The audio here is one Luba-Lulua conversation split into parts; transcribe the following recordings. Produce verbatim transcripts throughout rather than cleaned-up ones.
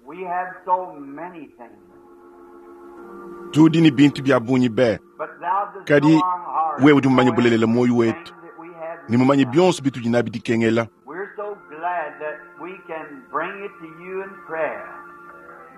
We have so many things. Tudi ne bintu bia bungi be, But thou dost kadi know our heart, wewe udi mumanye know bulelela muoyo everything wetu that we have ne mumanye need of. bionso bitudi nabi dikengela. We're so glad that we can bring it to you in prayer,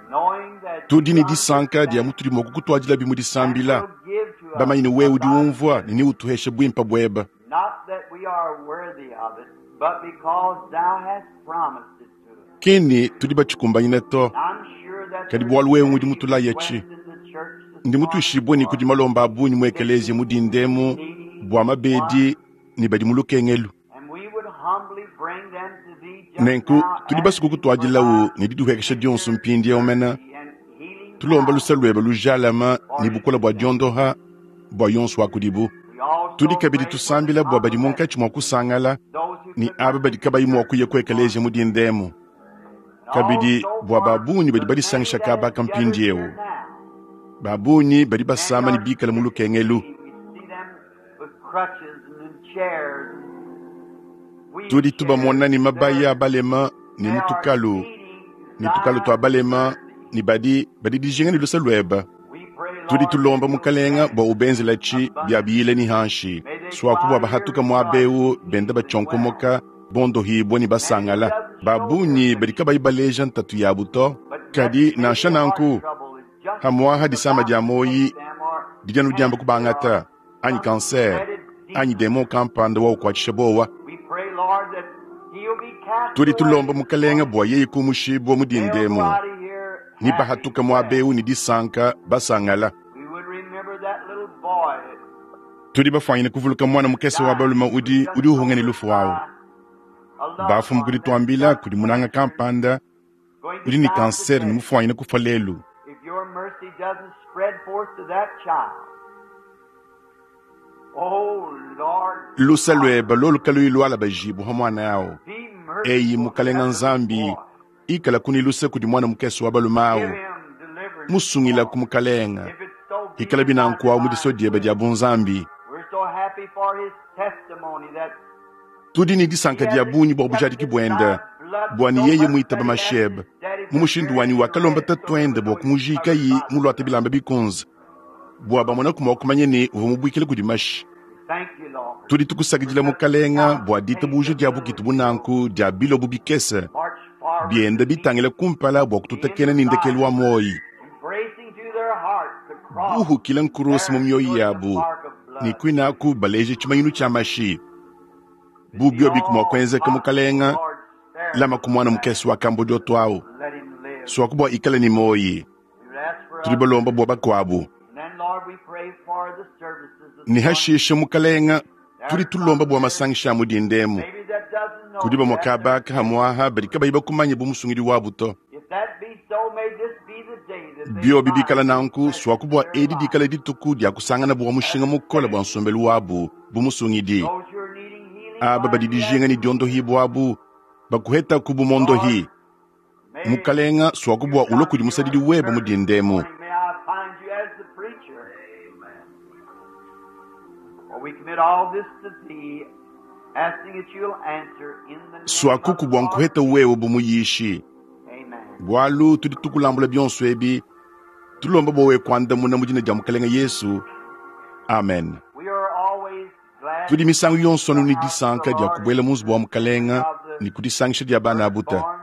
knowing that Tudi you ne disanka dia understand mutudi mua kukutuadila bimu and disambila, will give to us bamanye ne wewe udi umvua abundantly. ne neutuheshe buimpe buebe. Not that we are worthy of it, but because thou hast promised it to us. Kini tudi batshikumbanyine to, I'm sure that kadi there's bualu wewe ngudi many mutulaya tshi. requests in the church this Ndi morning mutuishibue ne for kudi malomba a bungi mu sick ekeleziya mu dindemu needy bua mabedi ones, ne badi mu lukengelu. and we would humbly bring them to thee just Nenku now, tudi basuku asking for kutuadilawu thy ne didihuekesha dionso mpindieu mena, mercy and healing tulomba power luse luebe lujalama for ne each bukola of bua them. diondoha bua yonso wa kudibu. We Tudi also kabidi pray for the tusambila bua badi munkatshi mua convalescent, kusangala those who ne could aba not badi get to kabayi mua church kuya this ku ekeleziya morning, mu dindemu. and Kabidi also bua for babungi badi the many badisangisha that kabaka have gathered mpindieu. here now. Babungi badi Many basama ne are bikala mu sick. lukengelu. We see them with crutches and in chairs and Tudi wheelchairs tubamona ne that mabaya are a balema ne they are mutukalu needing ne tukalu tua thy balema mercy. ne badi badi dijinga ne luse luebe. We pray, Tudi Lord, that tulomba you'll mukalenga grant bua ubenzela tshi bia abundantly. biyile ni hanshi May they go swaku out bua of here bahatuka muaba rejoicing, eu benda healed and well. batshonkomoka bondohibua ne Many who basangala. doesn't show their Babungi badi affliction, kabayi baleja ntatu yabu to. but yet Kadi maybe nansha a heart nanku trouble is just hamuaha disama about dia to moyi take them or didi anu diamba cancer or kubangata anyi some kanser dreaded anyi demon. demo kampanda wa ukuatshisha bowa. We pray, Lord, that he'll be cast Tudi away tulomba this mukalenga morning. bua yeye kumushibua mu They'll go dindemu out of here ni happy bahatuka and muaba well. eu ne disanka basangala. We would remember that little boy that Tudi bafuanyine kuvuluka mwana mukese wa died balume who was udi just udi uhunga ne told us lufu wawu. by a loved Bafumu one kudi that's tuambila got kudi munanga cancer, kampanda going to udi ne die kanseri ne today. mufuanyine kufa lelu. If your mercy doesn't spread forth to that child, oh Lord Lusa God, lueba lolu kaluyi luala bajibu ha mwana yawo. be Eyi merciful to mukalenga that little nzambi boy. ikala kuni luse kudi mwana mukese wa balume Give awu. him deliverance, Musungila Lord. ku mukalenga. If it so be Ikala in thy binanku awu mu divine diso diebe will. dia bunzambi. We're so happy for his testimony that Tudi ne he disanka has dia bungi bua bujadiki accepted thy buenda blood bua ne so yeye much muitaba that he asked mashebe. his daddy Mu to mushindu bury wanyi him in wakalomba red so they tatuende would bua know he was kumujika covered yi by the muluate blood. bilamba bikunze bua bamona kumua kumanya ne uvua mubuikile kudi mashi. Thank you, Lord, Tudi for tukusakidila such mukalenga bua talent ditabuja faith dia of little bukitu bunanku dia bilobu bikese march forward to bienda meet bitangila kumpala bua the end kututakena of ne ndekelu life, wa moyi. embracing to their hearts the cross Buhukila nkurusi mu there mioyo stood the yabu mark of ne blood. kwinaku baleje tshimanyinu tshia mashi. If it be Bubio bikumua all kuenzeka possible, mukalenga Lord, spare lama this ku mwana lad. mukese wa kambo dioto awu. Let him live. Swaku bua ikale ni moyi. We would ask for Tudi others. balomba bua bakuabu. And then, Lord, we pray for the services this Ne morning. hashishe mukalenga There tudi are tulomba some bua here, masangisha a mu dindemu. maybe that doesn't know Kudi you. bamue That's their kabaka hamwaha badi kabayi bakumanye bu musungidi wabu to. If that be so, may this be the day that they Biobi find bikala the nanku treasure swaku of bua their edi life dikala dituku dia kusangana bua as mushinga a mukole bua Savior. nsombelu wabu bu musungidi. Those who are needing healing, Aba Lord, badi we ask dijinga ne you to diondohi heal. buabu bakuhetaku bu Lord, mondohi. may Mukalenga swaku you bua ulua come kudi to your musadidi weba mu servant this dindemu. morning. May I find you as the preacher. For we commit all this to thee, asking that you'll answer in the name of Swakuku the bua Lord nkuheta Jesus. wewe bu muyishi. Amen. Bualu tudi tukulambula bionso ebi tulomba bua wewe kuandamuna mu dina dia mukalenga Yesu. Amen. We are always glad Tudi to misangu be yonso in the anu ne house of the disanka dia Lord and kubuela mu nzubu wa the mukalenga of the ne kudisangisha dia bana abuta. firstborn.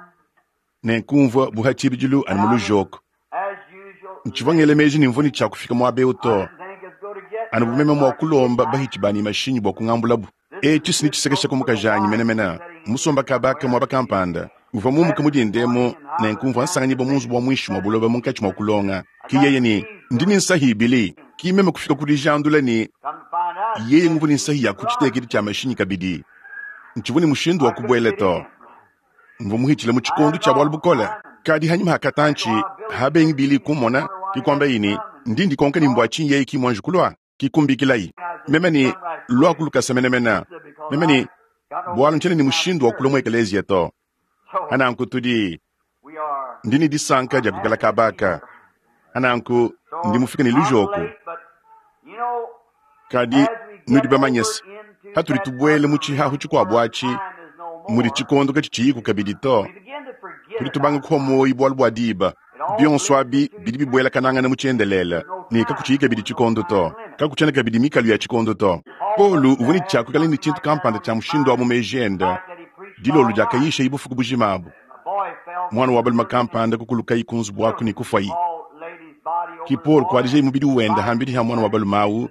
Nenkumvua buha tshibidilu And anu mu I was, lujoko. as usual, Ntshivua late. ngela meji ne mvua ne tshia kufika muaba eu I to. didn't think I was going to get Anu there bumeme until mua I could get kulomba back. bahitshi bani mashinyi bua kungambulabu. This E is tshisi ne just tshisekesha so ku for the mukajanyi wife menemene. sitting here Musomba kabaka somewhere. muaba She kampanda. Uvua mumuka left mu this dindemu morning and I was nenkumvua down at nsanganyibwa the mu nzubu wa basement muinshi mua studying buloba munkatshi mua kulonga. I Ki got yeye ne keys ndi to ne it. nsahi ibili. Ki meme kufika ku dijandula ne Come to find out, she yeye had nguvua ne keys nsahi to ya the ku tshitekedi garage. tshia mashinyi kabidi. Ntshivua ne mushindu I wa couldn't kubuela get to. in. Mvua muhitshile mu I tshikondo had tshia bualu lost bukole. time and Kadi hanyuma that's hakatanchi why Billy habengi couldn't bili see. kumona Wonder why he kikwamba hadn't ini come and ndi ndikonka ni saw mbua tshinyi yeye kimwanji kulua kikumbikilayi. I said, Meme you ni come right lua quick. kulukasa menemene. I said, because Meme I ni got no bualu ntshene way ni to get down to mushindu wa church. kulua mu ekeleziya to. So Ananku tudi we are, ndi ne disanka I'm dia kukala happy to be kabaka. here. Ananku So ndi mufika ne I'm lujoko. late, but you know, Kadi as we nudi get bamanye over se into hatuli that tubuele mu upper tshihahu room tshikuabu where atshi time is no Mudi tshikondo katshitshiyiku kabidi to. Tudi tubanga kuhwa muoyo bualu bua diba. Bionso abi bidi bibuelakanangana mu tshiendelele ne kakutshiyi kabidi tshikondo to. Kakutshiena kabidi mikalu ya tshikondo to. Paulo uvua ne tshiakuikala ne tshintu kampanda tshia mushindu wa mu meji ende dilolo diakayisha bufuku bujima abu. Mwana wa balume kampanda kukulukayi ku nzubu waku ne kufayi. Ki Paul kuadijai mubidi wenda hambidi ha mwana wa balume awu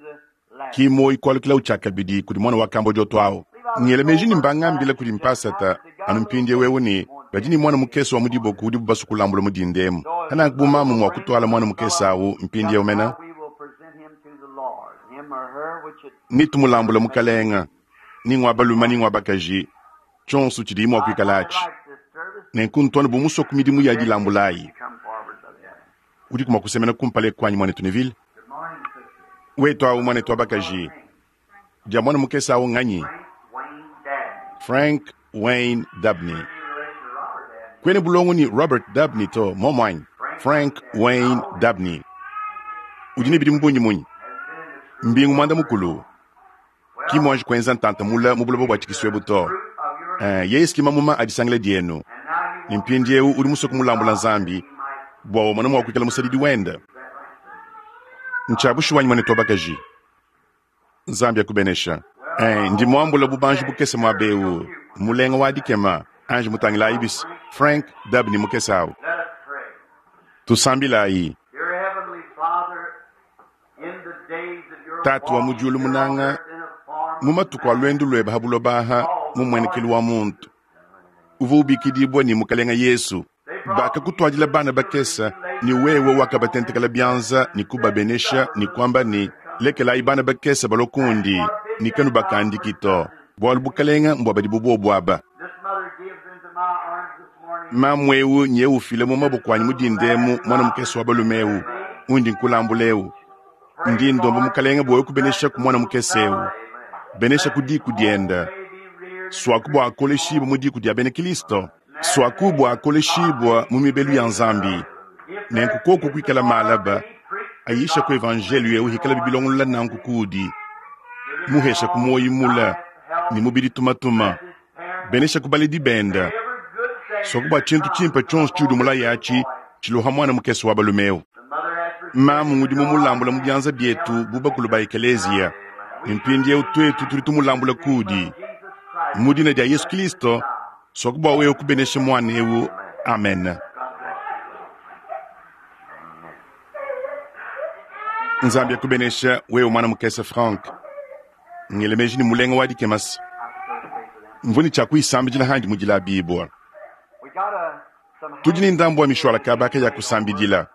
ki moyi kualukila tshiakabidi kudi mwana wa kambo dioto awu. Ngela meji ne mbangambila kudi mpasata anu mpindiewu ewu ne badi ne mwana mukese wa mu diboko udibu basue kulambula mu dindemu. Hananku bu mamu mua kutwala mwana mukese awu mpindiewu mena ne tumulambula mukalenga ni ngwa balume ni ngwa bakaji tshionso tshidi mua kuikala atshi. Nenku ntwana bu musue ku midimu ya dilambulayi. Udi kuma kusemena kumpala kwanyi mwanetu Neville. Wetu awu mwanetu wa bakaji. Dia mwana mukese awu nganyi? Frank Wayne Dabney. Kwene bulongo ni Robert Dabney to momwanyi. Frank Wayne Dabney. Udi ne bidi mbunyi munyi. Mbingu mwanda mukulu. Ki mwanji kwenza ntanta mula mu buloba bua tshikiswebu to. Eh, Yesu ki mamuma adisangila dienu. Ni mpindiewu udi musue kumulambula Nzambi bua umone mua kuikala musadidi wenda. Ntshiabushuwa wanyi mwanetu wa bakaji. Nzambi akubenesha. Eh, ndi muambula bubanji bukese muabewu. Mulenga wa dikema Ange mutangila ibis Frank Dabney mukese awu. Tusambilayi. Tatu wa mu diulu munanga mu matuku a lwendu lwebe ha buloba aha mu mwenekelu wa muntu. Uva ubikidibwa ni mukalenga Yesu. Bakakutwadila bana bakesa ni wewe wakabatentekela byanza ni kubabenesha ni kwamba ni lekelayi bana bakesa balokundi ni kanu bakandiki to. Bualu bukalenga mbwa badi bubobu aba. Mamwewu nye ufile mu maboko anyi mudindemu mwana mukese wa balumewu undi nkulambulewu. Ndi ndomba mukalenga bwa kubenesha ku mwana mukesewu. Benesha ku diku dienda. Swaku bwa akoleshibwa mu diku dia bena Kristo. Swaku bwa akoleshibwa mu mibelu ya Nzambi. Nenku koko kuikala malaba ayisha ku evangelio eu hikala bibilongolola nanku kudi. Muhesha ku moyi mula ni mubidi tumatuma. Benesha ku baledi benda. Swaku bwa tshintu tshimpe tshionso tshiudi mulayi atshi tshiloha mwana mukese wa balumeu. Mamu ngudi mumulambula mu byanza bietu bu bakulu ba ekeleziya. Mpindiewu twetu tudi tumulambula kudi. Mu dina dia Yesu Kristo, swaku bwa wewe kubenesha mwana ewu. Amen. Nzambi akubenesha wewe mwana mukese Frank. Ngelemeji ni mulenga wa dikemasi. Mvuni tshia kuyisambidila handi mudila bibwa. Tudi ni ndambu wa mishwala kabaka ya kusambidila.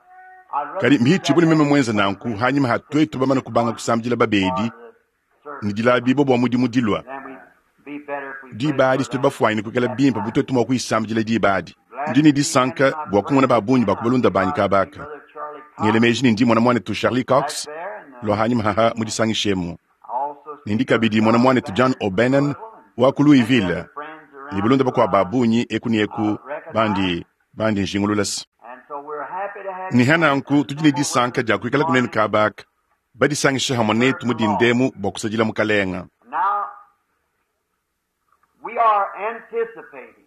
Kadi mhichi buli meme mwenza nanku hanyuma hatwetu bamana kubanga kusambidila babedi ni dila bibwa bwa mudimu dilwa. Diba adi situdi bafuanyine kuikala bimpe butwetu mua kuyisambidila diba adi. Ndi ni disanka bua kumona babunyi bakubalunda banyi kabaka. Ngelemeji ni ndi mwana mwanetu Charlie Cox lwa hanyuma haha mudisangishemu. Nindi kabidi mwana mwanetu John O'Bannon wa ku Louisville. Ni bulunda bakwa babunyi eku ni eku bandi bandi njingululasi. Ni hananku tudi ne disanka dia kuikala kunene kabaka. Badisangisha hamwe netu mudindemu bua kusadila mukalenga. Now, we are anticipating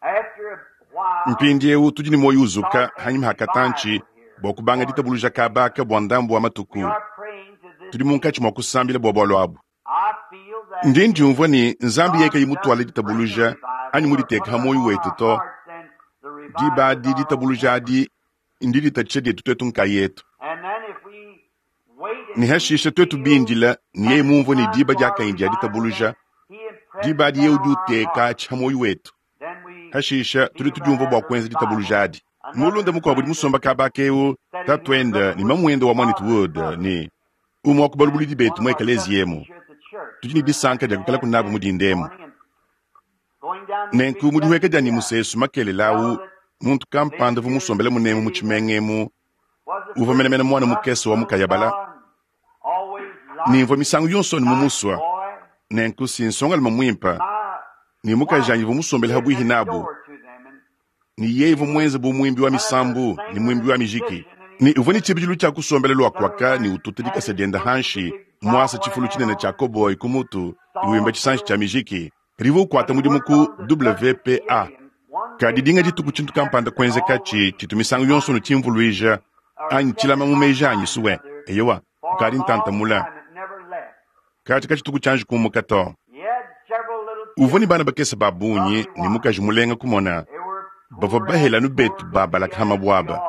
after a while Mpindiewu tudi ne moyo uzuka hanyuma hakatanchi bua kubanga ditabuluja kabaka bua ndambu wa matuku. we are praying to this. Tudi munkatshi mua kusambila bua bualu abu. I feel that Ndi ndiumvua ni Nzambi yeke imutwala ditabuluja anyi muditeka ha moyo wetu to. Diba adi ditabuluja adi ndi ditatshisha dietu twetu nkayetu. And then if we wait and Ni hashisha twetu bindila ni yeye mumvua ni diba diakanyi dia ditabuluja. Diba adi yeye udi uteka atshi ha moyo wetu. then we Hashisha tudi tudiumvua bua kuenza ditabuluja adi. Mulunda mukuabu udi musomba kabaka ewu tatuenda ni mamuenda wa mwanetu Wood ni umwe wa kubalubulidi betu mu ekeleziya emu. Tudi ne disanka dia kuikala kunabu mudindemu. Nenku mudiweka dia ni musesu makelela awu muntu kampanda vu musombele munemu mu tshimengemu uva menemene mwana mukese wa mukayabala. Nimvua misangu yonso ni mumuswa. Nenku si nsongaluma muimpa ni mukajanyi vu musombele habwihi nabu. Ni yeye vu mwenze bu mwimbi wa misambu ni mwimbi wa mijiki. Ni uva ni tshibidilu tshia kusombela lwa kwaka ni ututa dikasa dienda hanshi mwasa tshifulu tshinene tshia koboyi ku mutu iwimba tshisanji tshia mijiki. Kadi uvua ukuata mudimu ku W P A. Kadi dinga dituku tshintu kampanda kuenzekatshi tshitu misangu yonso nutshimvuluija anyi tshilama mu meji anyi suwe. Eyowa, kukadi ntantamula. Katshi katshituku tshianji kumuka to. Uvua ne bana bakese ba bungi ne mukaji mulenga kumona. Bavua bahela anu betu ba balakahama buaba.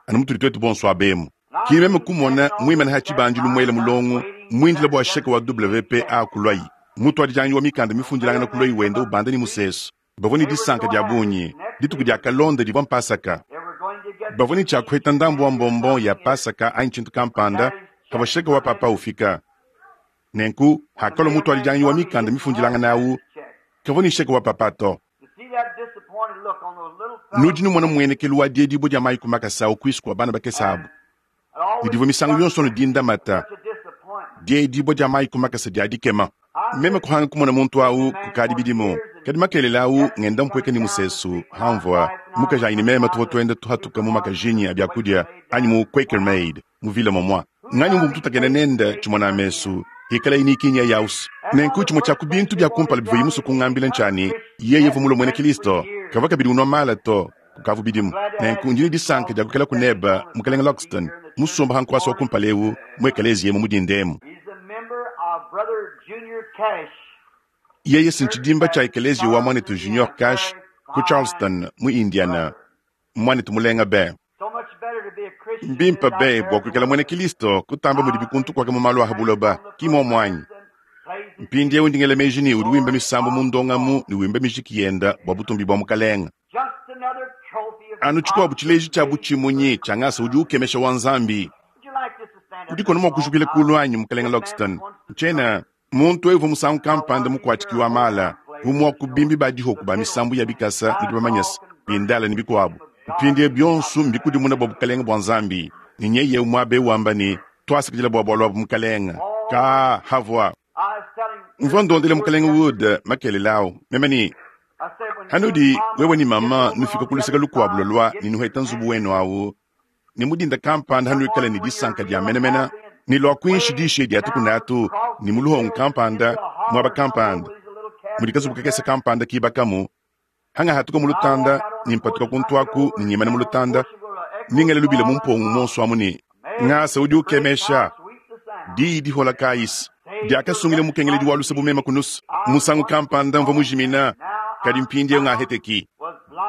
Anu mutudi tuetu bonso abemu. Ki meme kumona muimana ha tshibandilu muela mulongo muindila bua sheke wa W P A kulwayi. Mutuadijanyi wa mikanda mifundilangana kulwayi wenda ubanda ni musesu. Bavua ne disanka dia bungi. Dituku dia kalonda divua mpasaka. Bavua ne tshiakuheta ndambu wa mbombo ya pasaka anyi tshintu kampanda kavua sheke wa papa ufika. Nenku hakalua mutuadijanyi wa mikanda mifundilangana awu kavua ne sheke wa papa to. Nudi numona muenekelu wa diedibua dia mayi ku makasa awu kuisu kua bana bakese abu. Ne divua misangu yonso ne dindamata. Diedibua dia mayi ku makasa dia dikema. Meme kuhanga kumona muntu awu kukadi bidimu. Kadi makelela awu ngenda mpueka ni musesu hamvua mukaji anyi ne meme tuvua tuenda tuhatuka mu makajinyi a biakudia anyi mu Quaker Maid mu vile momwa. Nganyi mbu mututakena nenda tshimona mesu ikala inikinya yaus. Nenku tshimue tshia ku bintu bia kumpala bivua yimusu kungambila ntshani yeye uvua mulue muena Kristo kavua kabidi unua mala to kukavu bidimu. Nenku ndi ne disanka dia kukela kuneba mukalenga Loxton musomba hankuasa wa kumpala ewu mu ekeleziya mu mudindemu. Yeye sintshidimba tshia ekeleziya wa mwanetu Junior Cash ku Charleston mu Indiana mwanetu mulenga be. Mbimpa be bua kuikala muena Kristo kutamba mudi bikuntu kwaka mu malu a habuloba ki momwanyi. Mpindiewu ndingela meji ni udi wimba misambu mu ndongamu ne wimba mijiki yenda bua butumbi bua mukalenga. Anu tshikuabu tshileji tshia butshimunyi tshia ngasa udi ukemesha wa Nzambi. Udi kono mua kujukila kulu anyi mukalenga Loxton. Ntshiena muntu evu musangu kampanda mukuatshiki wa mala umua kubimbi ba dihoku ba misambu ya bikasa ne bamanyasa bindala ne bikuabu. Mpindie bionso mbikudimuna bua bukalenga bua Nzambi. Ni nyeye umwabe wamba ni twasakidila bua bualu abu mukalenga. Ka havwa. Mvua ndondele mukalenga Wood makelela awu. Meme ni hanudi wewe ni mama nufika kuluseka lukuabu lolwa ni nuheta nzubu wenu awu. Ni mudinda kampanda hanuikala ni disanka dia menemena. Ni lwa kuinshi dishe dia tukunatu ni muluhongo kampanda mwaba kampanda. Mudikazubu kakese kampanda kibakamu. Hanga hatuka mulutanda ni mpatuka kuntwaku ni nyimana mulutanda. Ningele lubile mumpongo monso amu ni ngasa udi ukemesha. Di di hola kais. Diakasungile mukengele di walusa bumema kunusu. Musangu kampanda mva mujimina. Kadi mpindie ngaheteki.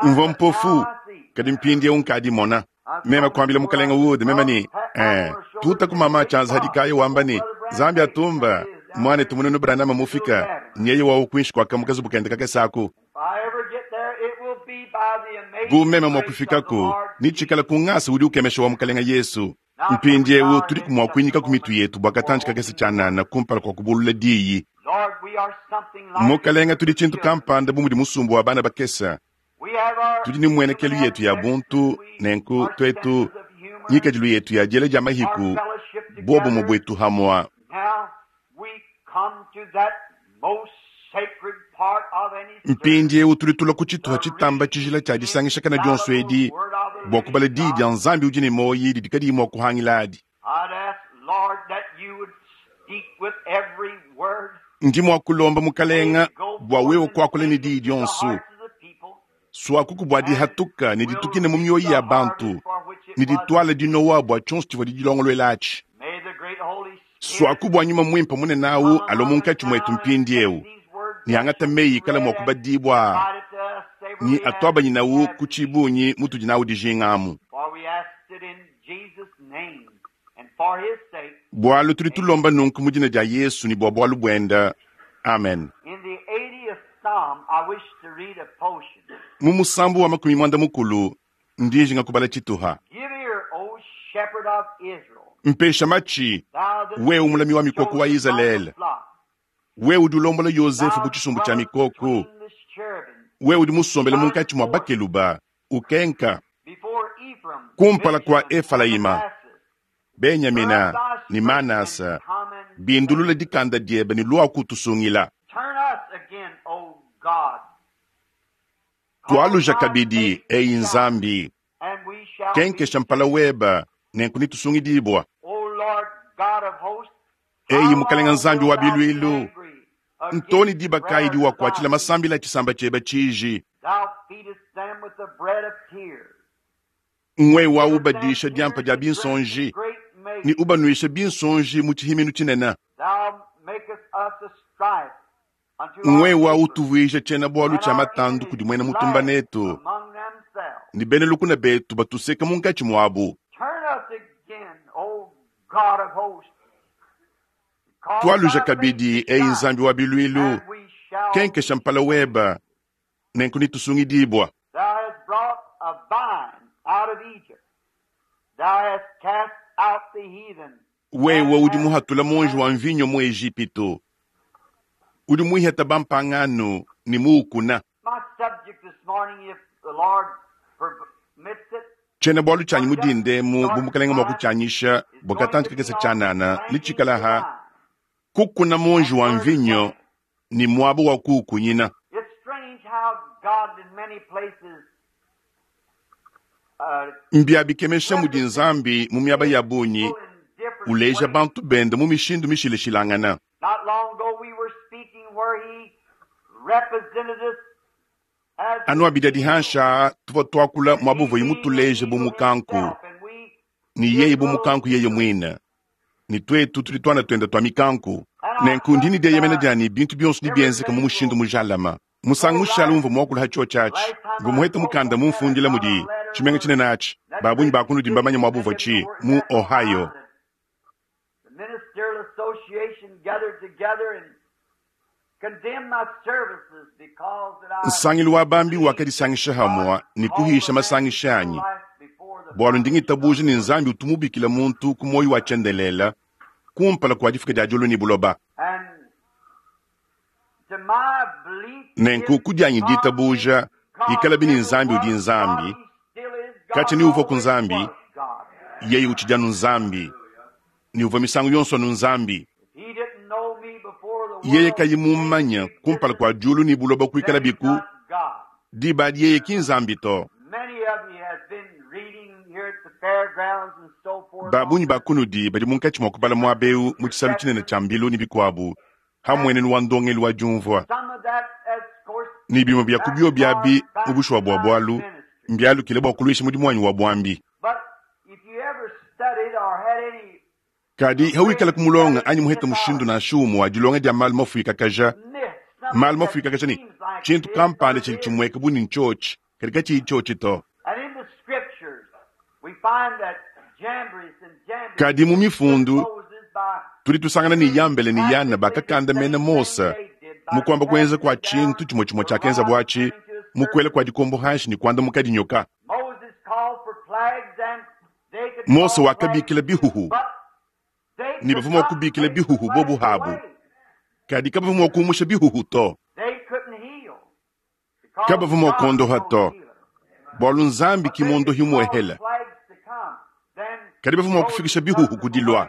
Mva mpofu. Kadi mpindie unkadi mona. Mema kuambila mukalenga Wood mema ni eh tuta kumama chanza hadikayo wamba ni Zambia tumba mwane tumununu Branham mufika nyeye wa ukuishi kwa kamukazi bukende kakesaku. Bu meme mwa kufikako ni chikala kungasa udi ukemesha wa mukalenga Yesu. Mpindiewu tuli kumwa kuinyika ku mitu yetu bwa katanji kakese tshanana kumpala kwa kubulula diyi. Mukalenga tudi tshintu kampanda bu mudi musumbu wa bana bakesa. Tudi ni mwenekelu yetu ya buntu nenku twetu nyikadilu yetu ya diela dia mahiku bobo mu bwetu hamwa. Mpindiewu tudi tulua ku tshituha tshitamba tshijila tshia disangisha kana dionso edi bua kubala diyi dia Nzambi udi ne moyi didi kadiyi mua kuhangila adi. Ndi mua kulomba mukalenga bua wewe kuakula ne diyi dionso. Swakuku bua dihatuka ne ditukine mu mioyo ya bantu ne ditwala dinowa bua tshionso tshivua didilongoluela atshi. Swaku bua nyuma muimpe munene awu alo munkatshi mwetu mpindiewu. Ni angata meyi kala mua kubadibwa ni atwabanyi nawu ku tshibunyi mutudi nawu dijingamu. Bualu tudi tulomba nunku mu dina dia Yesu ni bua bualu buenda. Amen. Mu musambu wa makumi mwanda mukulu ndijinga kubala tshituha. Mpesha machi wewe mulami wa mikoko wa Israeli. Wewe udi ulombola Yosefu bu tshisumbu tshia mikoko. Wewe udi musombele munkatshi mua bakeluba ukenka kumpala kua Efraima, Benyamina ni Manasa bindulula dikanda diebe ni lua kutusungila. Tualuja kabidi eyi Nzambi kenkesha mpala weba nenku nitusungidibwa. Eyi mukalenga Nzambi wa biluilu Ntoni diba kayi diwakuatshila masambila a tshisamba tshiebe tshiji? Thou feedest them with the bread of tears. Ngwewa ubadisha diampa dia binsonji Great meat. ni ubanuisha binsonji mu tshihiminu tshinene. Thou makest us a strife unto our Ngwewa neighbors, utuvuija tshiena bualu and tshia our matandu kudi enemies muena mutumba laugh netu among themselves. ni bena lukuna betu batuseka munkatshi muabu. Turn us again, O God of hosts. Cause Twaluja thy face kabidi to eyi shine, nzambi wa biluilu and we shall kenkesha mpala weba nenku nitusungidibwa. Thou hast brought a vine out of Egypt. Thou hast cast out the heathen. Wewe and udi hast muhatula monji wa mvinyo mu Ejipito, udi muiheta bampangano ni muukuna. My subject this morning, if the Lord permits it, Tshiena bualu tshianyi mu dindemu bu mukalenga mua kutshianyisha is bua going to katantu be kakese on tshianana ni planting the tshikalaha vine. kukuna monji And wa where to mvinyo plant. ni muaba wa kuukunyina. It's strange how God in many places uh, Mbiabikemesha mudi represents nzambi mu miaba his ya bungi people in different uleja ways. bantu bende mu mishindu mishilashilangana. Not long ago we were speaking where he represented us as Anu the abidi eagle. dihansha tuvua tuakula And he muabuvuyi being an mutuleje bu eagle mukanku himself, and we ni his yeye bu little mukanku yeye eagles. mwina ni twetu tudi twana twenda twa mikanku And I nenku ndini trust dieyemena uh, diani bintu bionso nibienzeka mu everything mushindu will mujalama musangu go mushala right. umva muakula hacho chachi Last time mva I muheta spoke mukanda on that, I mumfundila got a mudi letter tshimenga where tshinene atshi that babunyi great bakunudi city, mbamanya many muabuva of tshi you were mu at Ohio. Ohio. The Ministerial Association gathered together and condemned my services because that I Nsangilu wa bambi believed that wakadisangisha God hamwa ni called kuhisha a man to masangisha eternal anyi life before the bwalu foundation of ndingitabuja the ni world. nzambi utumubikila muntu ku moyo wa tshiendelela kumpala kua difika dia diulu ni buloba. And to my belief, Nenku if kudianyi God is ditabuja God, ikala bini ever nzambi udi was God, nzambi He still is God, katshi ni uva ku always nzambi was God. yeye utshidi anu nzambi ni uva misangu yonso anu nzambi. If He didn't know me before the Yeye world kayi came mumanya into kumpala existence, kua diulu ni buloba kuikala then He's biku not God. diba yeye ki nzambi to. Many of you have been reading here at the fairgrounds and so forth on Babunyi this bakunudi badi munkatshi mua kubala muaba eu mu tshisalu tshinene perception, tshia mbilu ni bikuabu and hamwenenu wa ndongelu wa diumvua some of that, of course, ni bimwe bya kubio byabi backfired mu back bushuwa to bua my bualu ministry. mbyalukile bua kuluisha mudimu wanyi wa buambi. But if you ever studied or had any Kadi hawikala read kumulonga studied anyi muheta mushindu mythology, na shumu wa dilonga dia malu mafuikakaja myth, something malu that mafuikakaja ni seems like it tshintu is, but kampanda it tshidi isn't. tshimweka bu ni ntshotshi kadi katshiyi tshiotshi to. And in the scriptures, we find that Jambres and Jambres Kadi mu stood mifundu Moses by tudi tusangana ni doing Yambele ni Yana practically the bakakanda mena same thing Mosa they did by mukwamba kuenza casting kwa down tshintu tshimwe tshimwe the tshiakenza rod bwatshi turning to a mukwela serpent. kwa dikombo hanshi ni kwanda mukadinyoka. Moses called for plagues and they could Mose call plagues wakabikila too, bihuhu but they ni could bavua mua not kubikila take the bihuhu bobu plagues habu away. kadi kabavua mua kuumusha bihuhu to They couldn't heal because kabavua mua God is kuondoha no to healer. bualu nzambi But they ki could muondohi cause muehela plagues to come. Then kadi bavua mua Moses kufikisha took bihuhu them kudilua away.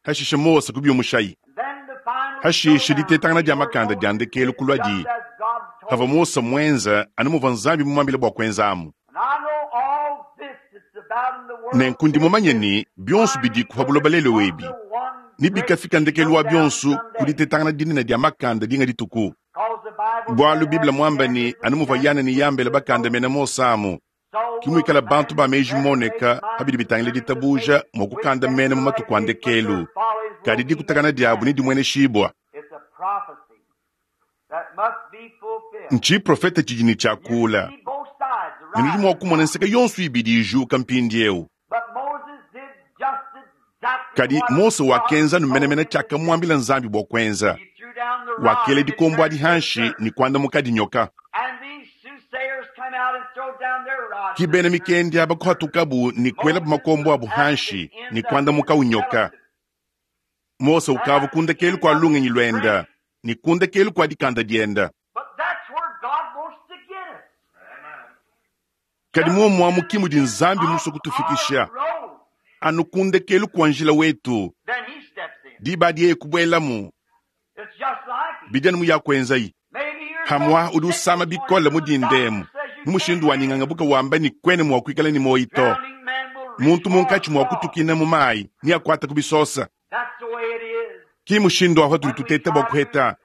hashishe Mose kubiumushayi And then the final hashishe showdown ditetangana came dia where makanda dia Moses ndekelu did kulua just di as God hava told him. Mose mwenza anu muvua nzambi mumwambile bua kuenzamu. And I know all this that's about in the world Nenku ndi today mumanye is ni bionso finally bidi pa buloba moving lelo on ebi to one ni great bikafika ndekelu wa showdown bionso someday. kuditetangana dinene dia makanda dinga dituku. Because the Bible Bualu said, Biblia as mwamba ni Jambres anu and muvua Yana Jambres ni Yambele withstood bakanda Moses, mena Mose amu so will kimwikala the bantu man ba meji reprobate moneka minds habidi bitangile concerning the ditabuja faith mua which kukanda they mena mu will matuku a last, but their ndekelu follies will kadi be dikutakana made diabu ni manifest. dimweneshibwa. It's a prophecy that must be fulfilled. Nchi profeta tshidi ni You tshiakula see both sides ne nudi arise mua kumona now. nseka yonso ibidi ijuka mpindiewu. But Moses did just exactly Kadi what Mose God wakenza told numenemene him to do. tshiakamwambila nzambi bua kuenza He threw down the rod wakela and it dikombo turned adi to a hanshi serpent. ni kwanda mukadinyoka. And these soothsayers come out and throw down their rods Ki and bena it turned mikendi to a aba serpent. kuhatukabu ni kuelabu Moses makombo was abu at the hanshi ni end of kwanda his mukawunyoka. fellowship Mose and ukava at the kundekelu end kua of his lungenyi lwenda strength. ni kundekelu kua dikanda dienda. But that's where God wants to get us. Kadi Just muomuamu to ki the mudi end nzambi of musue our kutufikisha road. anu kundekelu kua njila wetu Then he steps in. diba dieye kubuelamu It's just like him. bidi anu muyakuenzayi. Maybe you're so Hamwa udi sick usama this morning bikole till mu the doctor dindemu says you mu can't mushindu wa live. nyinganga buka wamba ni kwene mua kuikala ni moyi to. Drowning man will reach Muntu for munkatshi mua God. kutukina mu mayi ni akwata kubisosa. That's the way it is. Ki mushindu aho When tudi we tuteta bua try to kuheta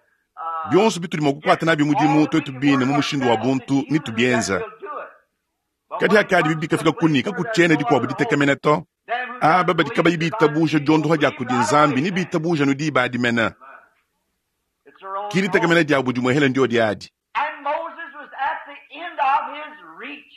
Bionso bitudi mua kukuata nabi mudimu tuetu bine mu mushindu wa buntu ne tubienza. Kadi hakadi bikafika kuni kakutshiena dikuabu ditekemena to. Aba badi kabayi bitabuja diondoha dia kudi Nzambi ne bitabuja no diba adi mena. It's their own Ki ditekemena diabu dimuehela ndio diadi. And Moses was at the end of his reach.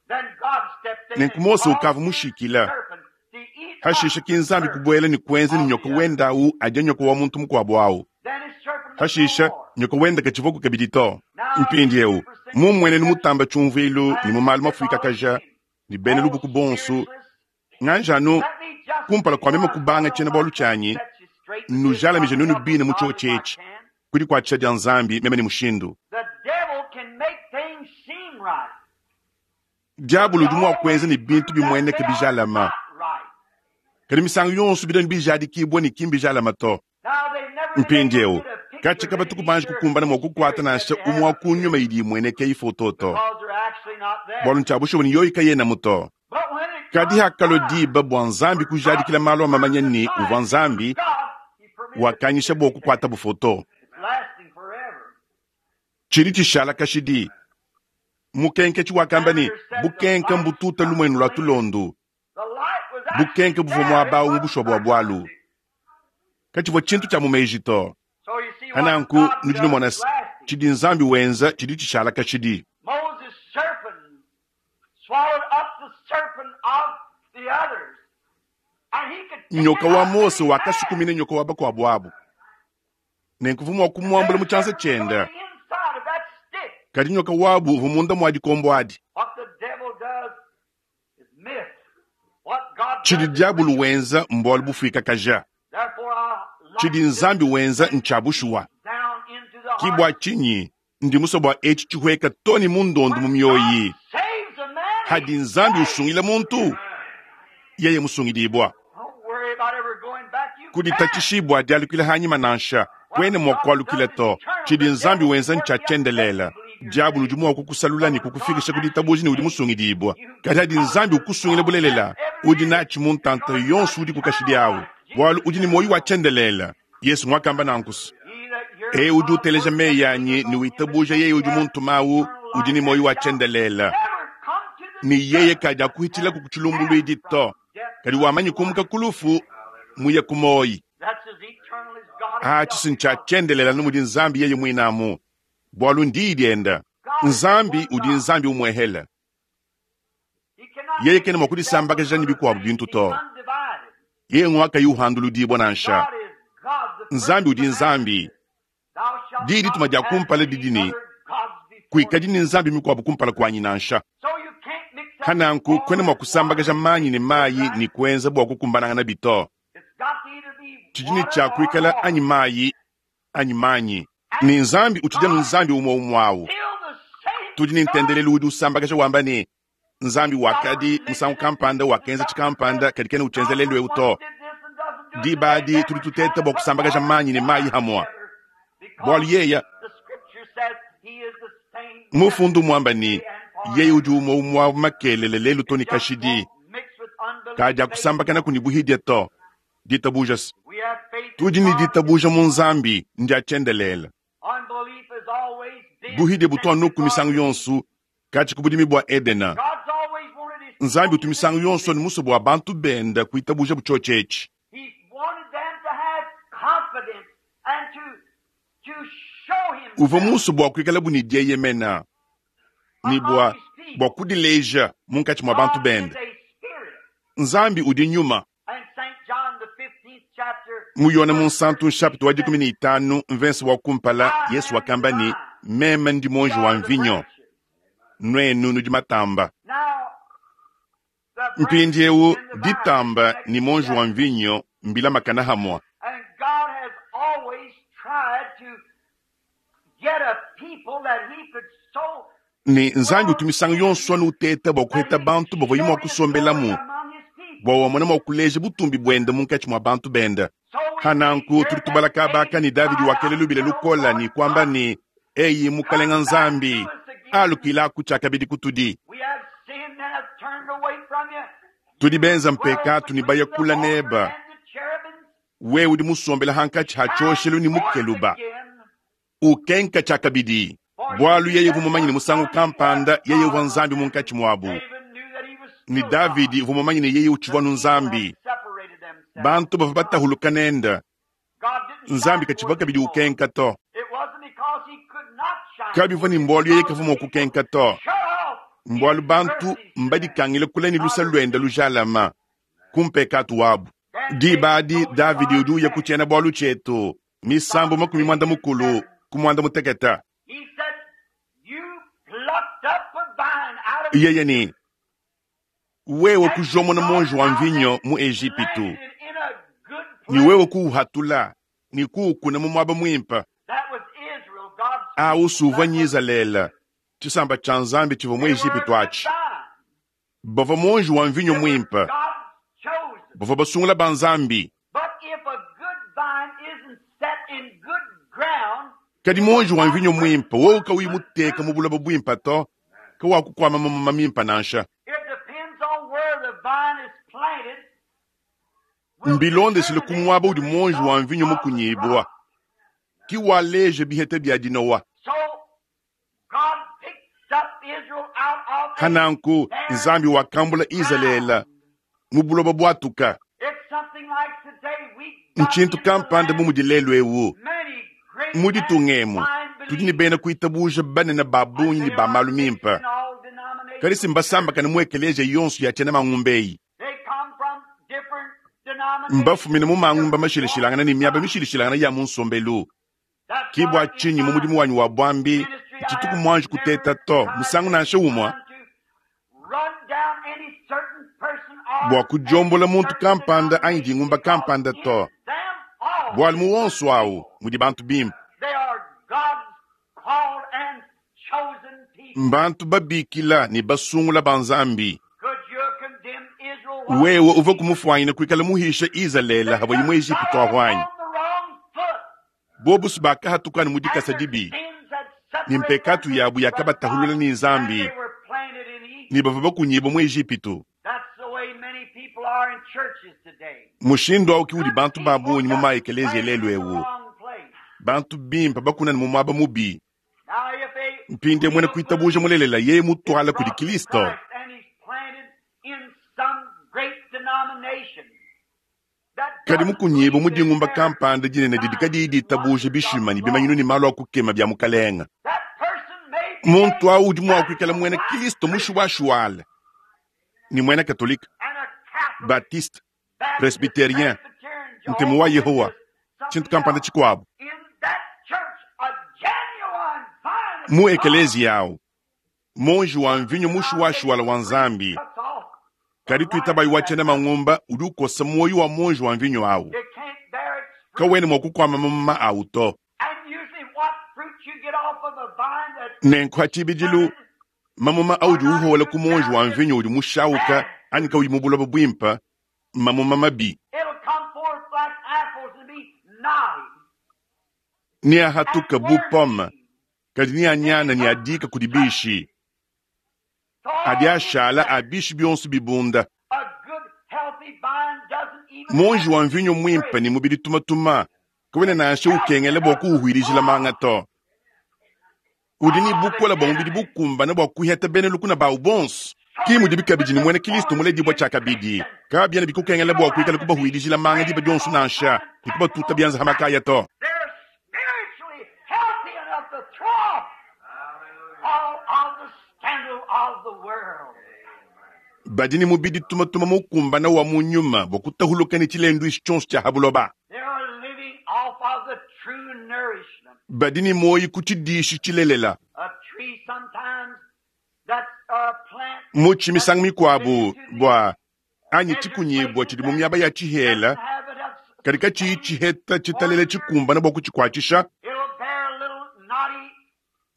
Then God stepped in Nenku and Mose caused ukavua his mushikila. serpent to eat Hashisha up ki Nzambi the kubuela ne kuenza ne nyoka wenda awu adia nyoka wa muntu mukuabu awu. Then his serpent was Hashisha no more. nyoka wenda katshivuaku kabidi to. Mpindiewu mumuenenu mutamba tshiumvuilu ne mu malu mafuikakaja ne bena lubuku bonso nganjanu kumpala kua meme kubanga tshiena bualu tshianyi nujalamije nunu bine mu tshiwo tshietshi kudi kuatshisha dia Nzambi meme ne mushindu. The devil can make things seem right. Diabolo udi mua kuenza ne bintu bimueneka bijalama. Not right. Kadi misangu yonso bidani bijadikibwa ne ki mbijalama to. Now they've never been able to Mpindiewu get a picture katshi of kabatu any kubanji kukumbana mua kukuata nansha umwe wa kunyuma idi imueneka ifoto to. because they're actually not there. Bualu ntshia ni yoyi kayenamu to. But when it Kadi comes hakalo time diba bua Nzambi kujadikila malu a mamanya ni uvua Nzambi God, he permitted wakanyisha bua kukuata bufoto. it's lasting forever. Tshidi tshishala kashidi. Mukenke tshiwakamba ni bukenke mbututa lumuenu lua tulondu. The light was actually Bukenke buvua there. muaba It awu wasn't bushwa bua bualu. Katshivua tshintu tshia mumeji to. So you see what Hananku God nudi does numona is se lasting. tshidi Nzambi wenza tshidi tshishala kashidi. Moses' serpent swallowed up the serpent of the others. And he could pick Nyoka it wa up in Mose his hand. wakasukumina nyoka wa bakuabu abu. Nenku mua kumuambula mu tshianza Their serpent was on tshienda. the inside of that stick. Kadi nyoka wabu uvua munda mua dikombo adi. What the devil does is myth. What God Tshidi does is diabulu real. wenza mbualu bufuikakaja. Therefore I like Tshidi this Nzambi wenza thing ntsha bushuwa. down into the Ki heart. bua tshinyi ndi musue bua etshi tshihueka to ne mundondu mu When mioyi. God saves a man, Hadi he's Nzambi saved. usungila muntu, yeye musungidibwa. Don't worry about ever going back. You can't. Kuditatshishibwa dialukila hanyima nansha What kwene mua God kualukila does is to. eternal. Tshidi The Nzambi devil wenza can ntsha work you up tshiendelela. to believe you're Diabulu saved. udi mua kukusalula But ne when God kukufikisha ku actually ditabuja ne udi saves musungidibwa. you, Kadi hadi because Nzambi there's ukusungila all bulelela, that ever udi is, natshi mu ntanta because it's yonso got udi kukashidi eternal awu. life. Bualu Jesus udi ne said muoyo wa so. tshiendelela. Yesu mwakamba nankusu. He that heareth E udi my uteleja words meyi and anyi believeth ne on him that witabuja sent yeye me udi hath muntumawu eternal udi ne life muoyo and wa shall tshiendelela. never come to the Ni yeye judgment, kadi akuhitshila but ku kutshilumbuluidi passed to. from death Kadi wamanyi unto kumuka life. kulufu muye kumoyi. That's as eternal as God Ah, himself tshisi ntsha because tshiendelela numudi Nzambi yeye muinamu. Bualu ndiyi dienda. God is Nzambi one udi God. Nzambi umuehela. He cannot Yeye mix kena mua himself with kudisambakaja ne other bikuabu things. bintu He's to. undivided. Yeye ngwakayi uhanduludibwa nansha. God is God, the first Nzambi udi commandment. Nzambi. Thou shalt Diyi dituma not dia have kumpala any didi ne other gods before kuikadi me. ne nzambi mikuabu kumpala kuanyi nansha. So you can't mix up Hananku kwena water mua and water kusambakaja and manyi make ne it mayi right. ne kuenza bua kukumbanangana bito. It's got to either be Tshidi ne water tshia or kuikala water. anyi mayi anyi manyi. Ne And Nzambi utshidi anu God Nzambi umwe umwe awu. still the same Tudi ne God. ntendelelu udi usambakaja wamba ne Nzambi Got a wakadi religion musangu that kampanda mixes wakenza up and tshikampanda says kadi kena God uchenzelelu was eu once to. did this and doesn't do it Diba today. adi Then tudi we're trying tuteta to bua put kusambakaja water and manyi ne mayi water hamwa. together Bualu because yeya the scripture says he is the same mufundu mwamba ni yesterday and yeye udi forever. umwe umwa makelele lelu to It ni just kashidi. won't mix with unbelief Kadi faith. akusambakana kuni buhidya to. Ditabuja se. We have faith in Tudi ne God is ditabuja mu one. Nzambi ndiatshiendelela. Unbelief has always been Buhidya butu since the anuku misangu Garden of Eden. yonso katshi ku budimi bua Edena. God's always wanted his Nzambi people utu to misangu believe yonso it. ne muso bua bantu benda kuitabuja butshotshetshi. He's wanted them to have confidence and to to show Uvua himself muso bua kuikala bu ne dieyemena ne among bua his bua people. kudileja munkatshi mua bantu God is bende. a spirit. Nzambi udi nyuma. And Saint John the fifteenth chapter, Mu Yona verse munsantu nshapita wa thirteen dikumi says, ne itanu mvensi wa kumpala I Yesu am the wakamba ne vine, meme ndi ye monji wa are the mvinyo branches. nwenu nudi matamba. Now the branches Mpindiewu and the vine ditamba connect ni monji wa together. mvinyo mbilamakana hamwa. And God has always tried to get a people that he could so Ni Nzambi well utu misangu yonso anu uteta bua that kuheta he could bantu bavua show mua his glory kusombelamu among his people. bua wamona mua kuleja butumbi buende munkatshi mua bantu benda. So we see Hananku here tudi that tubala kabaka David ni Davidi cried wakele out, lubile said, "O lukola Lord ni kwamba God, ni eyi mukalenga come back to Nzambi us again. alukilaku tshiakabidi kutudi. We have sinned and have turned away from you. Tudi You benza dwell mpekatu ni between the bayakula altar neba and the cherubims. we udi musombela hankatshi ha Shine tshoshelu ni forth mukeluba again Ukenka tshiakabidi. Bualu yeye uvua mumanye ne musangu kampanda yeye uvua Nzambi munkatshi muabu. Ne Davidi uvua mumanye ne yeye utshivua anu Nzambi. Bantu bavua batahuluka nende. Nzambi katshivua kabidi ukenka to. Kabivua ne mbualu yeye kavua mua kukenka to. Mbualu bantu mbadikangile kule ne luse luende lujalama ku mpekatu wabu. Diba adi Davidi udi uya ku tshiena-bualu tshietu, Misambu makumi muanda mukulu ku muanda mutekete. Yeye ne, wewe kujomona monji wa mvinyo mu Ejipitu, ne wewe kuuhatula ne kuukuna mu muaba muimpe. Awu suvua Nyizalele, tshisamba tshia Nzambi tshivua mu Ejipitu atshi. Bavua monji wa mvinyo muimpe, bavua basungula ba Nzambi. Kadi monji wa mvinyo muimpe wowu kawuyi muteka mu buloba buimpe to, kawakukuama mamuma mimpe nansha. Mbilondeshile ku muaba udi monji wa mvinyo mukunyibua, ki waleja biheta bia dinowa. Hananku Nzambi wakambula Izalele mu buloba bwatuka. Ntshintu kampanda bu mudi lelu ewu. Mu ditunga emu tudi ne bena kuitabuja banene ba bungi ne ba malu mimpe. Kadi si mbasambakane mu ekeleziya yonso ya tshiena mangumba eyi. Mbafumine mu mangumba mashilashilangane ne miaba mishilashilangane ya mu nsombelu. Ki bua tshinyi mu mudimu wanyi wa bwambi ntshituku muanji kuteta to musangu nansha umue bua kudiombola muntu kampanda anyi dingumba kampanda to. Bualu mu wonso awu mudi bantu bimpe. Mbantu babikila ne basungula ba Nzambi. Wewe uvua kumufuanyina kuikala muhisha Izalele havua mu Ejipitu ahwanyi. Bobusu bakahatukana mu dikasa dibi, ne mpekatu yabu yakabatahulula ne Nzambi, ne bavua bakunyibua mu Ejipitu. Mushindu awu ki udi bantu ba bungi mu maekeleziya lelu ewu. Bantu bimpe bakunana mu muaba mubi. Mpinde mwena kuitabuja mulelela yeye mutwala kudi Kristo. Kadi mukunyibu mu dingumba kampanda dinene didi kadiyi ditabuja bishima ne bimanyinu ne malu a kukema bia mukalenga. Muntu awu udi mua kuikala mwena Kristo mushuwashuwala ni mwena Katolika, Baptiste, Presbyterien, Ntemu wa Yehowa, tshintu kampanda tshikuabu. Mu ekeleziya awu, monji wa mvinyo mushuwashuwala wa Nzambi. Kadi tuitabayi wa tshiena mangumba udi ukosa muoyo wa monji wa mvinyo awu. Kawena mua kukuama mamuma awu to. Nenku hatshibidilu mamuma audi uhola ku monji wa mvinyo udi mushauka anyi kawuyi mu buloba buimpe, mamuma mabi. Ne ahatuka bu pome, kadi ne anyana ne adika kudi bishi. Adi ashala a bishi bionso bibunda. Monji wa mvinyo muimpe ne mubidi tumatuma, kawena nansha ukengela bua kuuhwirijila manga to. Udi ne bukola bua mubidi bukumbana bua kuheta bena lukuna bawu bonso. Ki mudi bikabidi ne mwena Kristo muledibua tshiakabidi. Kabiena bikukengela bua kuikala kubahwirijila manga diba dionso nansha, ne kubatuta bianza hamakaya to. Badi ne mubidi tumatuma mukumbana wa mu nyuma bua kutahuluka ne tshilenduishi tshionso tshia habuloba. Badi ne muoyo ku tshidishi tshilelela. Mutshi misangu mikuabu bua anyi tshikunyibua tshidi mu miaba ya tshihela, kadi katshiyi tshiheta tshitalele tshikumbana bua kutshikuatshisha,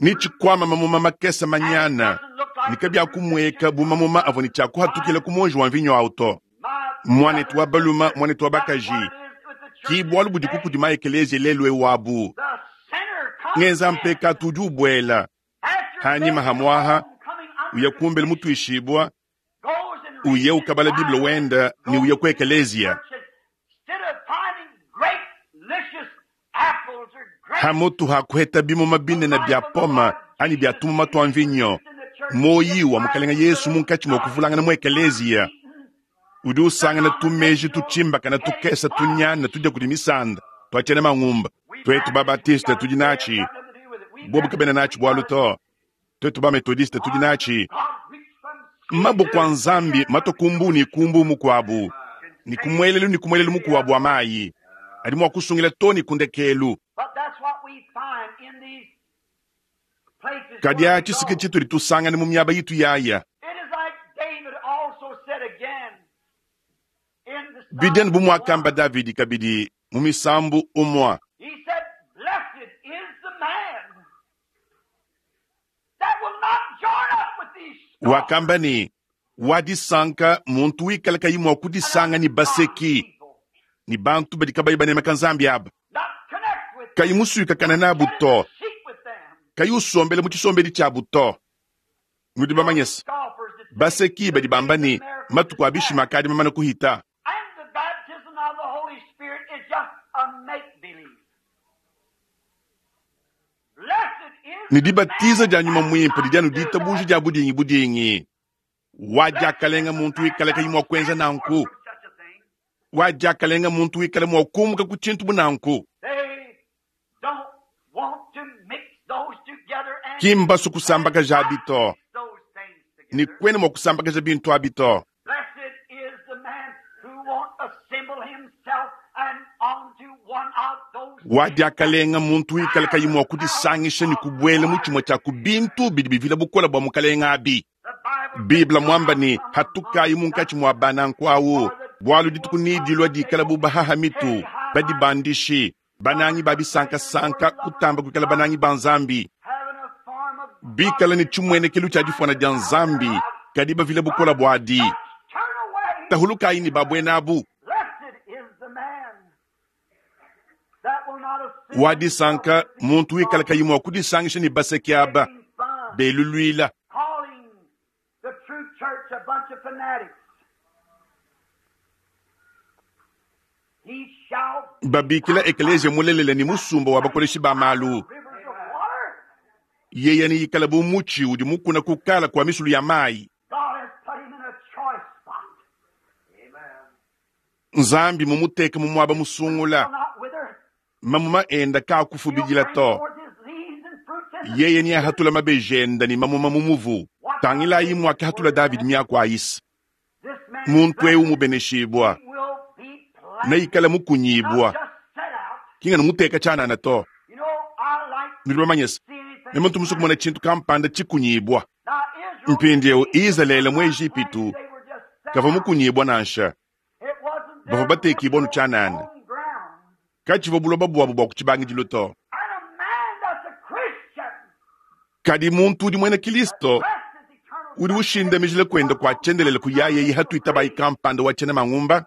ne tshikwama mamuma makese manyana, ne kabiakumueka bu mamuma avua ne tshiakuhatukila ku monji wa mvinyo awu to. Mwanetu wa baluma, mwanetu wa bakaji, ki bualu budi kukudi maekeleziya lelu ewu abu. Ngenza mpekatu udi ubuela. Hanyima hamwaha, uya kumbele mutuishibua, uye ukabala Bible wenda ne uya ku ekeleziya. Hamutu hakuheta bimuma binene bya poma anyi bya tumuma twa mvinyo, moyi wa mukalenga Yesu munkatshi mua kuvulangana mu ekeleziya udi usangana tumeji tutshimbakana tukesa tunyana tudia kudi misanda tuatshiena mangumba. Twetu babatiste tudi natshi, bobu kabena natshi bwalu to. Twetu bametodiste tudi natshi. Maboko a Nzambi matwa kumbu ni kumbu mukwabu ni kumwelelu ni kumwelelu mukuwabu wa mayi adi mua kusungila to ni kundekelu. Kadi atshi sike tshitudi tusangane mu miaba yitu yaya. Bidiani bu muakamba Davidi kabidi mu misambu umua. Wakamba ne wadisanka muntu wikala kayi mua kudisanga ni baseki ni bantu badi kabayi banemeka Nzambi aba kayi musuikakana nabu to, kayi usombela mu tshisombedi tshiabu to. Nudi bamanyese baseki badi bamba ne matuku a bishima akadi mamana kuhita. Ne dibatiza dia nyuma mwimpe didi anu ditabuja dia budingi budingi. Wadiakalenga muntu wikala kayi mua kuenza nanku. Wadiakalenga muntu wikala mua kumuka ku tshintu bu nanku. Ki mbasu kusambakaja abi to, ne kwena mua kusambakaja bintu abi to. Wadiakalenga muntu wikala kayi mua kudisangisha ne kubuela mu tshimue tshia ku bintu bidi bivila bukola bua mukalenga abi. Bibla mwamba ne hatukayi munkatshi mua bananku awu, bwalu dituku nidilwa dikala bu bahaha mitu, badibandishi, banangi ba bisankasanka kutamba kuikala banangi ba Nzambi. Bikala ne tshimwenekelu tshia difwana dia Nzambi, kadi bavila bukola bwadi. Tahulukayi ne babwena abu. Wadisanka muntu wikala kayi mua kudisangisha ne baseki aba beluluila. Babikila ekeleziya mulelele ne musumba wa bakoleshi ba malu. Yeye ne ikala bu mutshi udi mukuna kukala kwa misulu ya mayi. Nzambi mumuteke mu muaba musungula. Mamuma enda kakufubidila to. Yeye ni ahatula mabejenda ni mamuma mumuvu. Tangilayi mwakahatula David miaku ayisa. Muntu eu mubeneshibwa neikala mukunyibwa kinga numuteka tshanana to. Nudi bamanyese ne muntu musu kumona tshintu kampanda tshikunyibwa. Mpindieu Izalele mu Ejipitu kava mukunyibwa nansha bavua batekibwa nu tshanana katshivua buloba bwabu bua kutshibangidilo to. Kadi muntu udi muena Kristo udi ushindamijila kwenda kwa tshiendelele kuyaye hatuitabayi kampanda wa tshiena mangumba.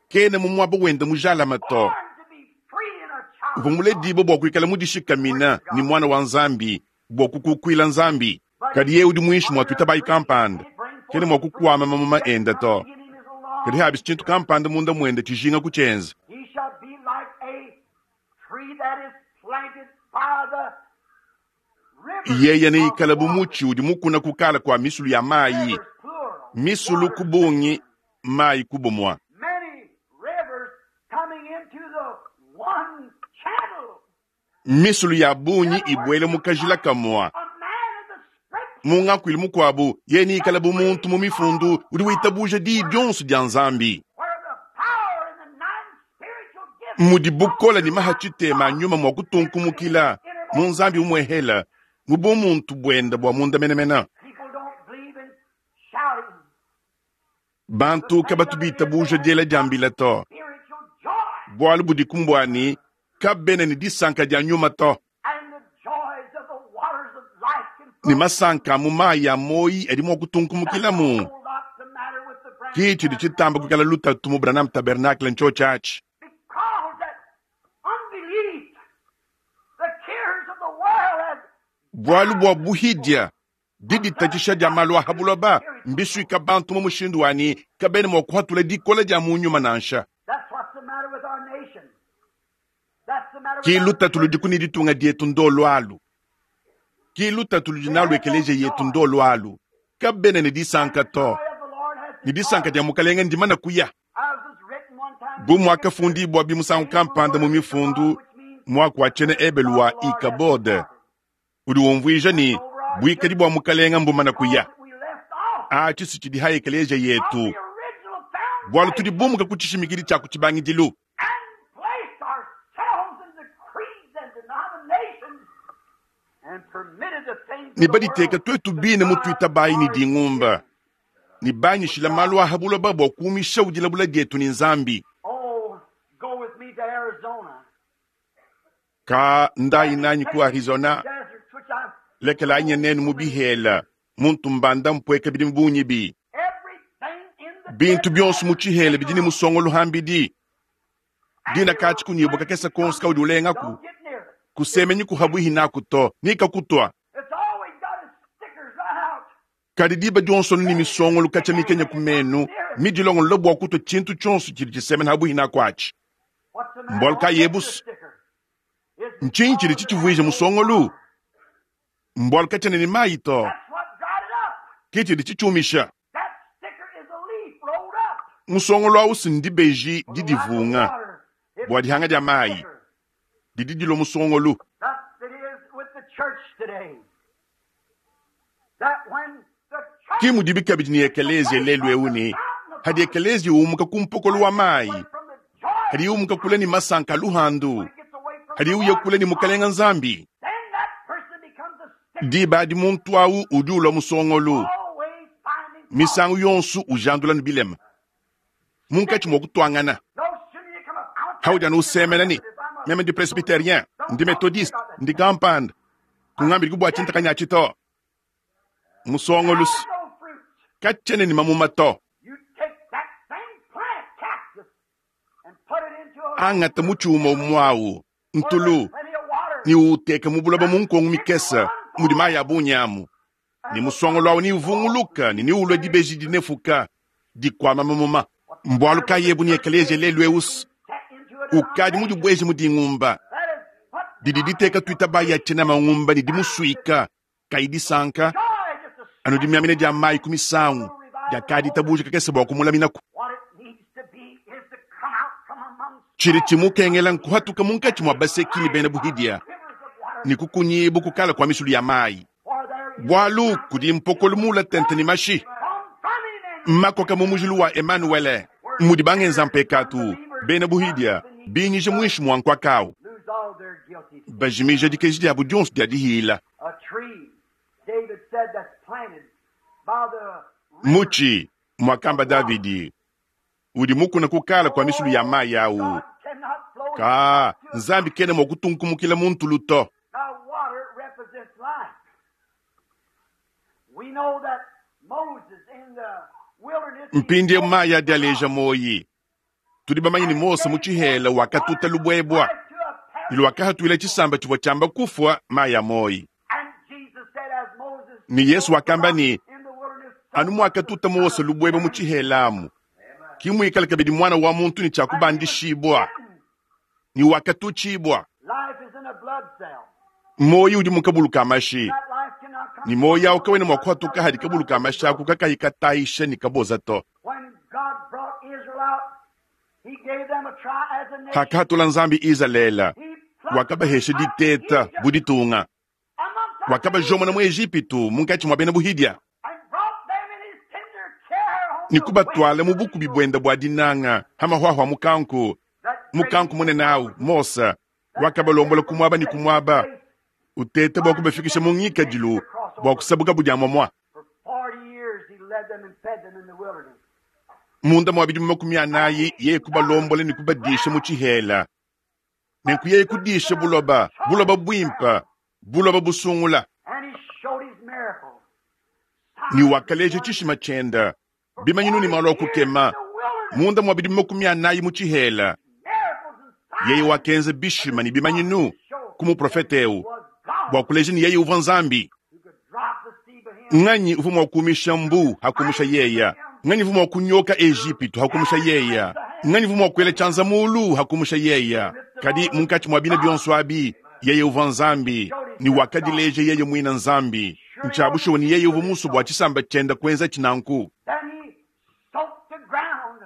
Kena mu muaba wenda mujalama to. Uvua muledibo bua kuikala mudishikamina ni mwana wa Nzambi bua kukukuila Nzambi. Kadi ye udi muinshi mua tuitabayi kampanda kena mua kukuama mamuma enda to. Kadi habisi tshintu kampanda munda muende tshijinga kutshienza. Yeye neikala bu mutshi udi mukuna kukala kwa misulu ya mayi. Misulu kubungi, mayi kubumwa. Misulu ya bungi ibwele mukajila kamwa. Mungakwili mukwabu ye neikala bu muntu mu mifundu udi witabuja di dionso dia Nzambi. Mudi bukola ni maha tshitema nyuma mwa kutunkumukila mu Nzambi umwehela mu bumuntu bwenda bwa munda menemena. Bantu kabatu bitabuja diela diambila to. Bwalu budi kumbwani kabena ni disanka dia nyuma to. Ni masanka mu mayi ya moyi adi mua kutunkumukila mu. Ki tshidi tshitamba kuikala lutatu mu Branham Tabernacle ncho tshiatshi. Bwalu bua buhidia diditatshisha dia malu a habuloba mbisuika bantu mu mushindu wani kabena mua kuhatula dikola dia mu nyuma nansha. Ki lutatu ludi ni ditunga dietu ndolo alu. Ki lutatu ludi nalu ekeleziya yetu ndolo alu. Kabena ne disanka to. Ne disanka dia mukalenge ndimana kuya. Bu mwakafundibwa bimusangu kampanda mu mifundu mwaku wa tshiena Ebelu wa Ikabode udi umvuija ni buikadi bua mukalenge mbumana kuya. Atshi si tshidi ha ekeleziya yetu. Bualu tudi bumuka ku tshishimikidi tshia ku tshibangidilu. Ne baditeka twetu bine mutuita bayi ni dingumba. Ne banyishila malu aha buloba bua kuumisha udilabula dietu ni Nzambi. Ka ndayi nanyi ku Arizona, lekela anye nenu mu bihela, muntu mbanda mpweka bidi mbunyi bi. Bintu bionso mu tshihela bidi ni musongolo hambidi. Dina kachi kunyibuka kesa konsi kaudi ulengaku. Kusemenyi kuhabuhi naku to, nika kutwa. Kadi diba dionso ni misongolo kacha mikenya kumenu, midilongo lobo kutwa chintu chonso chili chisemena habuhi naku achi. Mbolka yebus. Nchinyi chili chichivuija musongolo. Mbolka chene ni mayi to. Kichili chichumisha. Musongolo au sindi beji didivunga. Bwa dihanga dia mayi. Didi dilo musongolo. Ki mudibi kabidi ni ekelezia lelu euni. Hadi ekelezia umuka kumpokolo wa mayi. Hadi umuka kule ni masanka luhandu. Hadi uye kule ni mukalenga Nzambi. Diba di muntu au udi ulwa musongolo. Misangu yonsu ujandula ni bilema. Munkatshi mwa kutwangana. Haudi anu usemena ni meme ndi presbyterien, ndi methodiste, ndi kampanda. Kungambi kubwa chinta kanyachi to. Musongolo kachene ni mamuma to. Angata muchuma umwau ntulu ni uteka mubulaba munkongo mikesa mudi maya bunyamu. Ni musongolo au ni uvunguluka ni ni ulwe dibeji dinefuka dikwama mamuma. Mbwalu kayebu ni ekelezia lelu eus. Ukadi mudi bweji mudi ngumba. Didi diteka tuita baya tena mangumba ni dimusuika. Kaidi sanka. Anu dimiamine dia mai kumisangu. Dia kadi tabuja kakese bwa kumulaminaku. Chiri chimukengela nkuhatuka munkachi mwa baseki ni bena buhidia. Ni kukunyibu kukala kwa misulu ya mai. Bwalu kudi mpokolu mula tente ni mashi. Makoka mumujulu wa Emanuele. Mudi bangenza mpekatu. Bena buhidia. Binyije mwishi mwankwa kao. Bajimija dikeji dia budionso dia dihila. Muchi mwakamba Davidi udi mukuna kukala kwa misulu ya mayi au ka Nzambi kene mwakutunkumukila muntu luto. Mpindi mayi adialeja moyi. Tudi bamanyi ni Mose muchihela wakatuta lubwebwa. Ilu wakahatuila chisamba chivwa chamba kufwa mayi ya moyi. Ni Yesu wakamba ni anu mwakatuta Mose lubwebwa muchihelamu. Kimwikala kabidi mwana wa muntu ni chakubandishibwa. Ni wakatuchibwa. Moyi udi mukabuluka mashi. Ni moyi au kawene mwakuhatuka hadi kabuluka mashi aku kakahikataisha ni kaboza to. Hakatula Nzambi Izalela. Wakabahesha diteta buditunga. Wakabajomona mu Ejipitu munkachi mwa bena buhidia. Nikubatwala mu bukubi bwenda bwa dinanga hamahwahwa mukanku. Mukanku munene au Mose wakabalombola kumwaba ni kumwaba. Utete bwa kubafikisha mu ngikadilu bwa kusabuka budia mwamwa. Munda mwa bidimu makumi anayi ye kubalombola ni kubadisha mu tshihela. Nenku ye kudisha buloba, buloba bwimpa, buloba busungula. Ni wakaleja tshishima tshenda. Bimanyinu ni malo kukema. Munda mwa bidimu makumi anayi mu tshihela. Yeye wakenza bishima ni bimanyinu kumu profete eu. Bwa kuleja ni yeye uva Nzambi. Nganyi uva mwa kumisha mbu hakumusha yeya. Nganyi uva mwa kunyoka Ejipitu hakumusha yeya. Nganyi uvua mua kuela tshianza muulu hakumusha yeya? Kadi munkatshi mua bina bionso abi, yeye uvua Nzambi, ne wakadileja yeye muine Nzambi. Ntshia bushuwa ne yeye uvua musue bua tshisamba tshiende kuenza tshinanku. Then he soaked the ground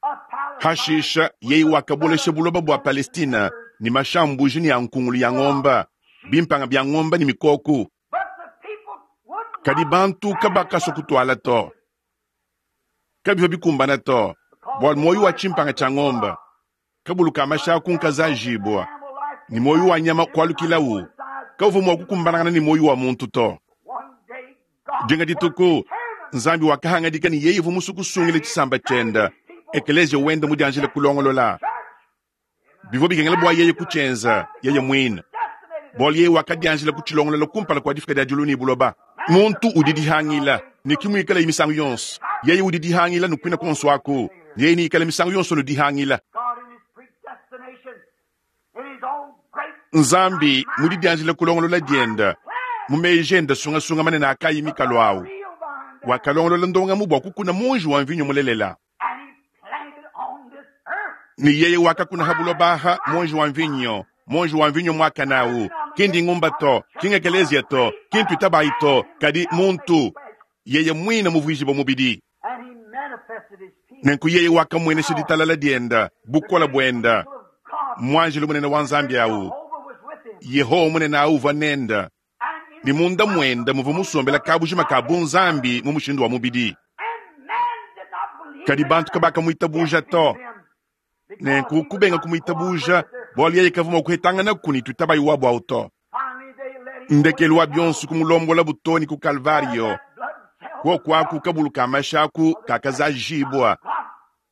of Palestine Hashisha yeye wakabolesha buloba bua Palestina ne mashambuji ne a nkungulu ya ngomba, bimpanga bia ngomba ne mikoku. But the people would Kadi not bantu kabakasua kutuala to, kabivua bikumbana to, bua muoyo wa tshimpanga tshia ngomba kabulu ka masha kunkazajibua animal life ne muoyo wa nyama kualukilawu kavua mua kukumbanangana ne muoyo wa muntu to. One day God Dinga dituku determined Nzambi wakahangadika ne yeye uvua musue kusungila tshisamba tshiende, ekelezia wende mudianjile kulongolola. Church Bivua bikengela bua yeye kutshienza yeye muine. destinated Bualu yeye wakadianjila kutshilongolola kumpala kua difika dia diulu ne buloba. Muntu udi dihangila ne kimuikala misangu yonso. Yeye udi dihangila nukwina konso aku. Yeye niikala misangu yonso nudihangila. God in his predestination, in his own great Nzambi mudidianjila kulongolola dienda mu meji enda sungasunga manene akayi mikalo awu. real vine there, Wakalongolola ndongamu bua kukuna munji wa mvinyo mulelela. and he planted on this earth. Ni yeye wakakuna ha buloba monji wa mvinyo, monji wa mvinyo mwakanawu. Kindi ngumba to, kingekelezia to, kintu itabayi to, kadi muntu yeye mwine muvuijibo mubidi. And he manifested his peace. Nenku yeye wakamwenesha ditalala dienda, bukola buenda, Of God, mwanjilo munene wa Nzambi awu. Jehovah was with him. Yehowa munene awu uvua nenda. And Ni in munda mwenda muvua musombela kabujima ka bunzambi mu mushindu wa mubidi. and man did not believe Kadi him. bantu kabakamuitabuja to. Them because Nenku he kubenga would not kumuitabuja, cooperate with their- bualu yeye kavua mua kuhetangana kuni tuitabayi wabu awu to. Finally they led him Ndekelu wa bionso kumulombola butoni ku Kalvario, That blood cell kuokwaku kabulu ka mashaku kakazajibwa God,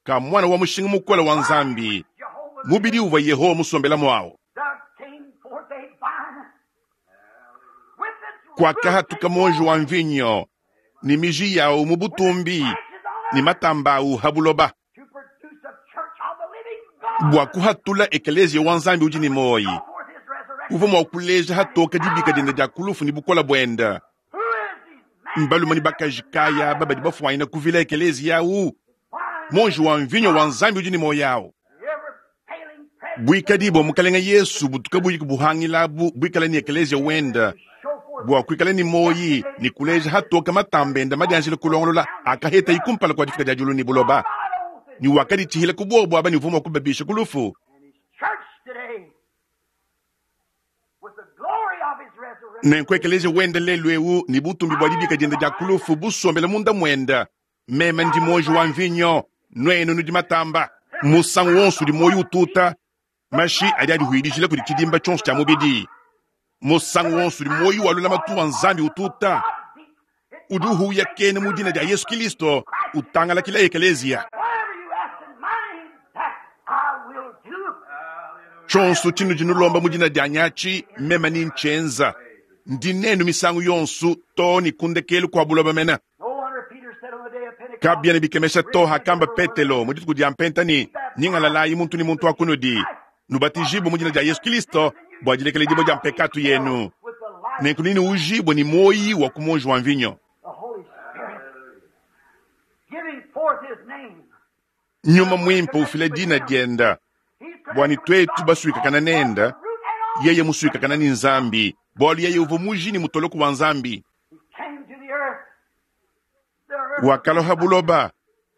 ka mwana wa mushinga mukola wa Nzambi, Jehovah, mubidi uvua Yehowa musombela mwawu. there came forth a vine with its Kwakahatuka monji wa mvinyo ni miji yawu mu butumbi branches on ni matamba awu ha buloba to produce a church of the living God. bua kuhatula ekelezia wa Nzambi udi ni moyi. Show forth his resurrection. Uvua mua kuleja hatoka dibika dienda dia kulufu ni bukola buenda. Who is these men? Mbalume ni bakaji kaya aba badi bafuanyina kuvila ekelezia awu Vine, monji wa mvinyo wa Nzambi udi ni moyi awu. the ever failing presence Buikadi bua mukalenga Yesu butuka buyi buhangilabu buikala ni ekelezia wenda show forth bua kuikala ni moyi ni kuleja hatoka matamba enda madianjila kulongolola akaheta ikumpala kua difika dia diulu ni buloba. God owes Ni wakaditshihila ku bobo aba ni uvua mua kubabisha ku lufu. and his church today with the glory of his resurrection. Nenku ekelezia wenda lelu ewu ni butumbi bua dibika dienda dia kulufu busombela munda mwenda. Meme ndi monji wa mvinyo, nwenu nudi matamba. Musangu wonso udi moyi ututa, mashi adi adihuidijila kudi tshidimba tshionso tshia mubidi. Musangu wonso udi moyi wa lulamatu wa Nzambi ututa, udi uhuya kene mu dina dia Yesu Kristo, utangalakila ekelezia. Whatever you ask in my name, that I will do. Tshonso tshinudi nulomba mu dina dia nyachi, meme ni nchenza. Ndi nenu misangu yonso to ni kundekelu kua buloba mena. No wonder Peter said on the day of Pentecost, Kabiena bikemesha to hakamba Petelo mu dituku dia mpenta ni nyingalalayi muntu ni muntu akunudi nubatijibwe mu dina dia Yesu Kristo bua dilekela dia mpekatu yenu with the life nenku nini ujibwe ni moyi wa kumonji wa mvinyo of the Holy Spirit, giving forth his name. nyuma mwimpe ufile dina dienda He's bwani connected with twetu God, basuikakana nenda root and all. yeye musuikakana ni Nzambi bualu yeye uvua muji ni mutoloko wa Nzambi He came to the earth. The earth. wakaloha buloba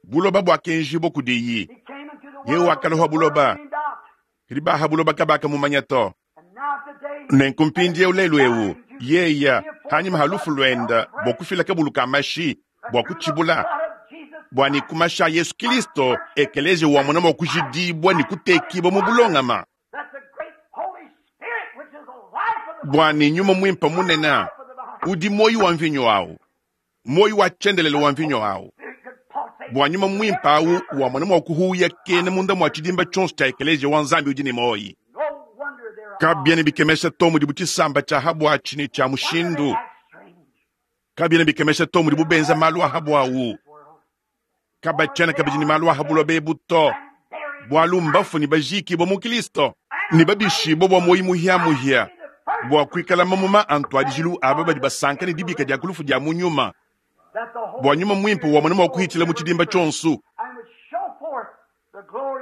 buloba bwakenjibwa kudiyi He came into the Yeye world. wakaloha buloba the world out. kadi baha buloba kabaka mumanya to And now today, nenku mpindieu lelu ewu yeya hanyima ha lufu lwenda bua kufila kabulu ka mashi bua kutshibula blood of Jesus bua ni kumasha Yesu Kristo ekelezia wa mwana mua kujidibwa ni kutekibwa mu bulongama that the great Holy Spirit, which is the life of the bua ni nyuma mwimpa munena udi moyi wa mvinyo awu moyi wa tshendelele wa mvinyo awu Spirit could pulsate bua nyuma mwimpa awu wa mwana mua kuhuya kene munda mua tshidimba tshionso tshia ekelezia wa Nzambi udi ni moyi No wonder they're kabiena bikemesha to mudi butshisamba tshia habwatshi ni tshia wonder they mushindu act strange. kabiena bikemesha to mudi bubenza malu a habu awu World. kabatshena kabidi ni malu a habuloba bebu to And buried bualu mbafu ni bajikibwa mu Kristo ni babishibwa bua moyi muhiamuhia bua kuikala mamuma a ntuadijilu aba badi basanka ne dibika dia kulufu dia mu nyuma that the Holy bua nyuma mwimpe wa mwana mua kuhitshila mu tshidimba tshionso and would show forth the glory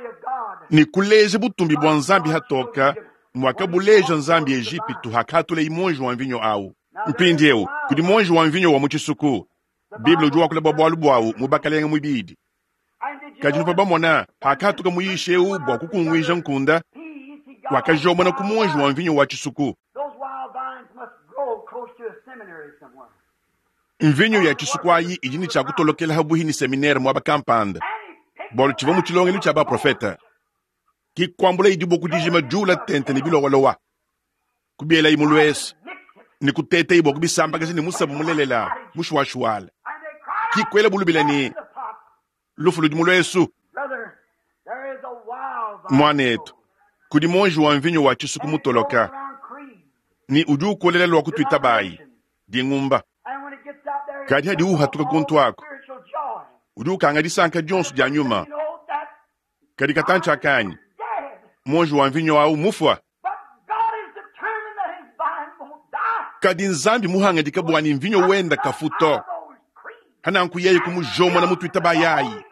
Ni kuleja butumbi bua Nzambi hatoka mwakabuleja Nzambi Ejipitu hakatula imonji wa mvinyo awu. Mpindieu kudi monji wa mvinyo wa mu tshisuku. Bible udi wakula bua bualu buawu mu bakalenga muibidi. Kadi nupa bamona hakatuka muyishe eu bua kukunguija nkunda wakajomona ku monji wa mvinyo wa tshisuku. Mvinyo ya tshisuku ayi idi ne tshia kutolokela habuhi ni seminaire mwaba kampanda bualu tshivua mu tshilongelu tshia baprofeta. Kikwambula idi bua kudijima jula tente ne bilowalowa kubiela imulwesa ni kuteta ibwa kubisambakazi ni musabu mulelela mushuwashuwala kikwela bulubila ni lufu ludi mulwesu. Mwanetu kudi monji wa mvinyo wa tshisuku mutoloka ni udi ukolela lwa kutwita bayi dingumba kadi hadi uhatuka kuntu ako udi ukanga disanka dionso dia nyuma kadi katantsha kanyi monji wa mvinyo awu mufwa. Kadi Nzambi muhangadika bwani mvinyo wenda kafuto hananku yeye kumujomona mutwita bayayi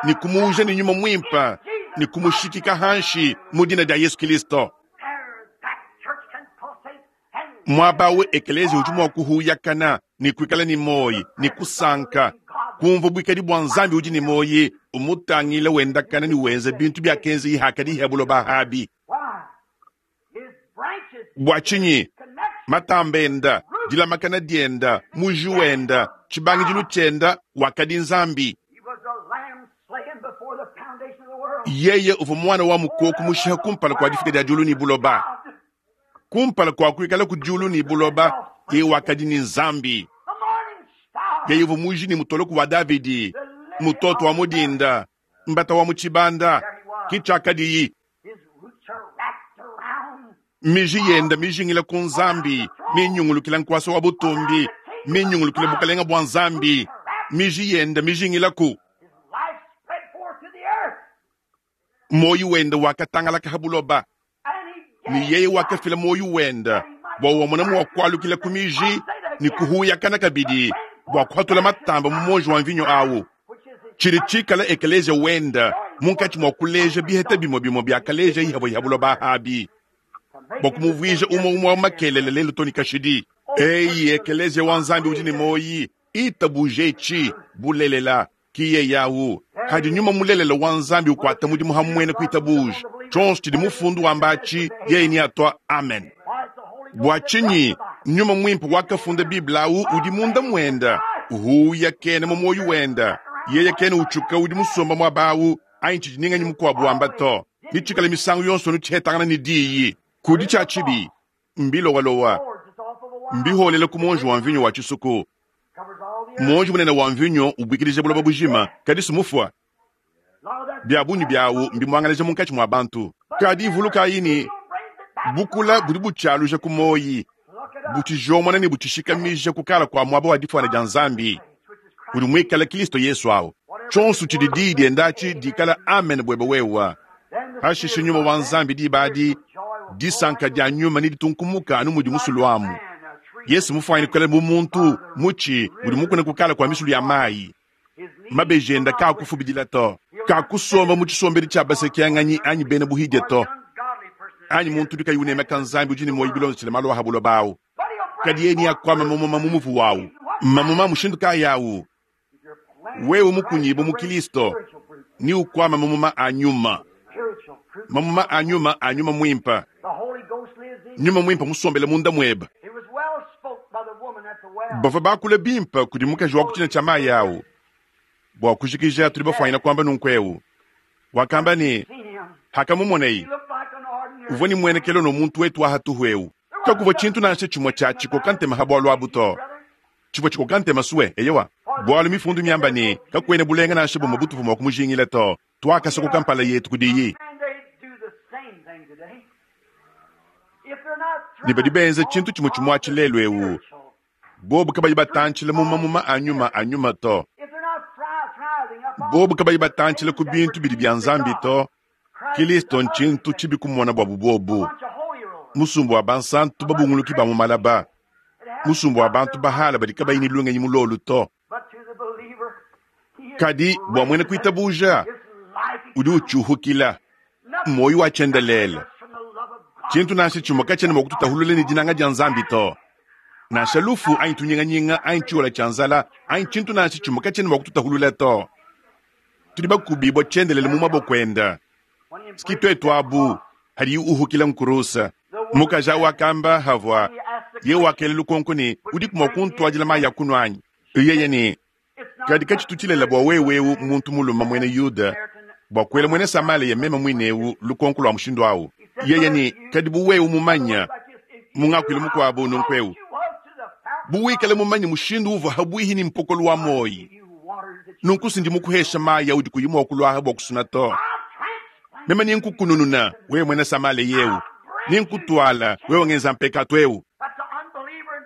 ni kumuuja ni nyuma mwimpa ni kumushikika hanshi mudina dia Yesu Kristo. Mwabawe ekelezi udi mua kuhuyakana ni kuikala ni moyi ni kusanka kumva bwikadi bwa Nzambi udi ni moyi umutangila wendakana ni wenza bintu bya kenzi ihakadi ihebulo bahabi bwa chinyi matambenda dilamakana dienda muji wenda tshibangidilu tshienda wakadi Nzambi. Yeye uvua mwana wa mukoko mushiha kumpala kwa difika dia diulu ni buloba kumpala kwa kuikala ku diulu ni buloba ye wakadi ni Nzambi. Yeye uvua muji ni mutoloku wa Davidi mutoto wa mudinda mbata wa mutshibanda kitshakadiyi miji yenda mijingila ku Nzambi minyungulukila nkwasa wa butumbi minyungulukila bukalenga bwa Nzambi miji yenda mijingila ku moyi wenda wakatangalaka habuloba ni yeye wakafila moyi wenda bwa wamona mu wakwalukila ku miji ni kuhuyakana kabidi bwa kuhatula matamba mu monji wa mvinyo awu tshili tshikala ekelezia wenda munkatshi mwa kuleja biheta bimwe bimwe byakaleja ihabo ihabuloba habi bwa kumuvwija umwe umwe wa makelele lelo toni kashidi. Eyi ekelezia wa Nzambi udi ni moyi itabuje bulelela kiye yawu hadi nyuma mulelela wa Nzambi ukwata mudimu hamwene kuitabuje tshonso tshidi mufundu wambachi yeye ni atwa amen. Bwa tshinyi nyuma mwimpe wakafunda Biblia awu udi munda mwenda uhuya kene mu moyo wenda yeye kene utshuka udi musomba mwabawu ayi tshidi ninganyi mukwabu wamba to nitshikala misangu yonso nuthetangana ni diyi kudi tshia tshibi mbilowalowa mbiholela ku monji wa mvinyo wa tshisuku monji munene wa mvinyo ubwikilije buloba bujima kadi sumufwa bya bunyi byawu mbimwangaleja munkatshi mwa bantu kadi ivuluka yini bukula budi butshaluja ku moyi butshijomona ni butshishikamija kukala kwa mwaba wa difwana dia Nzambi udi mwikala Kristo Yesu awu tshonso tshidi diyi diendatshi dikala amen bwebe wewa hashishe nyuma wa Nzambi dibadi disanka dia nyuma ni ditunkumuka anu mudi musulu amu. Yesu mufwanyine kukala bu muntu mutshi udi mukuna kukala kwa misulu ya mayi mabejenda kakufubidila to kakusomba mu tshisombedi tshia basekianganyi anyi bena buhidye to anyi muntu udi kayi unemeka Nzambi udi ne moyi bilonzo tshile malu ahabulo bawu kadi yeni yakwama mamuma mu muvu wawu mamuma mushindu kayawu wewe mukunyibu mu Kristo ni ukwama mamuma a nyuma mamuma a nyuma a nyuma mwimpa nyuma mwimpa musombele munda mweba bava bakula bimpa kudi mukaji wa kutina tshia mayi awu bua kujikija tuli bafwanyina kwamba nunkweu wakamba ni hakamumonei uvua ni mwenekelo no muntu wetu wahatuhweu kakuvua tshintu nansha tshimue tshia tshikoka ntema ha bualu abu to tshivua tshikoka ntema suwe eyewa bualu mifundu miamba ni kakuene bulenga nansha bumue butupu mua kumujingila to twakasokoka mpala yetu kudiyi ni badi benza tshintu tshimue tshimue tshilelu ewu bobu kabayi batantshila mu mamuma a nyuma a nyuma to bobu kabayi batantshila ku bintu bidi bya Nzambi to Kristo ntshintu tshibi kumona bwabu bobu musumbu wa bansantu babunguluki ba mu malaba musumbu wa bantu bahala badi kabayi ni lungenyi mulolu to kadi bua mwene kuitabuja udi utshuhukila Muoyo wa tshiendelele. Tshintu nansha tshimue katshiena mua kututahulula ne dinanga dia Nzambi to. Nansha lufu anyi tunyinganyinga anyi tshiola tshia nzala anyi tshintu nansha tshimue katshiena mua kututahulula to. Tudi bakubibua tshiendelele mu maboko ende. Siki tuetu abu hadi uhukila nkurusa. Mukaji awu wakamba havua ye wakela lukonko ne udiku mua kuntuadila mayi a kunua anyi? Yeye ne kadi katshitu tshilela bua wewe eu muntu mulume muena Yuda bua kuela muena Samalia meme muine eu lukonko lua mushindu awu. Yeye ne kadi bu wewe mumanya mungakuila mukuabu nunku eu bu wikale mumanye mushindu uvua habwihi ni mpokolo wa moyi nunku sindi mukuhesha mayi audi kuyi mua kuluaha bua kusuna to. Meme ninkukunununa wewe muena Samalia yeu ninkutuala wewe ngenza mpekatu eu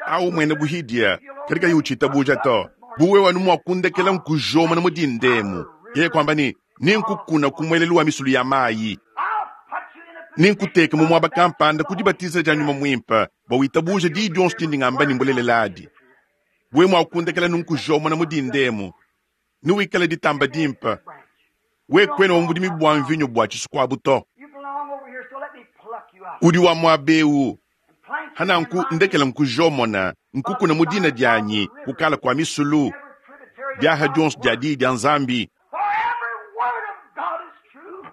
au mwene buhidia kadi kayi uchitabuja to. Bu wewe anu mua kundekela nkujoma na mudindemu yeye kwamba ni ninkukuna kumwelelu wa misulu ya mayi ninkuteka mu mwaba kampanda kudibatiza dia nyuma mwimpa bua witabuja diyi dionso dindi ngamba ni mbuleleladi. Wewe mua kundekela nunkujoma na mudindemu niwikale ditamba dimpa we kwena wa mudimi bua mvinyo bua tshisukuabu to. Udi wa mwabeu hananku ndekela nkujomona nkukuna mudina dianyi kukala kwa misulu biaha dionso dia diyi dia Nzambi.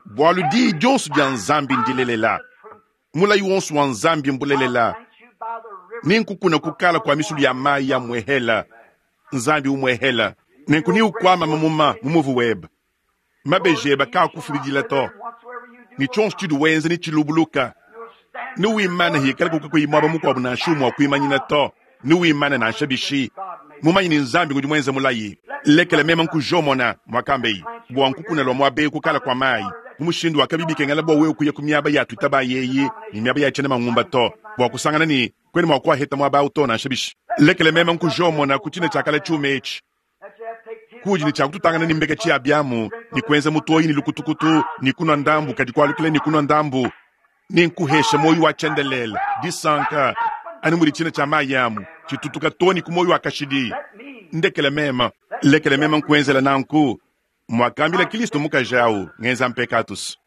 Bwalu diyi dionso dia Nzambi ndilelela. Mulayi wonso wa Nzambi mbulelela. Ninkukuna kukala kwa misulu ya mayi ya mwehela Nzambi umwehela. Nenku ni ukwama mamuma mumuvu weba mabejeba kakufubidila to. Ni tshonso tshidi wenza ni tshilubuluka. Niwimana hikala kuka kuimwaba mukuabu nansha umwe wakuimanyina to. Niwimana nansha bishi mumanyi ni Nzambi ngudi mwenza mulayi. Lekela mema nkujomona mwakambeyi bua nkukuna lwa mwabeyi kukala kwa mayi mu mushindu wakabibikengela bua wewe kuya ku miaba ya tuitaba yeyi ni miaba ya tshena mangumba to bua kusangana ni kwene mwa kuaheta mwaba awu to nansha bishi. Lekela mema nkujomona ku tshina tshiakala tshiuma etshi kudi ni tshakututangana ni mbeke tshia biamu ni kuenza mutoyi ni lukutukutu ni kunwa ndambu kadi kualukila ni kunwa ndambu ni nkuhesha moyo wa tshiendelele disanka ani mudi tshina tshia mayi amu tshitutuka toni ku moyo wa kashidi. Ndekele mema lekele mema nkuenzela nanku mwakambila Kristo mukaji awu ngenza mpekatus.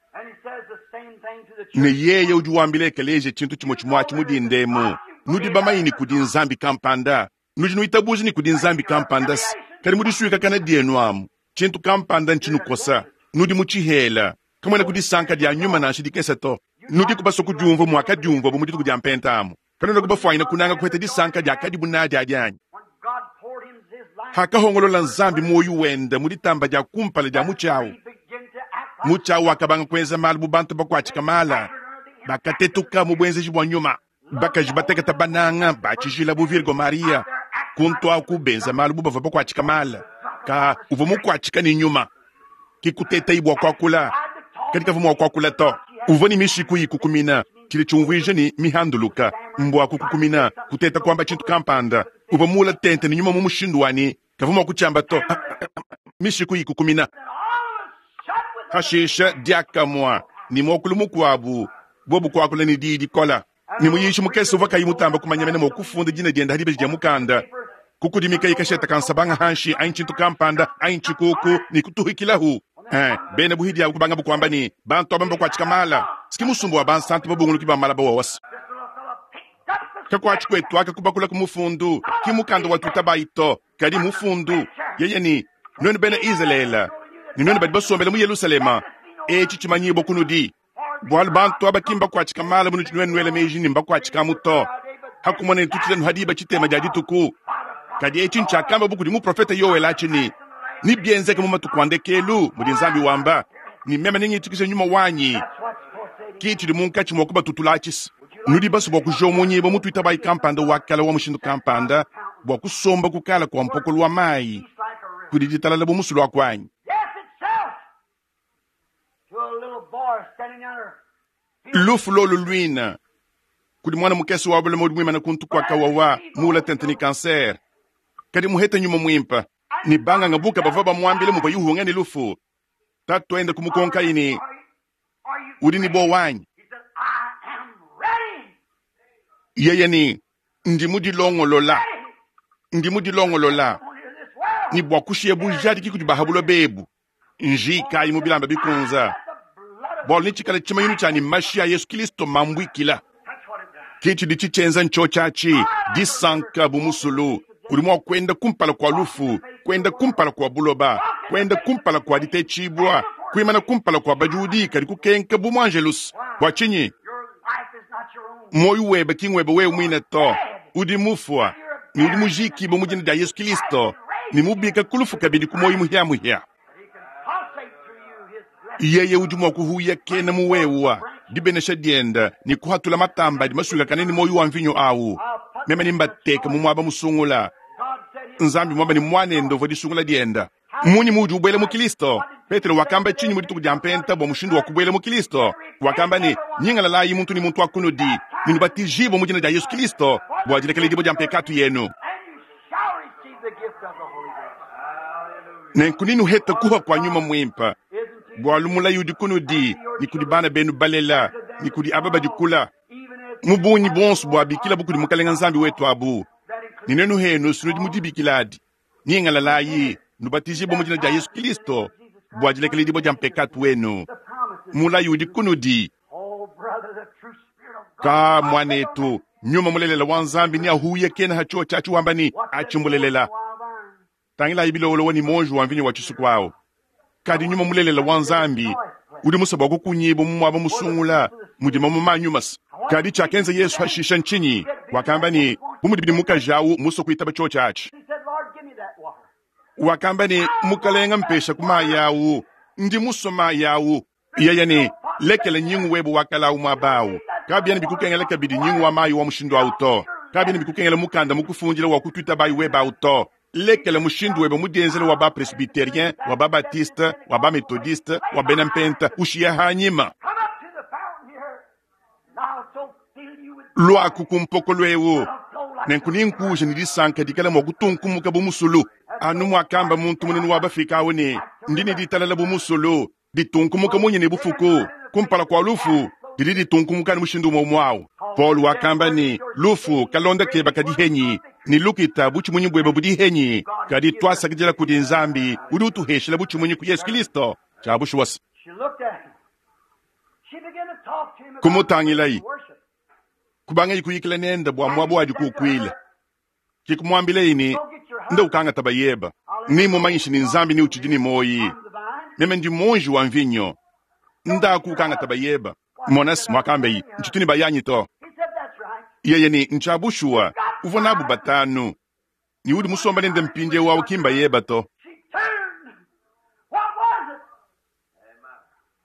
Ne yeye udi wambila ekeleje tshintu tshimue tshimue atshi mudindemu nudi bamanyi ni kudi Nzambi kampanda nudi nuitabuja ni kudi Nzambi kampanda kadi mudisuika kana dienu amu tshintu kampanda ntshinukosa nudi mutshihela kamwena kudisanka dia nyuma nansha dikese to. Nudi kubaso kudiumva mwakadiumva bu mudituku dia mpenta amu kanuna kubafwanyina kunanga kuheta disanka dia kadibu nadi adianyi. Hakahongolola Nzambi moyo wenda muditamba dia kumpala dia mutshiawu. Mutshiawu wakabanga kuenza malu bu bantu bakuatshika mala bakatetuka mu buenzeji bua nyuma bakaji bateketa bananga batshijila bu Virgo Maria kuntu aku benza malu bu bavua bakuatshika mala ka uvua mukuatshika ni nyuma kikutetai bua kuakula kadi kavua mua kuakula to. Uvua ni mishiku ikukumina tshili tshiumvuija ni mihanduluka mbua kukukumina kuteta kuamba tshintu kampanda uvua mula tente ni nyuma mu mushindu wani kavua mua kutshiamba to. Mishiku ikukumina hashisha diakamua ni muokulu mukuabu bobu kuakula ni diyi dikola ni muyishi mukese uvua kayi mutamba kumanya mene mua kufunda dina dienda hadibeji dia mukanda kukudimika ikasheta kansabanga hanshi anyi tshintu kampanda anyi tshikuku ni kutuhikilahu. Eh, bena buhidi abu kubanga bukwamba ni bantu aba mbakuatshika mala siki musumbu wa bansantu babunguluki ba mala bawawasa kakuatshi kwetu aka kubakula ku mufundu ki mukanda wa tutabayi to kadi mufundu yeye ni nwenu bena Israela ni nwenu badi basombela mu Yerusalema etshi tshimanyibwa kunudi bwalu bantu aba ki mbakuatshika mala bunu tshinwenu nwela meji ni mbakuatshika muto hakumona ni tutshilenu hadiba tshitema dia dituku kadi etshi ntshiakamba bukudi muprofeta Yoela atshi ni bienzeke mu matuku a ndekelu mudi Nzambi wamba ni meme ningitshikisha nyuma wanyi kitshidi munkatshi mua kubatutula atshisa. Nudi basu bua kujomunyibwa mutuitabayi kampanda wakala wa mushindu kampanda bua kusomba kukala kwa mpokolo wa mayi kudi ditalala bu musulu wa kuanyi. Lufu lolu luina kudi mwana mukese wa bula mudi mwimana kuntu kwa kawawa mula tente ni kanser kadi muheta nyuma mwimpa ni banga ngabuka bava bamwambile muvua yuhunga ni lufu tatu enda kumukonka ini udi ni bo wanyi yeye ni ndi mudilongolola ndi mudilongolola ni bua kushiya bujadiki kudi bahabulo bebu nji kayi mu bilamba bikunza Bualu netshikale tshimanyinu tshia ne mashi a Yesu Kristo mambuikila. That's what it does. Ke tshidi tshitshienza ntshotshatshi disanka bu musulu udi mua kuenda kumpala kua lufu, kuenda kumpala kua buloba, kuenda kumpala kua ditetshibua, kuimana kumpala kua badiudi kadi kukenka bu muangelus. Bua tshinyi? Your life is not your own. Moyo webe ki ngwebe wewe muine to, udi mufua ne udi mujikibue mu dina dia Yesu Kristo ne mubika ku lufu kabidi ku moyo muhiamuhia. That he can pulsate through you his blessing. Yeye udi mua kuhuya kena muwewa dibenesha dienda ne kuhatula matamba adi masuikakane ne moyo wa mvinyo awu. Meme nimbateka mu muaba musungula. God said his Nzambi mwamba ne mwanende uvua disungula dienda. Munyi muudi ubwela mu Kristo? Petero wakamba tshinyi mu dituku dia mpenta bua mushindu wa kubuela mu Kristo? Wakamba ne, nyingalalayi muntu ne muntu wa kunudi, ne nubatijibue mu dina dia Yesu Kristo bua dilekeledibua dia mpekatu yenu. and you shall receive the gift of the Holy Ghost. Nenku ninuheta kuha kwa nyuma mwimpa. Isn't he? Bualu mulayi udi kunudi, ni kudi bana benu balela, ni kudi aba badikula. Even as Mu bungi bonso bua bikila bukudi mukalenga Nzambi wetu abu. that includes Ni nenu henu sinudi mudibikiladi. Nyingalalayi, nubatijibue mu dina dia Yesu Kristo bua dilekeledibua dia mpekatu wenu. the promises. Mulayi udi kunudi. Oh, brother, the true Spirit of God. Ka mwanetu, nyuma mulelela wa Nzambi ni ahuye kena hacho chachi wamba ni achimbulelela. Wild vine. Tangilayi bilowolowa ni monju wa mvinyo wa chisuku awo. Kadi nyuma mulelela wa Nzambi udi musabwa kukunyiba mu mwaba musungula mudima mu manyumasa. Kadi chakenza Yesu hashisha nchinyi wakamba ni bumudibidi mukaji awu muso kuitaba cho chachi. He said, Lord, give me that water. Wakamba ni mukalenga mpesha ku mayi awu ndi musoma yawu. Yeye ni lekele nyingu webo wakala awu mwabawu. Kabyena bikukengela kabidi nyingu wa mayi wa mushindu awu to. Kabyena bikukengela mukanda mukufundila wa kutwita bayi weba awu to. Lekele mushindu webe mudienzela wa ba presbyterien, wa ba baptiste, wa ba methodiste, wa bena mpenta ushiya hanyima. Come up to the fountain here. And I'll so fill you with Lwaku kumpoko lwewu. I'll flow like Nenku ninkuja ni disanka dikala mua kutunkumuka bu musulu. Anu muakamba muntu munene wa bafika awu ne ndine ditalala bu musulu ditunkumuka munyi ne bufuku kumpala kua lufu didi ditunkumuka ni mushindu umwe umwe awu. Paul wakamba ni lufu kalonda keba kadihenyi ni lukita buchimunyi bwebe budihenyi kadi twasakidila kudi Nzambi udi utuheshela buchimunyi ku Yesu Kristo chabushuwasa. She looked at him. She began to talk to him about Kumutangilayi worship. kubanga ikuyikila nenda bua mwabo wadi kukwila kikumwambila ini Go get your nda husband. ukanga tabayeba ni mumanyishi ni Nzambi ni uchidi ni moyi I'm the vine. meme ndi monji wa mvinyo ndaku ukanga tabayeba monas mwakambeyi nchituni bayanyi to He said, That's right. yeye ni nchabushuwa uvua nabu batanu ni udi musomba nende mpindye wawu kimba yeba to She turned. What was it?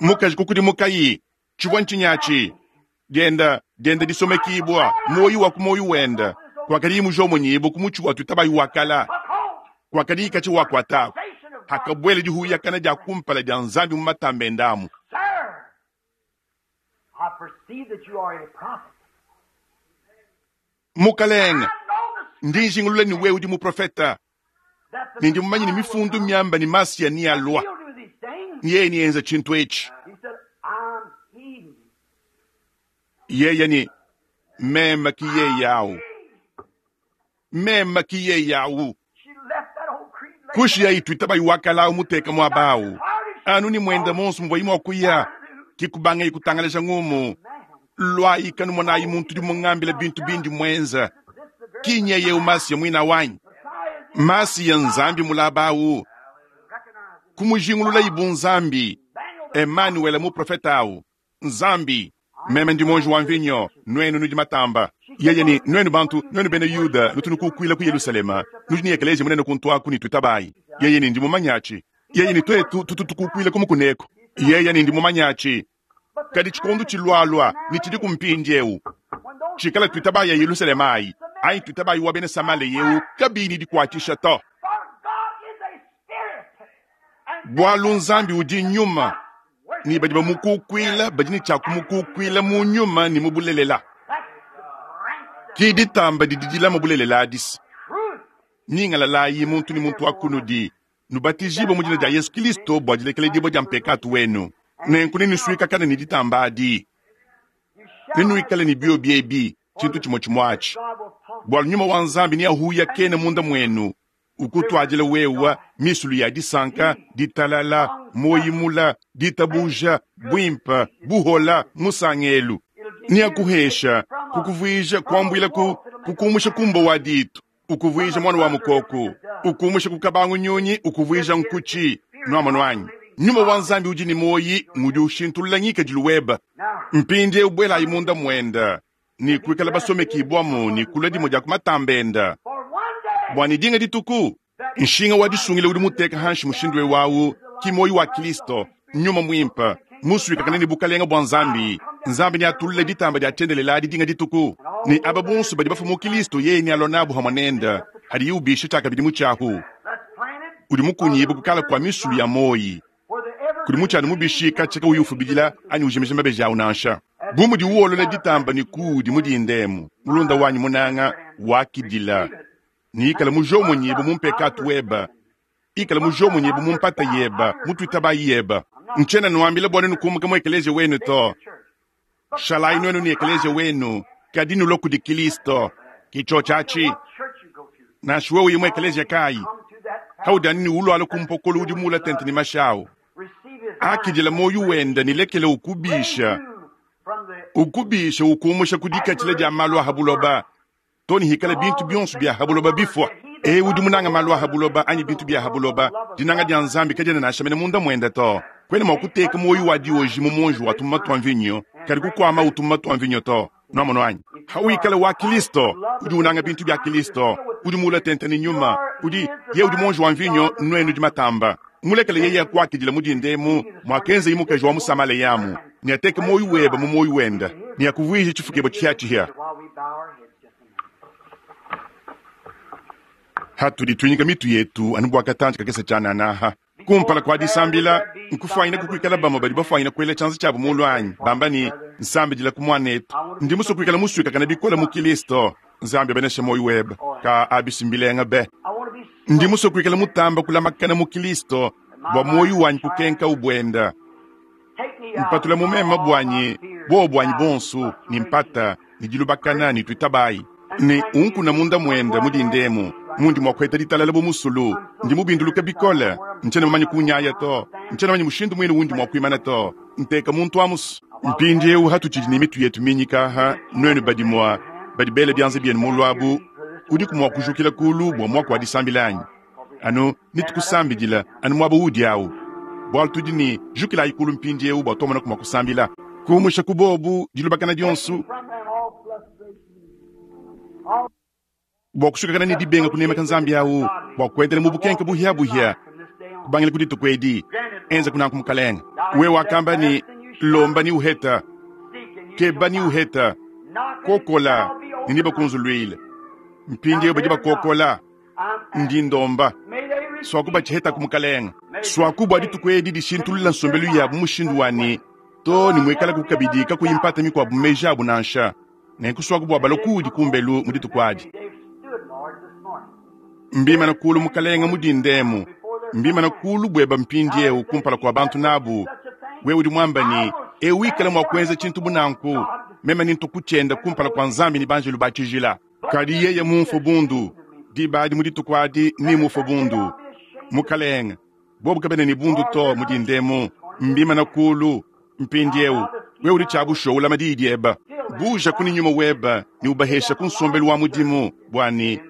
mukaji kukudi mukayi chivwa nchinyachi dienda dienda disomekibwa moyi wa ku moyi wenda kwakali mujomonyibu kumuchi watu tabayi wakala Took hold. kwakali ikachi wakwatako Station of God. hakabwele dihuyakana dia kumpala dia Nzambi mu matambe ndamu. Sir, I perceive that you are a prophet. Mukalenga I know the ndi njingulula ni wewe udi muprofeta that the ni ndi mumanyi ni mifundu myamba ni masiya ni alwa He'll do these things. ni yeye niyenza chintu echi. He said, I'm he. Yeye ni mema ki yeye yawu mema ki yeye yawu She left that old creed laid kushi ya itu itabayi wakala umuteka mwabawu anu ni mwenda monso muvwa imwe wakuya kikubanga ikutangaleja ngumu Man, lwayi kanu mwanayi muntu di mungambila bintu bindi mwenza this the very kinye yeu masiya mwina wanyi Messiah is masiya Nzambi mulabawu recognizing kumujingulula ibu Nzambi Daniel the Emmanuel muprofeta awu Nzambi meme ndi monji wa mvinyo nwenu nudi matamba yeye ni nwenu bantu nwenu bena Yuda nutunukukwila ku Yerusalema nudi ni ekelesia munene kuntwaku ni twitabayi yeye ni ndi mumanyachi yeye ni twetu tututukukwila kumukuneko yeye ni ndi mumanyachi but the kadi chikondo chilwalwa ni chili kumpindi ewu when those chikala twitabayi ya Yerusalema ayi ayi twitabayi wa bena Samale yewu kabini dikwatisha to for God is a spirit and bwalu Nzambi udi nyuma worship ni badi bamukukwila badi ni chakumukukwila mu nyuma ni mubulelela that's the branch of kiditamba dididila mubulelela adisi truth. ningalalayi muntu ni muntu akunudi nubatijibwe mu dina dia Yesu Kristo bua dilekeledibwa dia mpekatu wenu nenku ninuswikakana ni ditamba adi You shall ninuikale ni bio biebi chintu chimwe chimwachi God will talk bwalu nyuma wa Nzambi ni ahuya kene munda mwenu Ukutwadila wewa misulu ya disanka, ditalala, moyimula, ditabuja, bwimpa, buhola, musangelu. Niakuhesha, kukuvwija kwambwila ku kukumusha kumbo wa ditu, ukuvwija mwana wa mukoko, ukumusha kukabangu nyonyi, ukuvwija nkuchi, nwamano anyi. Nyuma wa nzambi udi ni moyi ngudi ushintulula ngikadilu weba. Mpindi ubwela imunda mwenda ni kuikala basomekibwamo ni kula dimo dia kumatambenda. Bwani dinga dituku nshinga wa disungile udi muteka hanshi mushindu wawu ki moyi wa Kristo nyuma mwimpa musuika kanene bukalenga bwa nzambi nzambi ni atulule ditamba dia tyendelela dinga dituku ni aba bonso badi bafa mu Kristo yeye ni alonabu hamwanenda hadi yubisha chakabidi muchahu udi mukunyibu kukala kwa misulu ya moyi kuli muchana mubishika cheka uyufubidila anyi ujimije mabeji awu nansha bumudi uwolola ditamba ni kudi mudindemu mulunda wanyi munanga wakidila ni ikala mujomo nyibu mumpekatu weba ikala mujomo nyibu mumpata yeba mutwitaba yeba nchena nuambila bwana nukumuka mu ekelesia wenu to shalai nwenu ni ekelesia wenu kadinu loku di Kristo kicho chachi nashuwe uyi mu ekelesia kai haudani ni ulwala kumpokolo udi mula tente ni mashao akidila moyo wenda nilekele ukubisha ukubisha ukumusha kudikatila dia malu ahabuloba toni hikala bintu bionso bya habuloba bifwa e udi munanga malu ahabuloba anyi bintu bya habuloba dinanga dia nzambi kadiena nashamene munda mwenda to kwene mwa kuteka moyo wa dioji mu monji wa tumuma twa mvinyo kadi kukwama utumuma twa mvinyo to nwamono anyi hawikala wa Kristo udi unanga bintu bya Kristo udi mula tente ni nyuma udi ye udi monji wa mvinyo nwenu di matamba mulekele yeye akwakidila mudindemu mwakenza imukaji wa musamale yamu ni ateke moyo weba mu moyo wenda ni akuvwije chifukebo chiachihya hatulitwinyika mitu yetu anubwakatanji kakesa chananaha kumpala kwa disambila nkufwanyina kukwikala bamwe badi bafwanyina kwela chanza chabu mulu anyi bamba ni nsambidila ku mwanetu ndi muso kwikala muswikakana bikola mu Kristo nzambi abenesha moyo weba ka abisimbilenga be ndi muso kwikala mutamba kulamakana mu Kristo bwa moyo wanyi kukenka ubwenda mpatula mumema bwanyi bo bwanyi bonsu ni mpata ni dilubakana ni twitabayi ni unkuna munda mwenda mudindemu mundi mwakweta ditalala bo musulu ndi mubinduluka bikola nchena mamanyi kunyaya to nchena manyi mushindu mwene wundi mwakwimana to nteka muntu amusu mpindi eu hatuchidi ni mitu yetu minyikaha nwenu badi mwa badi bele byanze byenu mulwabu udi kumwa kujukila kulu bwa mwako wa disambilanyi anu nitukusambidila anu mwaba udi awu bwalu tudi ni jukila ikulu mpindi eu bwa tomona kumwa kusambila kumusha kubobu dilubakana dionsu bwa kusukakana ni dibenga kunemeka nzambi awu bwa kuendela mu bukenke buhyabuhya kubangila kudituku edi enza kunanku mukalenga we wakamba ni lomba ni uheta keba ni uheta kokola niniba kunzulwile mpindi eu badi bakokola ndi ndomba swaku bachiheta kumukalenga swaku bwa dituku edi dishintulula nsombelu yabu mushindu wani to ni mwikala kukabidi kakuyimpata mikwabu meji abu nansha nenkuswaku bwa balokudi kumbelu mu dituku adi mbimana kulu mukalenga mudindemu mbimana kulu bweba mpindi eu kumpala kwa bantu nabu we udi mwamba ni eu ikala mwa kuenza chintu bunanku mema nintu kuchenda kumpala kwa nzambi ni banjelu bachijila kadi yeye mumfu bundu dibadi mu dituku adi ni mufu bundu mukalenga bobu kabene ni bundu to mudindemu mbimana kulu mpindi eu we udi chabusho ulama didi eba buja kuni nyuma weba ni ubahesha kunsombelu wa mudimu bwani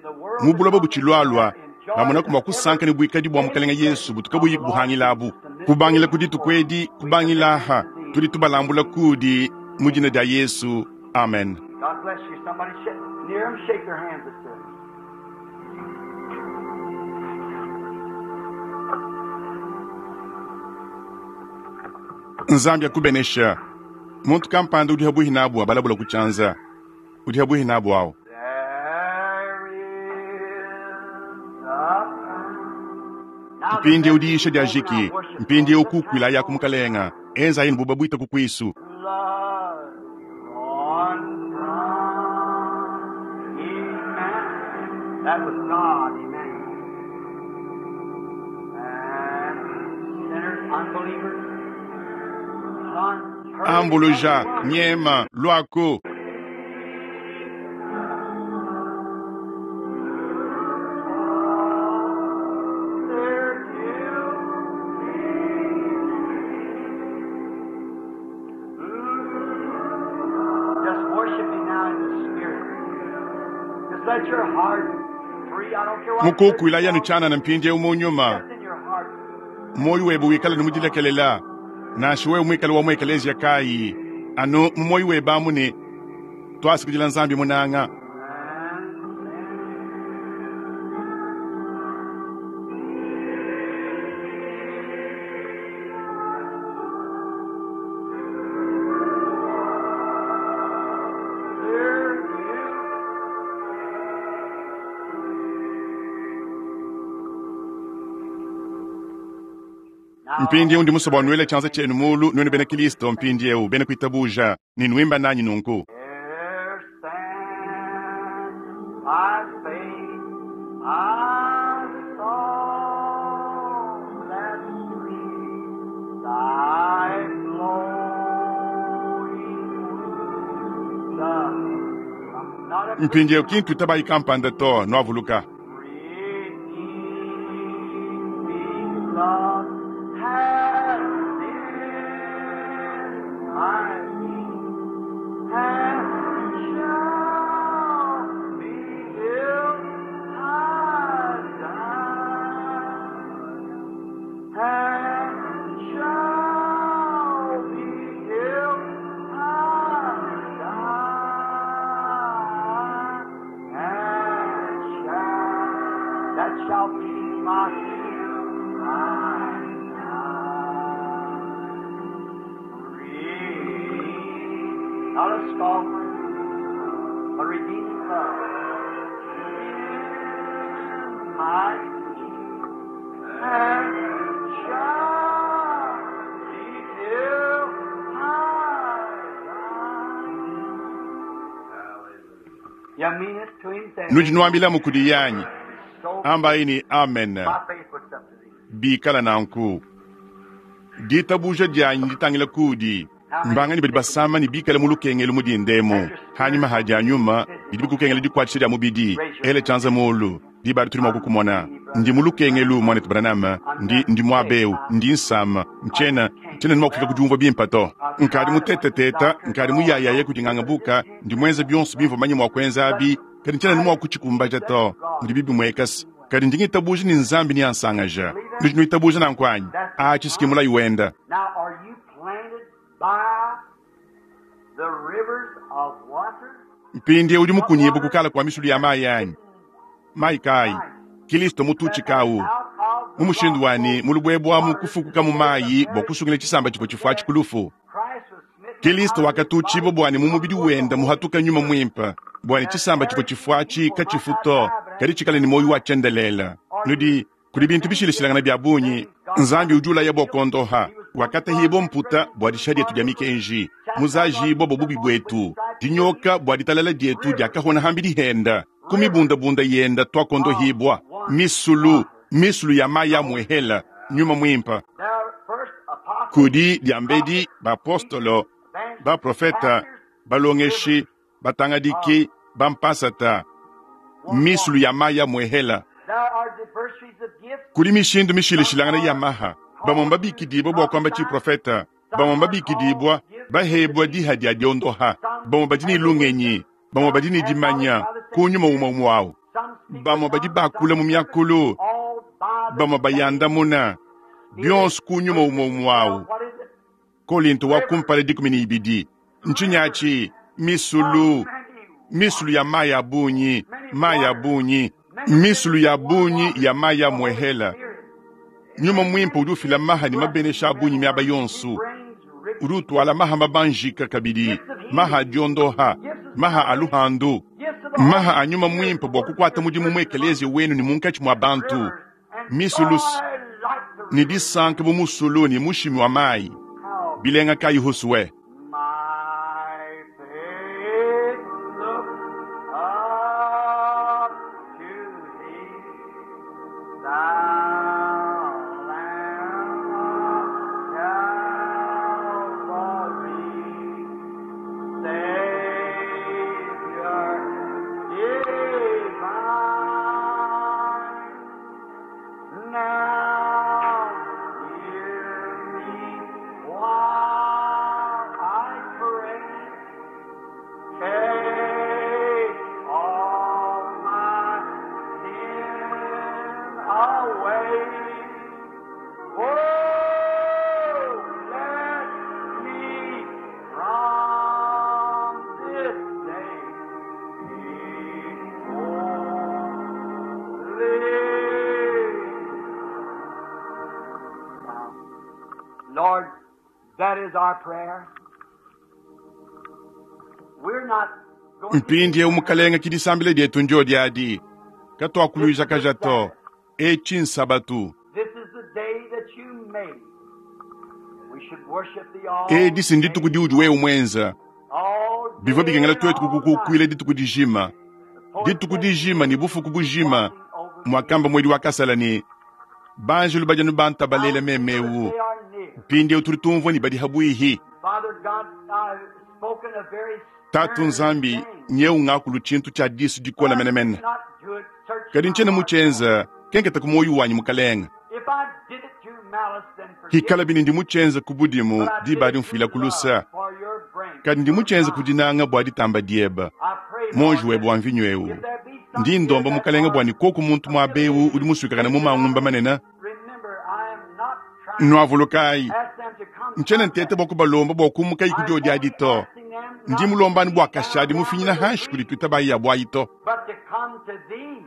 mubuloba buchilwalwa bamona kumwa kusanka ni bwikadi bwa mukalenga Yesu butuka buyiku buhangilabu kubangila kudituku edi kubangilaha tudi tubalambula kudi mudina dia Yesu amen. God bless you. Somebody sh- near them, shake their hands at them. Nzambi akubenesha muntu kampanda udi habuhi nabu abalabula kuchanza udi habuhi nabu awo There is a Now the mpindi message udiisha is dia over now. jiki Worship mpindi Lord. Just ukukwila have ya kumukalenga enza yini buba bwita kukwisu blood on Amen. That was God, amen. And sinners, unbelievers, run, hurry, ambuluja everyone. nyema lwako your heart free. I don't care what Mukukuila yanu tshianana mpindieu mu nyuma. Just in your heart. Moyo webe wikale ne mudilekelela. Nansha wewe muikale wa mu ekelezia kayi, anu mu moyo webe amu ne twasikidila Nzambi munanga. Dear you. Mpindieu ndi musue bua nuele tshianza tshienu mulu nuenu bena Kristo mpindieu bena kuitabuja ne nuimba nanyi nunku. Here stands by faith I saw that stream, thy flowing wisdom. I'm not a Mpindieu kintu itabayi kampanda to nuavuluka. Redeeming love has been my peace, and shall be till I die. And shall be till I die. And shall, that shall be my till I die. Redeemed, not a scoffer, but redeeming love. In my and shall be till I die. You mean it to him then? Nudi nuambilamu kudi yanyi. So Ambayi ni amen. my faith looks up to thee. Bikala nanku. Ditabuja dianyi ditangila kudi. Mbangani badi basama ne bikale mu lukengelu mu dindemu. Hanyuma hadi anyuma bidi bikukengela dikuatshisha dia mubidi. Ele tshianza mulu. Diba adi tudi mua kukumona. Ndi mu lukengelu mwanetu Branham, ndi ndi muabeu, ndi nsama, ntshiena ntshiena ne mua kufika ku diumvua bimpe to. Nkadi muteteteta, nkadi muyayaye kudi ngangabuka, ndi muenze bionso bimvua manye mua kuenza abi, kadi ntshiena ne mua kutshikumbaja to. Ndi bibi muekasa. Kadi ndi ngitabuja ni Nzambi ni ansangaja. Nudi nuitabuja nanku anyi? Atshi mulayi wenda. Now, are you planted by the rivers of water? Mpindieu udi mukunyibu kukala kua misulu ya mayi anyi. Mayi kayi? Kristo mututshikawu. Out of the Mu mushindu wani mulubwebwamu kufukuka mu mayi bua kusungila tshisamba tshivua tshifua tshikulufu. Christ was smitten Kristo out of his wakatutshibwa body bwani mu mubidi wenda muhatuka nyuma mwimpe bwani tshisamba tshivua tshifua tshi katshifu to kadi tshikale ne moyo wa tshiendelela. Nudi kudi bintu bishilashilangana bia bungi Nzambi udi ulaya bua kuondoha wakatahibwa mputa bua disha dietu dia mikenji muzajibwa bua bubi buetu dinyoka bua ditalala dietu diakahona hambi dihenda kumibundabunda yenda twakondohibwa misulu misulu ya mayi ya muehela nyuma mwimpe There first apostles, kudi diambedi bapostolo evangelists, baprofeta pastors, balongeshi batangadiki bampasata misulu ya mayi ya muehela There are diversities of gifts. kudi mishindu mishilashilangana ya maha bamwe babikidibwa bua kuamba tshiprofeta bamwe babikidibwa bahebwa diha dia diondoha bamwe badi ne lungenyi bamwe badi ne dimanya kunyuma umwe umwe wawu Some speak bamwe with badi tongues, bakula mu some myakulu all by the bamwe bayandamuna bionso kunyuma umwe umwe wawu What is it? Kolinto wa kumpala dikumi ne ibidi ntshinyachi misulu misulu ya mayi ya bunyi mayi ya bunyi misulu ya bunyi ya mayi ya muehela nyuma mwimpe udi ufila maha ne mabenesha a bunyi miaba yonso udi utwala maha mabanjika kabidi maha adiondoha maha a luhandu maha a nyuma mwimpe bua kukwata mudimu mu ekelezia wenu ne munkatshi mua bantu misulu ne disanka bu musulu ne mushimi wa mayi bilenga kayi husuwe My faith looks up to thee, thou Lamb of Calvary, Savior divine. Now hear me while Lord, that is our prayer. We're not going to Mpindiewu mukalenga ke disambila dietu ndio diadi katwakuluija to etshi nsabatu This is the day that you made. We should worship thee all edi si ndituku day, diudi wewe mwenza all bivua day bikengela and twetu all kukukukwila night. dituku dijima The poet dituku said, dijima ni bufuku bujima watching over thee. mwakamba mwedi wakasala ni banjelu bajanu Now bantabalela we feel that memewu they are near. mpindiewu tuli tumvua ni badi habwihi Father God, I've spoken a very tatu stern nzambi thing. nyeu ngakulu tshintu tshia disu But dikola I did menemene not do it. Search kadi my ntshiena heart, Lord. mutshenza kenketa ku moyo wanyi mukalenga If I did it through malice, then forgive hikala me. bini ndi mutshenza ku budimu But I did diba it adi mfuila through ku love lusa for your branch, kadi ndi your mutshenza vine. kudinanga bua ditamba dieba I pray, monji Lord, webe that wa mvinyo ewu if there be some ndi here ndomba that mukalenga are bua ni koku muntu muaba ewu udi musuikakana mu mangumba manene remember, I am not trying to nwavulukayi ask them to come ntshiena from ntete that. bua kubalomba bua kumukayi I ku am diodi only adi to asking them ndi not to mulombani be bua bound kashadi down mufinyina with their hanshi kudi grief, tuitabayi ya buayi to but to come to thee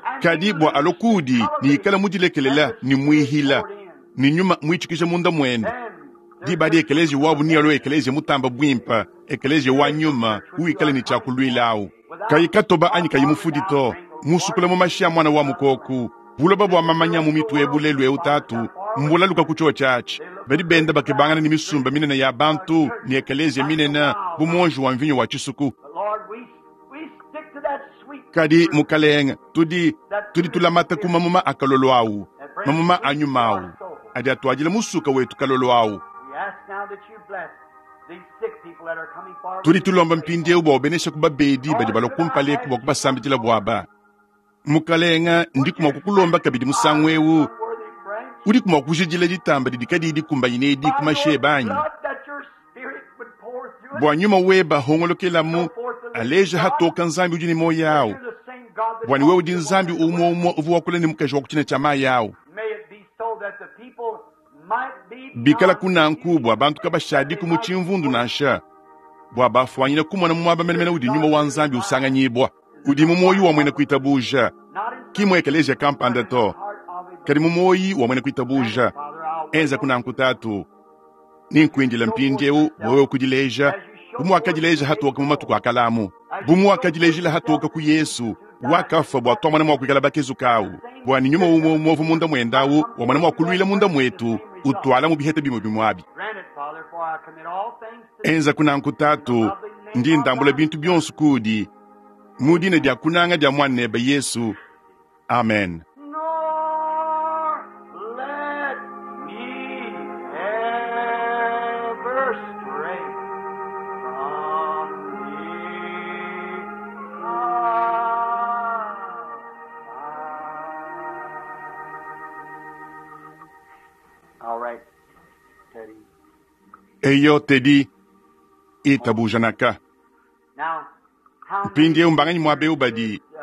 and be kadi bua loosed and alokudi ni cultivated ikala and mudilekelela the ni Spirit muihila poured in. ni nyuma muitshikija munda mwende Then their diba di church ekelezia will wabu be ni alo better. ekelezia mutamba bwimpa ekelezia wa Spiritual nyuma church which you uikale are ni coming for, tshiakulwilawu without kayi katoba anyi spot kayi or mufudi without to wrinkle, musukula Lord, mu mashi a mwana wa son of mukoku Lamb. buloba bua This mamanya mu spiritual mitu ebu world, lelu eu Father, tatu got far away mbulaluka from ku it. tsho tshiatshi They look badi for benda great bakebangana crowds ni and great misumba minene ya uh, bantu ni churches ekelezia like the minene wild bu vine. monji wa mvinyo wa tshisuku But Lord, we we stick to that sweet kadi fruit, mukalenga tudi that tudi fruit of the tulamata ku Spirit mamuma akalolo awu that brings mamuma sweet to anyuma our awu soul. adi atuadila musuka wetu kalolo awu We ask now that you bless these sick people that are coming forward tudi to tulomba pray for. mpindiewu bua ubenesha ku babedi badi Lord, balua could I kumpaleku ask bua you once kubasambidila more? buaba mukalenga Would ndi you kumua kukulomba sanctify kabidi musangu this ewu unworthy branch udi kumua kujidila ditamba didi kadiyi dikumbanyina edi ku by your masheba anyi blood that your Spirit would pour through it? bua nyuma weba Show hongolokelamu forth the living aleja God hatoka nzambi udi ne moyo that awu you're the same God that bua ni wewe talked udi to the nzambi woman at the umwe well. umwe uvua wakula ne mukaji wa kutshiina tshia mayi awu May it be so that the people might be bikala beyond kunanku bua confused, bantu that kabashadiku they mu might tshimvundu worship. nansha bua bafuanyina kumona mu muaba menemene Spirit udi God nyuma wa through the nzambi vine usanganyibwa is udi in mu the moyo heart wa of mwena a believer, kuitabuja not in ki mu some ekelezia but kampanda in the to heart of a kadi mu believer. moyi wa mwena Grant it, kuitabuja Father, I'll wait enza on kunanku you. tatu As ni you nkuindila show forth mpindiewu yourself, wewe kudileja as you show bumu forth in the wakadileja days hatoka of mu matuku old, akalamu as you bumu show forth wakadilejila yourself hatoka to ku Jesus yesu who died wakafa for bua that twamwana mua kuikala bakezuka the awu same bua ni nyuma spirit umwe that umwe munda mwendawu might come wa mwana forth mua through kulwila that munda branch with the mwetu same result. utwala mu biheta bimwe bimwe abi Grant it, Father, for I commit all things to thee enza kunanku in the tatu lovely name ndi of ndambula thy bintu Son. byonso kudi mu dina Amen. dia kunanga dia mwanebe yesu amen Nor let me ever stray from thee. All right, Teddy. eyo tedi itabujanaka Now, how many mpindiewu mbanganyi muaba badi uh,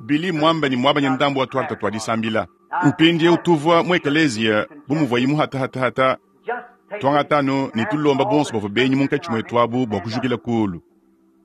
bili mwamba ni mwabanya ndambu wa twarta twadisambila mpindiewu tuvua mu ekelezia bumuvua imu hatahatahata just take twanga it tano and ni ask tulomba all bonso the bavua benyi strangers in munkatshi our mwetu midst abu to bua stand up kujukila kulu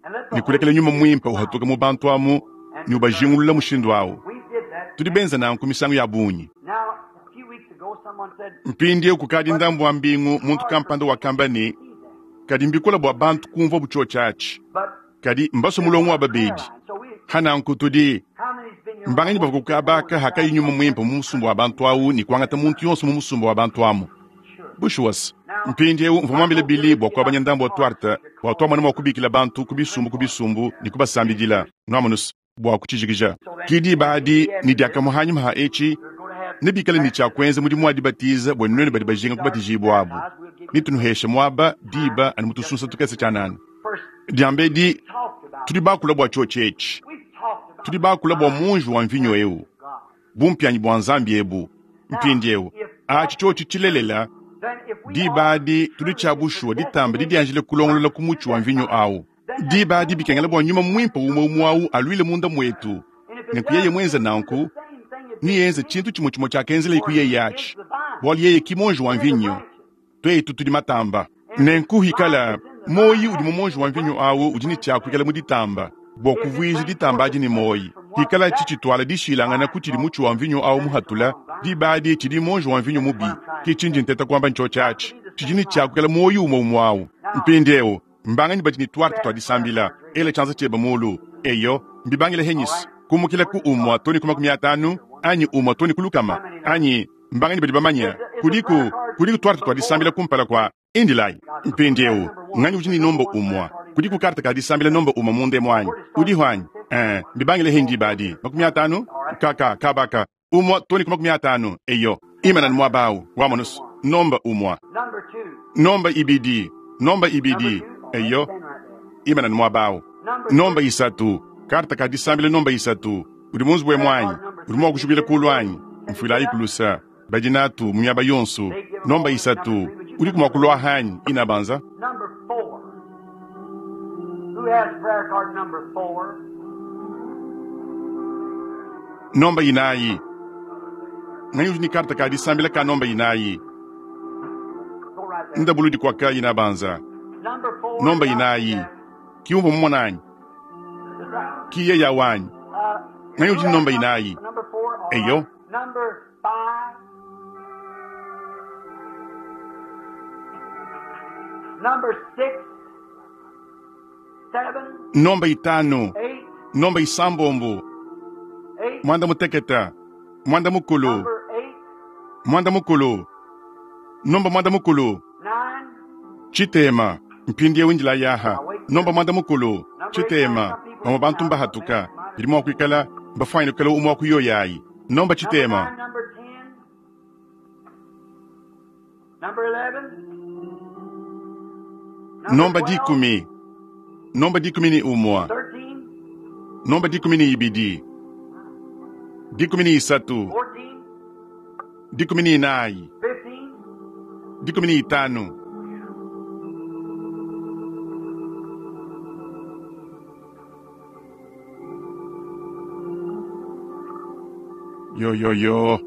and let the ni Holy kulekela nyuma Spirit mwimpa sound uhatuka mu bantu amu and ni discern. ubajingulula mushindu awu We did that tudi many benza nanku misangu ya bunyi Now, a few weeks ago, someone said, mpindiewu kukadi but ndambu wa mbingu it's muntu hard for kampanda people to wakamba ni see that. kadi mbikola bua bantu kumvua butsho atshi But kadi mbaso there's mulongo a wa prayer babedi line. So we, hananku tudi how many's been here when the mbanganyi Holy bavua Spirit kukabaka poured hakayi out nyuma on mwimpa that mu musumba wa bantu awu ni kuangata muntu yonso mu musumba wa bantu amu Sure. bushuwasi Now, mpindiewu mvua I mwambile told bili Billy bua to get kuabanya out ndambu the wa car twarta to bua call twamwana mua the kubikila bantu ku pray bisumbu ku for. bisumbu ni kubasambidila nwamunusu bua kutshijikija So then, kidi baadi immediately ni after this, diakamuhanyuma ha etshi we're going to have nebikale ni baptism. tshia mudimu wa dibatiza bua nunene badi When we bajinga start kubatijibwa abu baptized, we'll give you nitunuheshe muaba time diba ani just mutusunsa to tukese tshia nani first diambedi talked about. tudi bakula bua tshiotshi etshi We've talked about tudi the bakula bua divine munji wa mvinyo heritage ewu of God. bumpianyi bua nzambi ebu Now, mpindiewu if that's atshi tshiotshi true, tshilelela then if we diba are adi tudi truly tshia bushuwa ditamba predestinated didianjile kulongolola ku to mutshi wa that mvinyo vine, awu then that diba adi same bikengela Holy bua nyuma Spirit mwimpa must umwe come umwe awu alwile munda mwetu And if it nenku yeye does, mwenza it'll do the nanku same thing it did to niyenze me. tshintu tshimwe tshimwe tshiakenzela For iku yeye he is atshi the vine, bualu yeye ki monji wa we're the mvinyo branches. twetu tudi matamba And if the nenku vine hikala is in the vine, moyi has udi mu to monji be wa the mvinyo branch, awu the udi ne branch tshiakuikala lives. mu ditamba bua If it kuvuija brings ditamba forth adi ne its moyi fruit from Pikala tshitshitwala dishilangana ku tshidi mutshi wa mvinyo awu muhatula, diba adi tshidi monji wa mvinyo mubi. Ke tshindi nteta kuamba ntsho atshi. Tshidi ne tshiakukela muoyo umwe umwe awu. Mpindieu, mbanganyi badi ne twarte twa disambila. Ela tshianza tshiebe mulu. Eyo, mbibangile henyisi. Kumukila ku umwa too ne ku makumi atanu, anyi umwa too ne ku lukama, anyi mbanganyi badi bamanye. Kudiku, kudiku twarte twa disambila kumpala kwa indilayi. Mpindieu, nganyi udi ne nomba umwa. Kudiku karte ka disambila nomba umwa munde mwanyi. Udiho anyi? Eh, mbibangile hindi badi. Makumi atanu? Kaka, kabaka. Umwa too ne ku makumi atanu. Eyo. Imana ni mwabau. Wamonusu. Nomba umwa. Number two. Nomba ibidi. Nomba ibidi. Eyo. Imana ni mwabau. Nomba isatu. Karta ka disambila nomba isatu. Udi munzu bwe mwanyi. Udi mwa kushubila kulu anyi. Mfuila ikulusa. Badinatu munyaba yonsu. Nomba isatu. Udi kumwa kulwa hanyi. Inabanza. Number four. Who has prayer card number four? Nomba inayi. Nganyi udi ni karta ka disambila ka nomba inayi. Go right there. Ndabuludi kwa ka inabanza. Number four. Nomba inayi. Kiumbo mmonanyi. Kiye ya wanyi. Uh, Nganyi udi ni nomba inayi. Number four. all Eyo. right. Number five. Number six, seven, Nomba itanu. eight, Nomba isambombo. eight. Mwanda muteketa. Mwanda mukulu. Number eight, Mwanda mukulu. Nomba mwanda mukulu. nine, Chitema. Mpindi windila yaha. Nomba mwanda mukulu. Chitema. Bamwe bantu mbahatuka. Bidi mwa kuikala mbafwanyine kukala umwa kuyoyayi. Nomba number chitema. nine, number ten, number eleven, number Nomba twelve, dikumi. Nomba dikumi ni umwa. thirteen, Nomba dikumi ni ibidi. Dikumi ni isatu. fourteen, Dikumi ni inayi. fifteen, Dikumi ni itanu. Yo yo yo.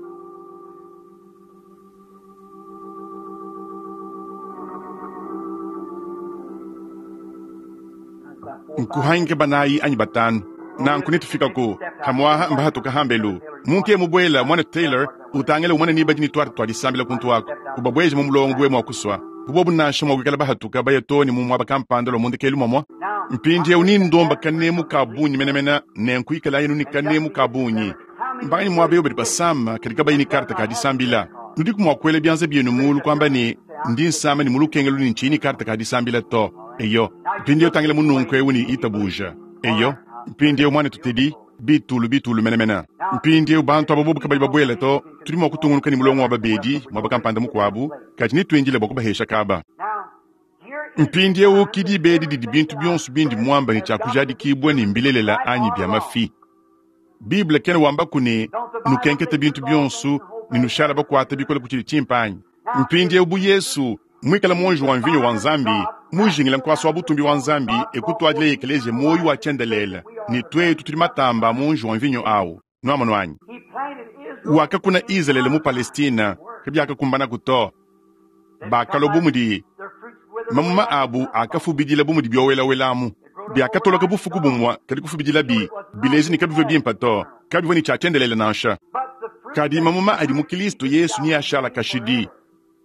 That's about four, five. Nkuhange banayi anyi batanu. Nanku nitufika ku hamwaha mbahatuka hambelu. Muntu ye mubwela mwana Taylor utangele umwana ni badi ni twarte twadisambila kuntu wako. Ubabweje mu mulongo gwe mwakuswa. Bubobu nansha mwagwikala bahatuka bayatoni mu mwaba kampanda lo mundekelu mwamwa. Now, Mpindi eu nindomba kanemu kabunyi menemena nenkuikala yenu ni kanemu kabunyi. Mbanyi mwabe badi basama katika bayini karta kadisambila. Nudi kumwakwele byanze byenu mulu kwamba ni ndi nsama ni mulukengelu ni nchini karta kadisambila to. Eyo, mpindi eu tangile mununku eu ni itabuja. Eyo, mpindi eu mwana tutedi bitulu bitulu menemena. Mpindi eu bantu abo bobu kabayi babwele to tudi mwa kutungunuka ni mulongo wa babedi mwaba kampanda mukwabu kadi nitwinjile bwa kubahesha kaba. now, here is Mpindi eu kidi bedi didi bintu byonso bindi mwamba ni kyakujadikibwa ni mbilelela anyi bya mafi. Bible kene wamba kune nukenkete bintu byonso ni nushala bakwata bikola kuchili chimpanyi. Mpindi eu bu Yesu mwikala monji wa mvinyo wa Nzambi mujingila nkwasa wa butumbi wa Nzambi ekutwadile ekelezia moyo wa chendelela ni twetu tuli matamba monji wa mvinyo awu nwamano anyi. He planted Israel Wakakuna Israeli mu Palestina kabyakakumbana kuto bakalo bumudi their fruits withered mamuma away. abu akafubidila bumudi byowelawelamu byakatoloka bufuku bumwa kadi kufubidila bi bilezi ni kabivwe bimpa to kabivwe ni kyachendelela nansha But the fruit kadi mamuma adi mu Kristo Yesu ni ashala kashidi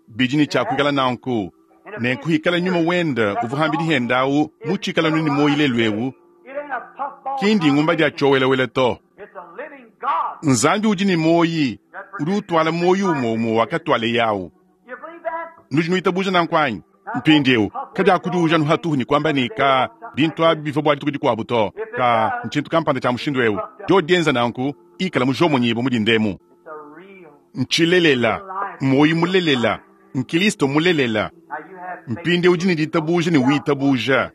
bidi ni kyakwikala nanku nenkuhikala nyuma wenda uvuhambili hendawu muchikala nuni moyile lwewu it ain't a puffball. kindi ngumba dya chowelawela to It's a living God. Nzambi udi ni moyi udi utwala moyi umwe wakatwale yawu You believe that? nudi nuitabuja nankwanyi mpindieu kadi akudiuja nuhatuhu ni kwamba ni ka bintu abi bivua bua dituku dikuabu to ka ntshintu kampanda tshia mushindu eu dio dienza nanku ikala mujomonyibo mudi ndemu It's a real. ntshilelela moyi mulelela nkilisto mulelela Now you have faith. mpindi udi ni ditabuja ni witabuja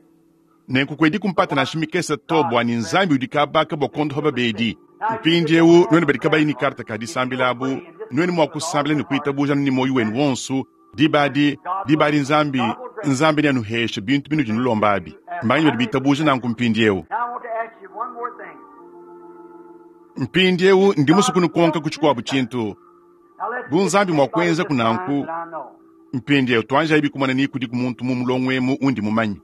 nenku kwedi kumpata nashimikesa to bua ni nzambi udi kabaka bua kondoha babedi mpindi eu nuenu badi kabayi ni karta ka disambila abu nuenu mua kusambila ni kuitabuja ni moyi wenu wonsu dibadi dibadi nzambi nzambi ni anuhesha bintu binu dinulomba abi mbanyi badi bitabuja nanku mpindi eu Now I want to ask you one more thing. mpindi eu ndi musu kunukonka kuchikuabu tshintu Now let's bu nzambi mua kuenza this time kunanku that I know. mpindi eu tuanja ibi kumana ni kudi kumuntu mu mulongo emu undi mumanyi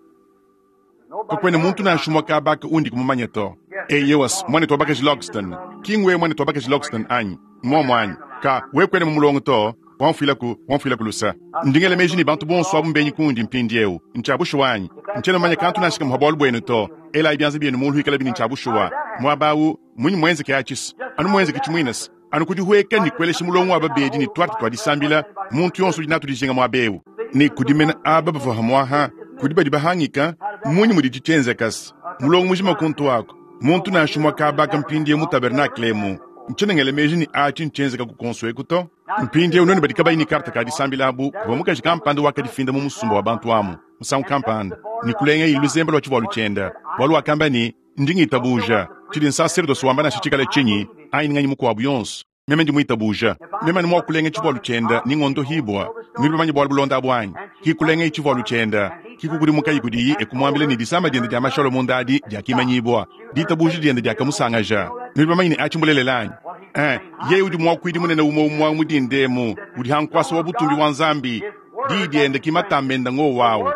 Nobody kakwena muntu knows. nansha umue kabaka undi kumumanya to Yes, Eyowa, mwanetu wa bakaji Logston. Ki ngwewe mwanetu wa bakaji Logston anyi? Mmuomu anyi? Ka, wewe kuena mu mulongo to. Wamfuilaku, wamfuilaku lusa. Ndi ngela meji ne bantu bonso abu mbenyi kundi mpindiewu. Ntshia bushuwa anyi? Ntshiena mumanye kantu nansha kamue pa bualu buenu to. Elayi bianza bienu muulu ikalabi ne ntshia bushuwa. Muaba awu, munyi muenzeke atshi? Anu muenzeke tshimuinese. Anu kudihueka ne kuelesha mulongo wa babedi ne tuarte tua disambila, muntu yonso udi natu dijinga muaba ewu. Ne kudimena aba bavua hamuaha, kudi badi bahangika, munyi mudi tshienzekase? Mulongo mujima kuntu wako. Muntu nansha umue kabaka mpindiewu mu tabernakle emu. Ntshiena ngela meji ne atshi ntshienzeka ku konso eku to. Mpindiewu nuenu badi kabayi ne karte ka disambila abu, kuvua mukaji kampanda wakadifinda mu musumba wa bantu amu, musangu kampanda, ne kulenga luzembe lua tshivualu tshienda. Bualu wakamba ne, ndi ngitabuja. Tshidi nsaserdosi wamba nansha tshikale tshinyi, anyi nganyi mukuabu yonso. Meme ndi muitabuja. Meme anu mua kulenga tshivualu tshienda ni ngondo hibwa. Nudi bamanye bualu bulonda abu anyi? Ki kulenga tshivualu tshienda, ki kukudimuka kudiyi e kumuambila ne disama diende dia mashalo munda adi diakimanyibua. Ditabuja diende diakamusangaja. Nudi bamanye ne atshi mbulelela anyi? Eh, yeye udi muakuidi munene umue umue mu dindemu, udi hankwasa wa butumbi wa Nzambi. Diyi diende ki matamba enda ngo wawu.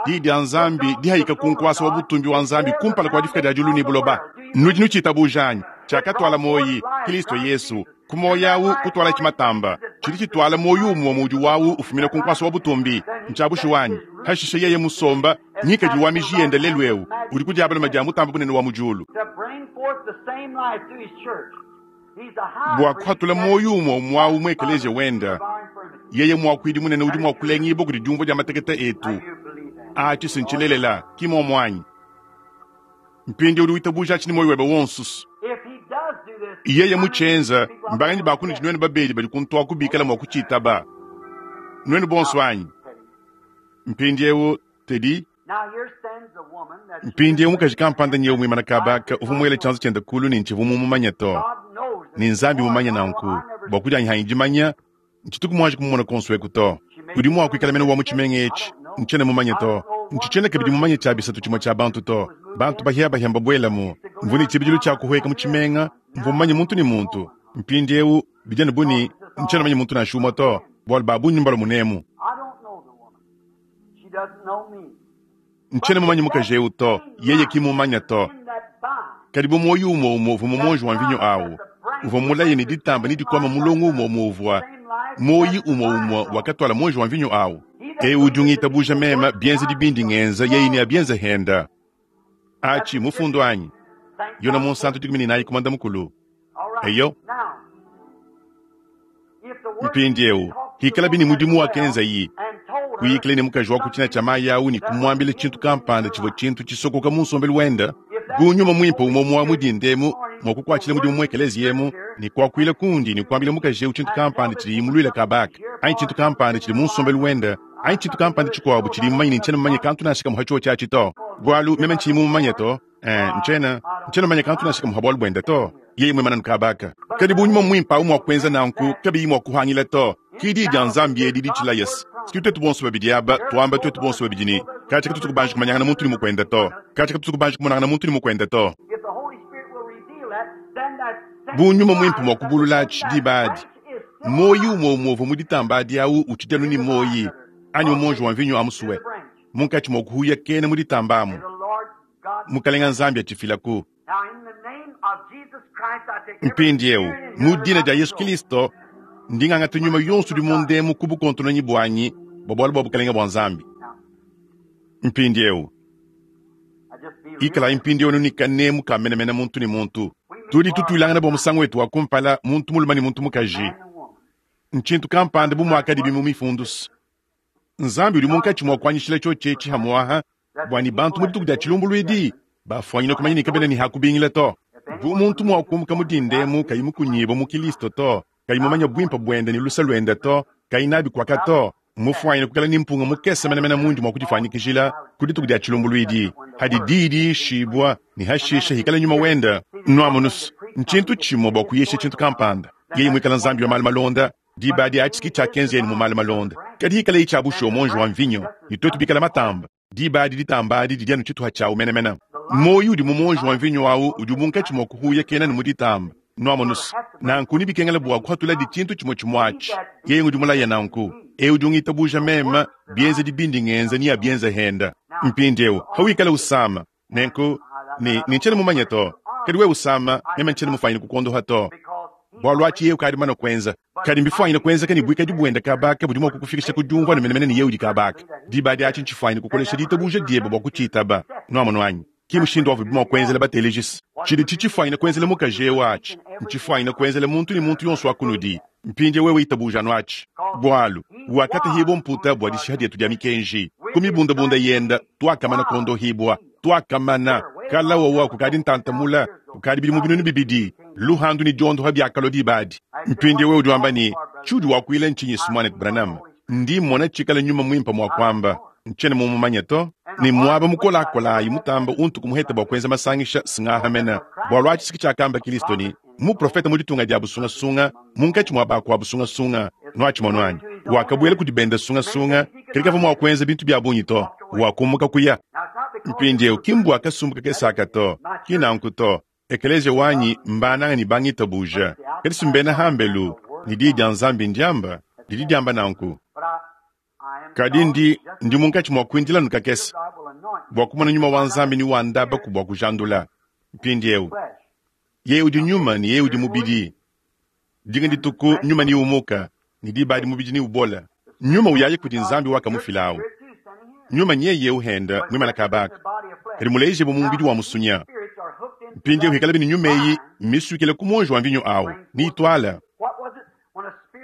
Diyi dia Nzambi dihayika ku nkwasa wa butumbi wa Nzambi kumpala kua difika dia diulu ne buloba. Nudi nutshitabuja anyi? Tshiakatwala moyi, Kristo Yesu. Ku moyi awu kutwala tshimatamba. Tshidi tshitwala moyi umue mudi wawu ufumina ku nkwasa wa butumbi. Ntshia bushuwa anyi? Hashishe yeye musomba, nyikadi wa miji yende lelu ewu, udi ku diabaluma dia mutamba bunene wa mu diulu. To bring forth the same life through his church. He's the high Bua priest kuhatula that moyi umue umue awu mu ekeleziya wenda. of our infirmity. Yeye muakuidi munene udi mua kulengibua kudi diumvua dia matekete etu. Now you believe that. Atshi sintshilelela, ki muomu anyi? Mpindi udi witabuja atshi ne moyi webe wonso. If he does do this, Yeye mutshienza, mbanganyi bakunudi nuenu babedi badi kuntua kubikala mua kutshitaba. Nuenu bonso anyi? Mpindiewu, Teddy, Now here stands a woman that mpindiewu mukaji kampanda nyewu muimana kabaka uvua muele tshianza tshiende kulu ne ntshivua mumumanye to. God knows that Ne Nzambi mumanye nanku, bua kudianyi dimanya, ntshituku muanji kumumona konso eku to. Udi mua kuikala mene wa mu tshimenga etshi, ntshiena mumanye to. Ntshitshiena kabidi mumanye tshia bisatu tshimue tshia bantu to. Bantu bahiabahia mbabuelamu. Mvua ne tshibidilu tshia kuhueka mu tshimenga, mvua mumanye muntu ne muntu. Mpindiewu bidi anu bu ne, ntshiena mumanye muntu nansha umue to, bualu ba bungi mbalua munemu. I don't know the woman. She doesn't know me. Ntshiena mumanye mukaji ewu to, yeye ki mumanya to. In that vine, Kadi bu moyi umue umue uvua mu muonji wa mvinyo awu, uvua mulaye ne ditamba ne dikwama mulongo umue umue uvua moyi umue umue wakatwala muonji wa mvinyo awu. Ewu udi ungitabuja mema bienzedi bindi ngenza yeye ne abienze henda. Atshi mufundu anyi? thank Yona God. munsantu dikumi ne nayi kumanda mukulu. All right. Eyo. Now, if the word Mpindiewu, talked to the hikala bini woman at mudimu the wakenza well iyi. and told her Kuyikile ne mukaji wa kuchina cha mayi awu ne kumuambila tshintu kampanda tshivua tshintu tshisokoka mu nsombelu wenda. Bu nyuma muimpe umue umue wa dindemu mua kukuatshila mudimu mu ekeleziya emu ne kuakuila kundi ne kuambila mukaji ewu tshintu kampanda tshidi imuluila kabaka anyi tshintu kampanda tshidi mu nsombelu wenda anyi tshintu kampanda tshikuabu tshidi mumanye ne ntshiena mumanye kantu nansha kamue ha tshiotshi atshi to. Bualu meme ntshiyi mumumanye to, eh, ntshiena ntshiena mumanye kantu nansha kamue ha bualu buende to. Yeye muimana kabaka. Kadi bu nyuma muimpe awu mua kuenza nanku kabiyi mua kuhangila to. Ki diyi dia Nzambi edi ditshila Yesu. Siki twetu bonso babidi aba, tuamba twetu bonso babidi ne, katshi katutu kubanji kumanyangana muntu ne mukwenda to. Katshi katutu kubanji kumonangana muntu ne mukwenda to. If the Holy Spirit will reveal that, then that same Bu nyuma muimpe mua life kubulula that's atshi in that diba adi. branch is still Moyi alive umue umue uvua mu ditamba adi awu utshidi anu ne moyi, anyi mumonji wa mvinyo amusuwe. to the branch. Munkatshi mua kuhuya kena mu ditamba amu. May the Lord God. Mukalenga Nzambi atshifilaku. Now, in the name of Jesus Christ, I take every Mpindiewu, spirit in mu here dina not dia Yesu so. Kristo, ndingangata nyuma yonso udi mundemu ku bukontononyi buanyi bua bualu bua bukalenga bua Nzambi. Now, Mpindiewu, I just be real. ikalayi mpindiewu nunika nemu kamenemena muntu ne muntu. Tudi tutuilangana bua musangu wetu wa kumpala muntu mulume ne muntu mukaji. Man and woman. Ntshintu kampanda bu muakadi bimu mifundusu. Nzambi udi munkatshi mua kuanyishila tshiotshi etshi hamuaha bua ne bantu mu dituku dia tshilumbuluidi bafuanyina kumanya ne kabena ne hakubingila to. Bu muntu mua kumuka mu dindemu kayi mukunyibua mu Kristo to, kayi mumanye buimpe buende ne lusa luende to, kayi nabi kuaka to, mufuanyina kukala ne mpunga mukese menemene mundi mua kudifanyikijila ku dituku dia tshilumbuluidi. Hadi diyi diishibua ne hashisha hikala nyuma wenda nuamunusu. Ntshintu tshimue bua kuyisha tshintu kampanda. Yeye muikala Nzambi wa malu malonda, diba adi atshi ki tshiakenza yene mu malu malonda. Kadi hikala yi tshia bushuwa muonji wa mvinyo, ne twetu bikala matamba. Diba adi ditamba adi didi anu tshituha tshiawu menemene. Moyi udi mu muonji wa mvinyo awu udi munkatshi mua kuhuya kena ne mu ditamba. Nuamunusu. Nanku ni bikengela bua kuhatula di tshintu tshimue tshimue atshi. Yeye ngudi mulaya nanku. Ewu udi ungitabuja mema, bienzedi bindi ngenza ni abienza henda. Mpindiewu, hawikala usama. Nenku, ne, ne ntshiena mumanye to. Kadi wewe usama, meme ntshiena mufwanyine kukuondoha to. Bwalu achi yeye ukadi mana kuenza. Kadi mbifwanyine kuenzeka ne bwikadi bwenda kabaka budi mua kukufikisha ku diumvua ne menemene ne yeye udi kabaka. Diba diachi ntshifwanyine kukolesha ditabuja diebe bua kutshiitaba. Nuamonu anyi? Ki mushindu wavu bidi mua kuenzela batelejisi. Tshidi tshitshifwanyine kuenzela mukaji eu achi. Ntshifwanyine kuenzela muntu ne muntu yonso wa kunudi. Mpindie wewe itabuja anu achi. Bwalu, wakatahibwa mputa bwa dishiha dietu dia mikenji. Ku mibundabunda yenda, twakamana kondohibwa. Twakamana, kala wawa kukadi ntantamula, kukadi bidimu binunu bibidi. Luhandu ni diondoha biakalo dibadi. Mpindie wewe udi wamba ne, tshiudi wakuila ntshinyi Mwane Branham? Ndi mmona tshikala nyuma mwimpa mwa kwamba. Ntshiena mumumanye to. Ni mwaba mukolakola mutamba untu kumuheta bwa kuenza masangisha singahamena. Bwalu achi siki tshiakamba Kristo ni, muprofeta mu ditunga dia busungasunga, munkatshi mua bakua busungasunga, nuatshi mono anyi. Wakabwela kudi benda sungasunga, kadi kavua mua kuenza bintu bia bungi to. Wakumuka kuya. Mpindiewu ki mbua kasumbu kakesaka to, ki nanku to. Ekelezia wanyi mbananga ni bangitabuja. Kadi simbena hambelu, ni diyi dia Nzambi ndiamba, didi diamba nanku. Kadi ndi, ndi munkatshi mua kuindila nukakese, bua kumona nyuma wa Nzambi ni wa ndaba ku bua kujandula. Mpindiewu, yeye udi nyuma ni yeye udi mubidi. Dinga dituku nyuma ni umuka, ni diba di mubidi ni ubola. Nyuma uyaye kudi Nzambi wakamufilawu. Nyuma nyeye uhenda mwimana kabaka. Kadi muleje mu mubidi wa musunya. Mpindiewu hikala bini nyuma eyi misukile ku mwonji wa mvinyo awu, ni itwala.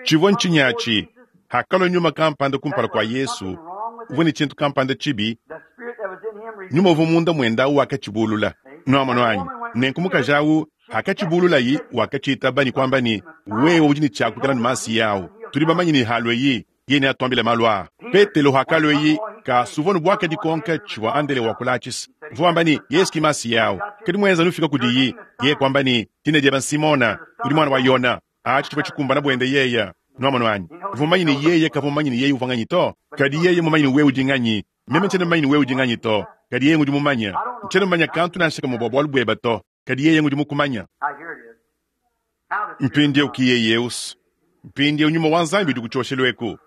Tshivua ntshinyachi, hakalo nyuma kampanda kumpala kwa Yesu, uvua ne tshintu kampanda tshibi, nyuma uvua munda mwenda awu wakatshibulula. Nuamonu anyi? Nenku mukaji awu, hakatshibululayi, wakatshitaba ni kwamba ni, wewe udi ne tshiakukala ne masi yawu. Tudi bamanyi ne halo eyi, yene atuambile malu aa. Petelo hakalo eyi, ka suvua ne bwaka dikonka tshivua Andele wakulachisa. Uvua wamba ni, Yesu ki masi yawu. Kadi mwenza nufika kudiyi, yeye kwamba ni, tina dieba Simona, udi mwana wa Yona. Achi tshivua tshikumbana bwende yeya. Nuamonu anyi? Uvua mumanyi ni yeye kavua mumanyi ni yeye uvua nganyi to. Kadi yeye mumanyi ni wewe udi nganyi. Meme ntshiena mumanyi ni wewe udi nganyi to. Kadi yeye ngudi mumanya. Ntshiena mumanya kantu nansha kamwe bua bualu bueba to. Kadi yeye ngudi mukumanya. Mpindiewu ki yeye usu. Mpindiewu nyuma wa Nzambi udi kutshoshelu eku.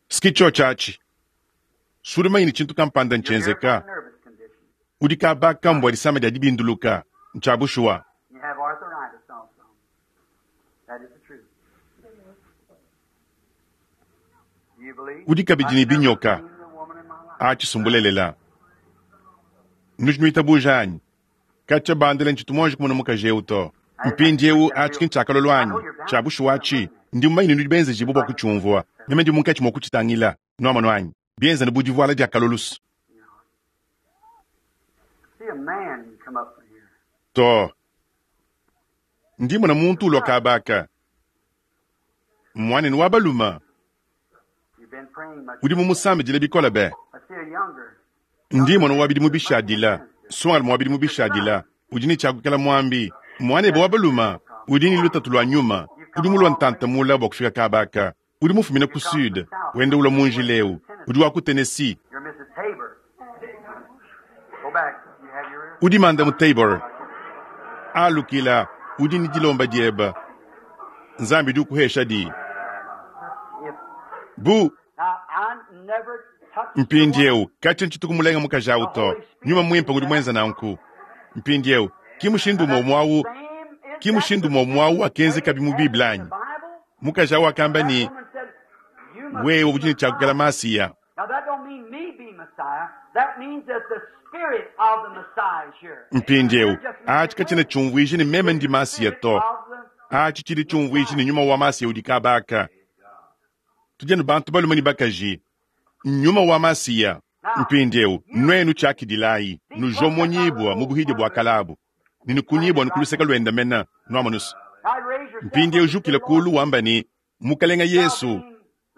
Siki tsho tshiatshi. Sudi mumanyi ni tshintu kampanda ntshenzeka. Udi kabaka mbua disama dia dibinduluka. Ntshia bushuwa. You have arthritis also. That is the truth. Do you believe? Udi kabidi ne binyoka. I've never seen the woman in my life. Atshisumbulelela. Nudi nuitabuja anyi? Katshia bandele ntshitu monji kumona mukaji eu to. Mpindiewu atshi ki ntshiakalolo anyi? Tshia bushuwa atshi. Ndi mumanyi ne nudi benzejibu bua kutshiumvua. Meme ndi munkatshi mua kutshitangila. Nuamonu anyi? Bienza ne bu divuala dia kalolusu. See a man come up from here. To. Ndi mona muntu ulua kabaka. Mwanene wa baluma. You've been praying much. Udi mumusambidile bikole be. I see a younger. Ndi mona wabidi mubishadila. Swali mwabidi mubishadila. Udi ne tshiakukela mwambi. Mwanebe wa baluma. Udi ne lutatu lwa nyuma. Udi mulua ntantamula bua kufika kabaka. Udi mufumina ku sud. Wenda ulua mu njila eu. Udi wa ku Tennessee. You're Missus Tabor. Go back. You have your Udi manda mu Tabor. Alukila. Udi ne dilomba dieba. Nzambi udi ukuhesha di. If Bu now I never touched the woman. mpindiewu katshia ntshituku mulenga mukaji awu to. Nyuma mwimpe udi mwenza nanku. Mpindiewu ki mushindu umwe mwawu, Same is ki mushindu umwe mwawu akenzeka bi mu Bible anyi. the Bible. Mukaji awu akamba That ni, woman said, "You must wewe be udi ne tshiakukela Messiah." Masiya. Now that don't mean me be Messiah. That means that the spirit of the Messiah is here. Mpindiewu achi katshiena tshiumvuija ne meme ndi Masiya to. Of the Achi tshidi tshiumvuija ne nyuma wa Masiya udi kabaka. Tudi anu bantu balume ne bakaji. Nyuma wa Masiya. Mpindiewu nwenu tshiakidilayi nujomonyibwa mu buhidi bua kalabu. Ninukunyibwa nukuluseka lwenda mena nuamonusu. Now raise yourself Mpindiewu up and say, jukila Lord, kulu wamba ni mukalenga Yesu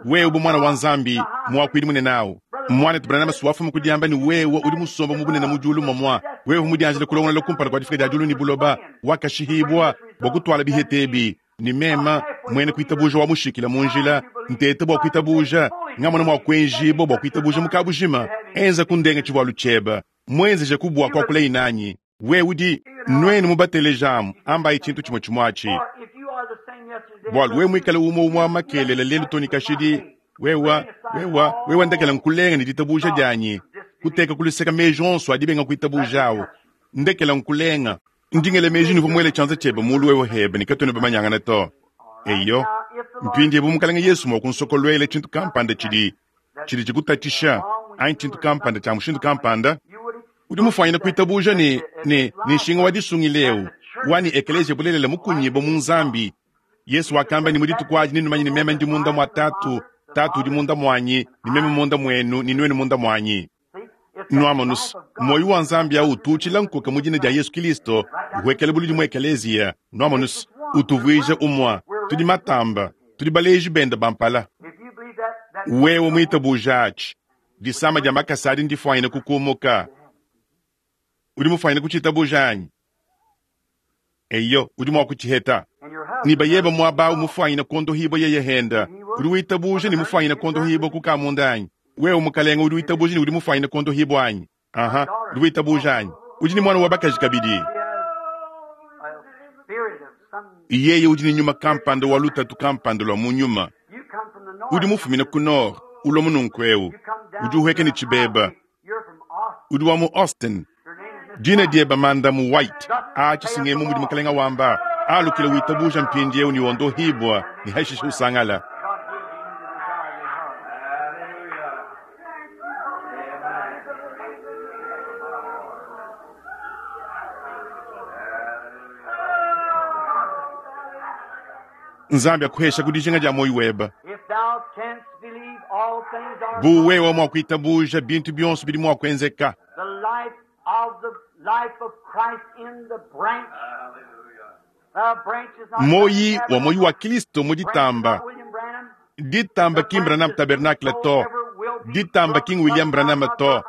wewe bu mwana wa Nzambi mwakwidi munene awu. Mwana Branham siwafuma kudiamba ni wewe udi musomba mu bunene mu diulu momwa. Wewe mudianjile kulongola kumpala kwa difika dia diulu ni buloba wakashihibwa bua kutwala bihetebi ni mema mwene kuitabuja wa mushikila mu njila ntete bua kuitabuja ngamona mwa kuenjibo bua kuitabuja mukabujima enza kundenga tshivualu tshieba mwenzeje kubua kwa kula inanyi wewe udi nwenu mubatelejamu ambayi tshintu tshimwe tshimwatshi Or if you are the same yesterday, bwalu we mwikale umwe umwe makelela lelu toni kashidi wewa wewa wewa ndekela nkulenga ni ditabuja dyanyi Kuteka kuluseka meji onso adi benga kuitabuja ndekela nkulenga. Ndingele meji nuvu mwele chanza chebe mulu wewe hebe nikatwene bamanyangana to. Eyo, mpindi bu mukalenge Yesu mwakunsokolwele chintu kampanda chidi chidi chikutatisha anyi chintu kampanda cha mushindu kampanda udi mufanyina kuitabuja ni ni ni nshinga wa disungileu wani ekelesia bulelela mukunyibo mu nzambi. Yesu wakamba ni mudituku aji ninumanye ni meme ndi munda mwa tatu, tatu udi munda mwanyi, ni meme munda mwenu, ni nwenu munda mwanyi. Nwamonus, moyo wa nzambi au utuchila nkoka mu jina dia Yesu Kristo, uhwekele buludi mu ekelesia. Nwamonus, utuvuije umwa, tudi matamba, tudi baleji benda bampala. Wewe mwitabuja achi, disama dia makasa adi ndifwanyina kukumuka. Udi mufwanyina kuchitabuja anyi? Eyo, udi mwa kuchiheta. Ni bayeba mwaba umufwanyina kondo hibo yeye henda. Udi witabuja ni mufwanyina kondo hibo kukamunda anyi? Wewe mukalenga udi witabuja ni udi mufwanyina kondo hibo anyi? Aha, udi witabuja anyi? Udi ni mwana wa bakaji kabidi. Yeye udi ni nyuma kampanda wa lutatu kampanda lwa mu nyuma. Udi mufumina ku nord, ulo mununkweu. Udi uhweke ni chibeba. Udi wa mu Austin. Dina dieba manda mu White. Achi singemu mudi mukalenga wamba. Alukile witabuja mpindi eu ni ondo hibwa ni hashisha usangala. Nzambi akuhesha kudijinga dia moyo weba. Bu wewe mwa kuitabuja bintu byonso bidi mwa kuenzeka. The life of the life of Christ in the branch. The branch is not Moyi wa moyi wa Kristo muditamba. Ditamba King Branham Tabernacle to. Ditamba King William Branham to.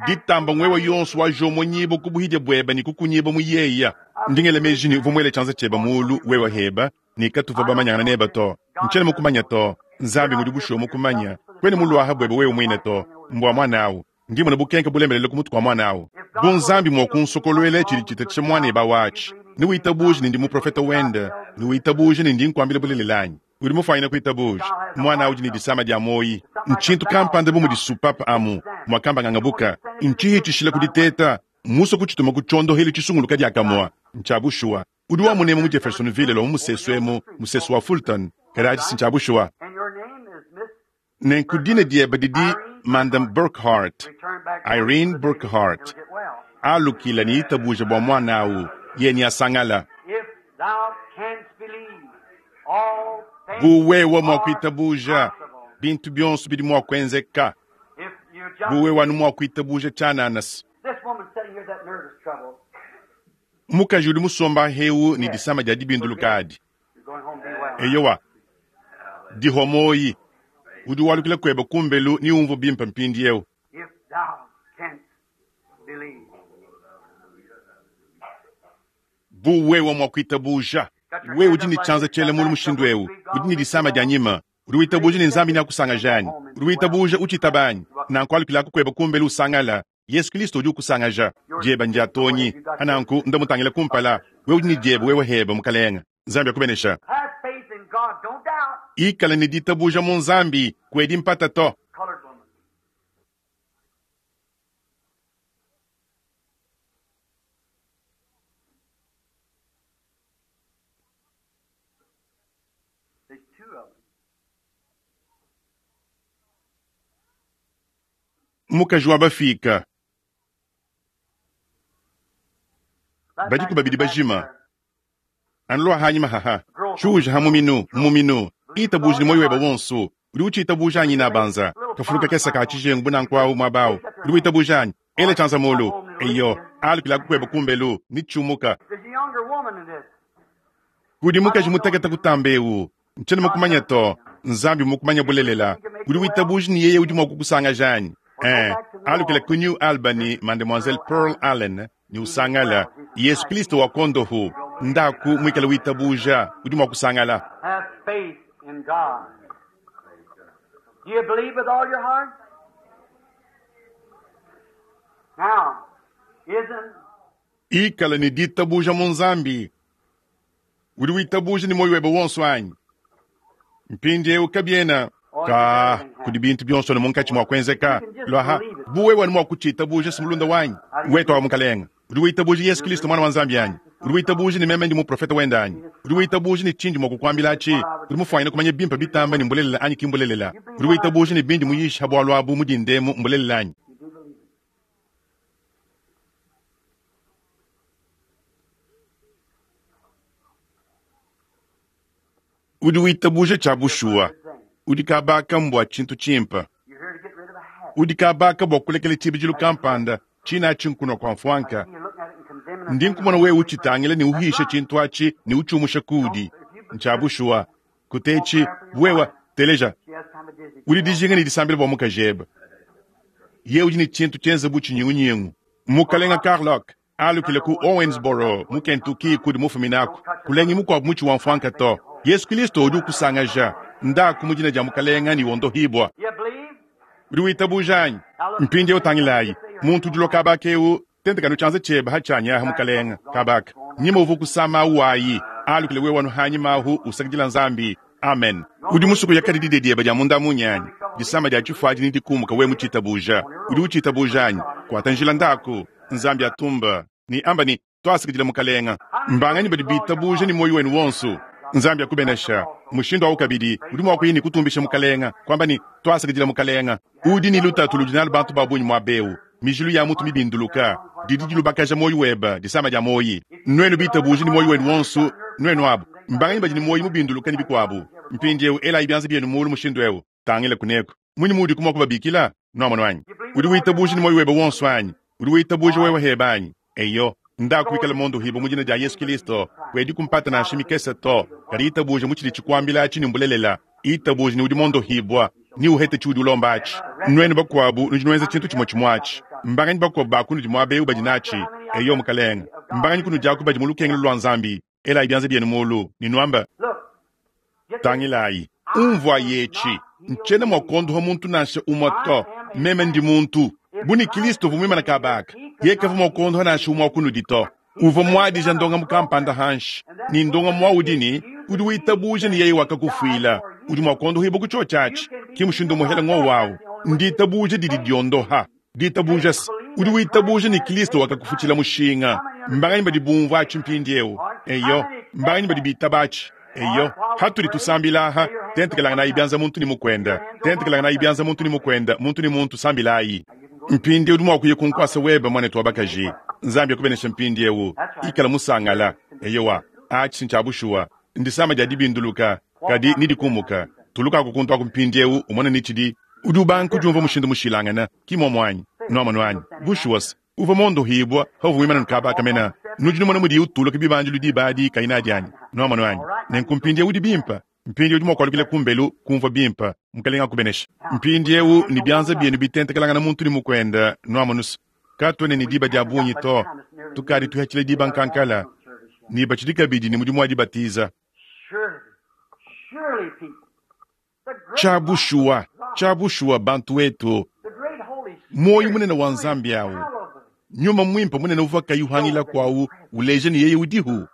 Ditamba ngwewa yonso wa jomo nyibo kubuhidya bweba ni kukunyibo muyeya. Ndingele mejini uvumwele chanza cheba mulu wewa heba ni katuva bamanyana neba to. Nchele mukumanya to. Nzambi ngudi busho mukumanya. Kwene mulu aha bweba wewe mwine to. Mbwa mwana ndimo na bukenke bulemelele ku mutu kwa mwana awo. Bu nzambi mwakunsokolwele chili chita cha mwana eba wachi. Ni witabuji ni ndi muprofeta wenda. Ni witabuji ni ndi nkwambile bulelelanyi. Udi mufanyina kuitabuji. Mwana awo ni disama dia moyi. Nchintu kampanda bu mudisupapa amu. Mwakamba ngangabuka. Nchihi chishila kuditeta. Muso kuchituma kuchondo hili chisunguluka diakamwa. Nchabushua. Udi wa munemu mu Jeffersonville lo musesu emu, musesu wa Fulton. Karachi sinchabushua. And your name is Miss Nenkudine dieba didi Madam Burkhart, Irene Burkhart. Alukila ni itabuja bwa mwana awu, ye ni asangala. If thou canst believe, all things Bu wewe mwa are kuitabuja, possible. bintu byonso bidi mwa kuenzeka. If you just Bu wewe anu mwa kuitabuja chananasi. This woman sitting here, that nervous trouble. Mukaji udi musomba heu ni disama dia dibindulukadi. You're going home, be well. Eyowa, dihomoyi. Udi walukila kweba kumbelu ni umvu bimpa mpindi eu. If thou canst believe. Bu wewe mwa kuitabuja. Wewe udi ni chanza chele mulu mushindu eu. Udi ni disama dia nyima. Udi witabuja ni nzambi ni akusanga jani. Udi witabuja uchitabani. Na nkwalukila kukweba kumbelu usangala. Yesu Kristo udi ukusangaja. Dieba ndia tonyi. Ananku ndamutangila kumpala. Wewe udi ni dieba wewe heba mukalenga. Nzambi akubenesha. Have faith in God. Don't doubt. Ikala ni ditabuja mu nzambi kwedi mpata to. Colored woman. There's two of them. Mukaji wa bafika. That Badi back kubabidi back bajima. there. Anlo hanyima haha. Chuja hamuminu, muminu. Itabuja ni moyo weba wonso. Uri uchiitabuja anyi na banza. Kafuluka kesa ka chijengu bunankwawu mwabawu. Uri witabuja anyi. Ele chanza mulu. Eyo, alukila kukweba kumbelu, ni chumuka. There's a younger woman in this. Kudi mukaji mutaketa kutambewu. Nchene mukumanya to. Nzambi mukumanya bulelela. Uri witabuja ni yeye udi mwakukusanga jani. Eh, alukila ku New Albany, Mademoiselle Pearl Allen, ni usangala. Yesu Kristo wa kondohu. Ndaku mwikala witabuja, udi mwakusangala. Have faith in God. Do you believe with all your heart? Now, isn't Ikala ni ditabuja mu nzambi. Udi witabuja ni moyo webe wonso anyi. Mpindi eu kabiena. Ka Kudi bintu byonso ne munkatshi mua kuenzeka. Lwaha, bu wewe wanu mwa kuchitabuja simulunda wanyi. Wetu wa mukalenga. Udi witabuja Yesu Kristo mwana wa Nzambi yanyi. Udi witabuja ni meme ndi muprofeta wenda anyi. Udi witabuja ni chindi mwa kukwambila achi. Udi mufwanyina kumanya bimpa bitamba ni mbulelela anyi kimbulelela. Udi witabuja ni bindi muyisha bwalu abu mudindemu mbulelela anyi. Udi witabuja cha bushuwa. Udi kabaka mbwa chintu chimpa. Udi kabaka bwa kulekela chibijilu kampanda china chinkuno kwa mfwanka. Ndi nkumona wewe uchitangile ni uhishe chintu achi ni uchumusha kudi. Nchabushuwa. Kutechi wewa teleja. Udi dijinga ni disambila bwa mukajeba. Ye udi ni chintu chenza buchi nyingu. Mukalenga Carlock alukile ku Owensboro mu Kentucky kudi mufuminako. Kulengi mukwa muchi wa mfwanka to. Yesu Kristo udi ukusangaja. Ndaku mujina ja mukalenga ni wondohibwa. Udi witabuja anyi. Mpindi utangilayi. Muntu udilo kabaka eu tentekano chanza cheba hachanya ha mukalenga kabaka. Nyima uvu kusama uwayi. Alukile wewe wanu hanyi mahu usakidila nzambi. Amen. Udi musuku yakadi didedieba ja munda munyanyi. Disama dia chifuaji ni dikumuka we muchitabuja. Udi uchitabuja anyi. Kwata njila ndaku. Nzambi atumba. Ni amba ni twasakidila mukalenga. Mbangani badi bitabuja ni moyo wenu wonso. Nzambi akubenesha. Mushindo au kabidi udi mwa kuyini kutumbisha mukalenga kwamba ni twasakidila mukalenga. Udi ni lutatu ludinal bantu babunyi mwa beu. Mijilu ya mutu mibinduluka. Didi dilubakaja moyo weba disama dia moyi. Nwenu bitabuja ni moyo wenu wonso nwenu abu. Mbangani badi ni moyi mubinduluka ni bikwabu. Mpindi eu ela ibyanza byenu mulu mushindo eu. Tangile kuneko. Munyi mudi kumwa kubabikila no mwanyi. Udi witabuja ni moyo weba wonso anyi. Udi witabuja wewe hebanyi. Eyo. Ndakuikala mondo hibo mujina ja Yesu Kristo. Wedi kumpata na shimikesa to. Kari itabuja muchili chikwambila chini mbulelela. Itabuja ni udi mondo hibwa. Ni uhete chudi ulombachi. Nwenu bakwabu nujinweza chintu chimo chimwachi. Mbanganyi bakwabu bakunu jimwabe ubajinachi. Eyo mukalenga. Mbanganyi kunu jaku baji mulukengelo lwa nzambi. Ela ibyanza byenu mulu. Ninwamba. Tangilayi. Umvwa yechi. Nchena mwakondoha muntu nasha umwato. Meme ndi muntu. Buni Kristo vumwima na kabaka. Yeka vumwakondoha nasha umwakunu dito. Uva mwadija ndonga mukampanda hanshi. Ni ndonga mwaudini. Udi witabuja ni yeye wakakufuila. Udi mwakondoha ibo kucho chachi. Kimushindo muhela ngo wawu. Ndi tabuja didi diondoha. Ditabuja si. Udi witabuja ni Kristo wakakufuchila mushinga. Mbanganyi badi bumva achi mpindi eu. Eyo. Mbanganyi badi bitabachi. Eyo. Hatuli tusambilaha. Tentekelanga na ibyanza muntu ni mukwenda. Tentekelanga na ibyanza muntu ni mukwenda. Muntu ni muntu sambilayi. Mpindi udi mwakuye kunkwasa weba mwane twabakaji. Nzambi akubenesha mpindi eu. Ikala musangala. Eyowa. Achi nchabushuwa. Ndisama dia dibinduluka. Kadi nidikumuka. Tuluka kukuntu akumpindi eu umone nichidi. Udi ubanku jumva mushindu mushilangana. Kimwa mwanyi. Nwama nwanyi. Bushuwas. Uva mondo hibwa. Hovu wimana nkaba kamena. Nujinu mwana mudi utuluka bibanjilu dibadi kaina dianyi. Nwama nwanyi. Nenkumpindi eu dibimpa. Mpindi udi mwakwalukile kumbelu kumva bimpa. Mukalenga kubenesha. Mpindi eu ni byanza byenu bitentekelangana muntu ni mukwenda. Nwama nusu. Katwene ni diba dia bunyi to. Tukadi tuhachile diba nkankala. Ni bachidika bidi ni mudimu wa dibatiza. Chabushua. Chabushua bantu wetu. Moyo munene wa nzambi awu. Nyuma mwimpa munene uva kayuhangila kwawu. Uleje ni yeye udihu.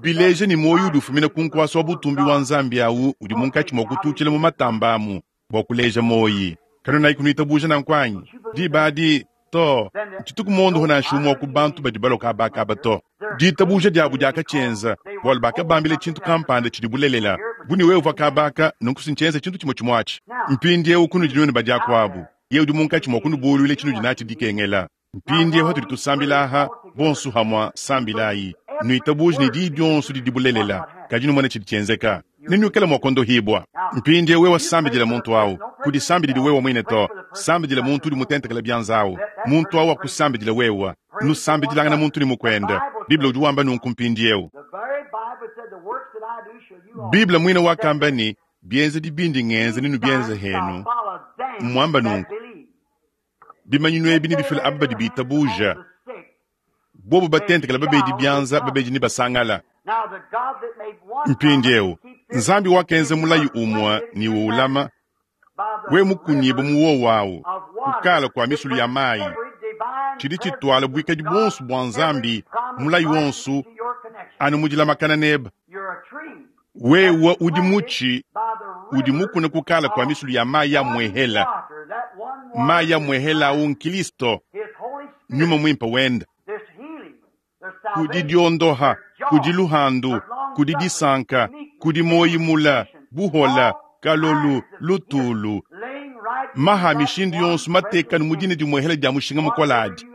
Bileje ni moyo udufumina kunkwasa wa butumbi wa nzambi awu. Udi munkachi mwa kutuchila mu matambamu. Bwa kuleja moyi. Kano na ikunuita buja na nkwanyi. Dibadi to. Chituku mondo hona shumwa ku bantu badi baloka abakaba to. Ditabuja diabu diakachenza. Bwalu bakabambile chintu kampanda chidibulelela. Buni wewe uva kabaka nunkusinchenza chintu chimo chimwachi. Mpindi eu kunu dinwenu badiakwabu. Ye udi munkachi mwa kunubulu ile chinu dinachi dikengela. Mpindi eu hatuli tusambilaha bonsu hamwa sambilayi. Nuitabuja ni di byonsu didibulelela. Kajinu mwana chidichenzeka. Ninukela mwakondo hibwa. Mpindi eu wewe sambidila muntu awu. Kudi sambidili wewe mwine to. Sambidila muntu udi mutentekela byanzawu. Muntu awu akusambidila wewe. Nusambidilanga na muntu ni mukwenda. Biblia udi wamba nunku mpindi eu. Biblia mwine wakamba ni byenze dibindi ngenze ninu byenze henu. Mwamba nunku. Bimanyinu ebi ni bifila abadi bitabuja. Bobo batentekela babedi byanza babedi ni basangala. Mpindi eu. Nzambi wakenze mulayi umwa ni uulama. We mukunyibo muwo wawu. Kukala kwa misulu ya mayi. Chidi chitwala bwikadi bonsu bwa nzambi mulayi wonsu anu mujila makana neba. Wewa udi muchi Udi mukuna kukala kwa misulu ya mayi ya mwehela. Mayi ya mwehela au nkilisto nyuma mwimpe wenda. Kudi diondoha, kudi luhandu, kudi disanka, kudi moyimula, buhola, kalolu, lutulu. Maha mishindu yonso matekanu mu dina dimwehela dia mushinga mukoladi.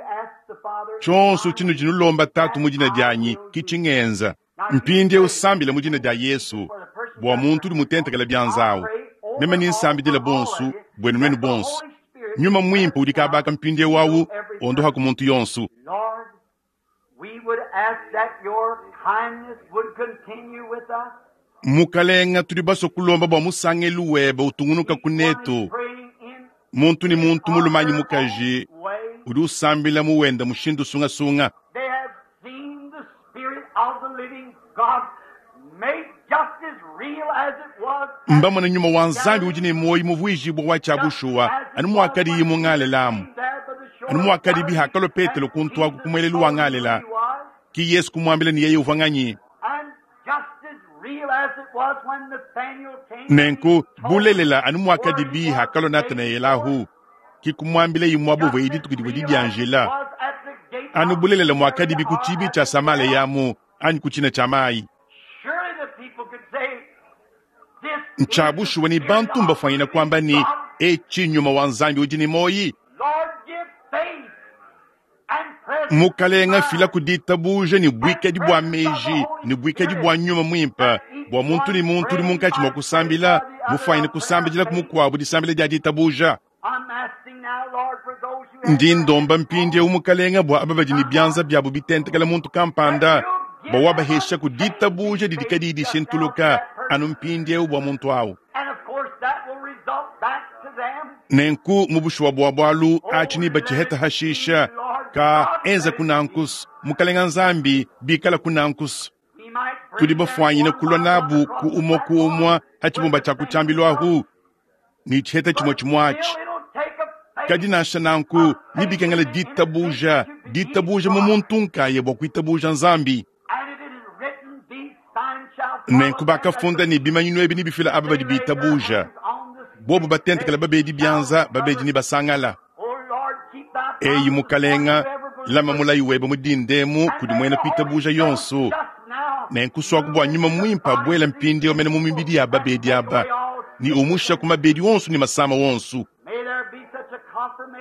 Tshonso tshinu tshinulomba tatu mu dina dianyi kitshingenza. Mpindie usambile mu dina dia Yesu bua muntu udi mutentekela bianzawu. Meme ninsambidila bonso bwenu nwenu bonso. Nyuma mwimpe udi kabaka mpindie wawu ondoha ku muntu yonso. Mukalenga tudi baso kulomba bua musangelu webe utungunuka kunetu. Muntu ni muntu mulumanyi mukaji udi usambila muwenda mushindu sungasunga. Mbamona nyuma wa nzambi udi ne moyi muvuijibwa wa tshia anu muakadi yimu ngalelamu. Anu muakadi bihakalo Petelo kuntwaku kumwelelu wa ngalela. Ki Yesu kumwambila ni yeye uvanganyi. Nenku bulelela anu muakadi bihakalo Natanaelahu. Ki kumwambila yimwabu vwe idituku divwe didianjila. Anu bulelela muakadi bikuchibi cha samale yamu anyi kuchina cha mayi. Nchabushuwa ni bantu mbafwanyina kwamba ni echi nyuma wa nzambi udi ni moyi. Mukalenga fila kuditabuja ni bwikadi bwa meji ni bwikadi bwa nyuma mwimpa bwa muntu ni muntu udi munkatshi mwa kusambila mufwanyina kusambidila kumukuabu disambila dia ditabuja. Ndi ndomba mpindie umukalenga bwa aba badi ni byanza byabu bitentekela muntu kampanda bwa wabahesha kuditabuja didikadi dishintuluka anu mpindie bwa muntu awu. Nenku mubushuwa bwa bwalu achini bachiheta hashisha ka enza kunankus mukalenga nzambi bikala kunankus. Tudi bafwanyina kulwa nabu ku umwa ku umwa hachibumba cha kuchambilwahu ni chiheta chimwe chimwachi. Kadi nansha nanku nibikengela ditabuja ditabuja mu muntu nkaye bwa kuitabuja nzambi. Nenku bakafunda ni bimanyinu ebi nibifila aba badi bitabuja. Bobu batentekela babedi byanza babedi ni basangala. Eyi mukalenga lama mulayi webe mudindemu kudi mwena kuitabuja yonso. Nenku swaku bwa nyuma mwimpa bwela mpindi omene mu mibidi ya babedi aba. Ni umusha ku mabedi wonso ni masama wonso.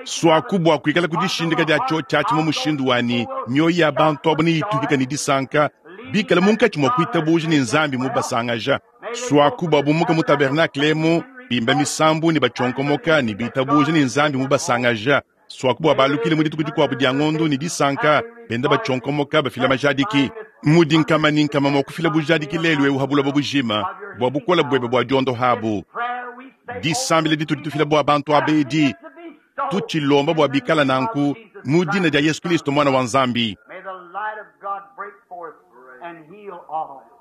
Swaku bwa kuikala kudishindika dia cho chachi mu mushindu wani mioyo ya bantu abo ni itukika ni disanka bikala munkatshi mwa kuitabuja ni nzambi mu basangaja. Swaku bwa bumuka mu tabernacle mu bimba misambu ni bachonkomoka ni bitabuja ni nzambi mu basangaja. Swaku bwa balukile mu dituku dikuabu dia ngondo ni disanka benda bachonkomoka bafila majadiki. Mudi nkama ni nkama mwa kufila bujadiki lelu eu habula bujima bwa bukola bwebe bwa diondo habu. Disambile ditu ditufila bwa bantu abedi tuchilomba bwa bikala nanku mu dina dia Yesu Kristo mwana wa nzambi.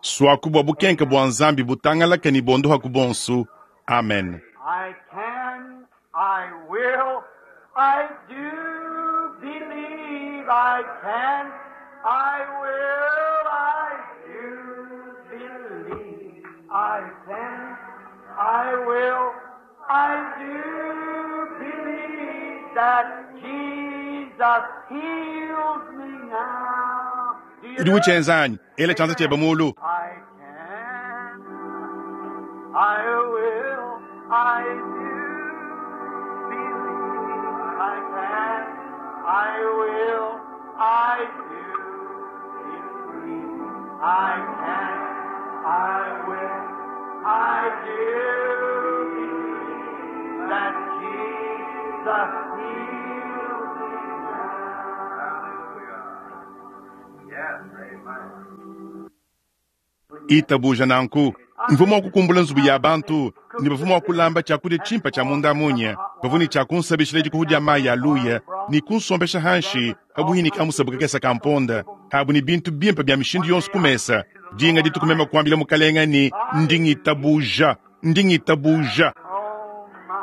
Swaku bwa bukenka bwa nzambi butangalaka ni bondoha ku bonsu. Amen. I can, I will, I do believe I can, I will, I do believe I can, I will, I do believe that Jesus heals me now. Udi uchenzanyi ele chanza cheba mulu. I can, I will, I do believe I can, I will, I do believe I can, I will, I do believe that Jesus heals me now. Yes, amen. Itabuja nanku mvumo wakukumbula nzubu ya bantu ni bavumo wakulamba chakudia chimpa cha munda munya bavuni cha kunsabishila dikuhu mayi ya luya ni kunsombesha hanshi kabuhini kamusabuka kesa kamponda habu ni bintu bimpa bya mishindu yonso kumesa dinga ditukumema kuambila mukalenga ni ndingitabuja ndingitabuja. Oh my.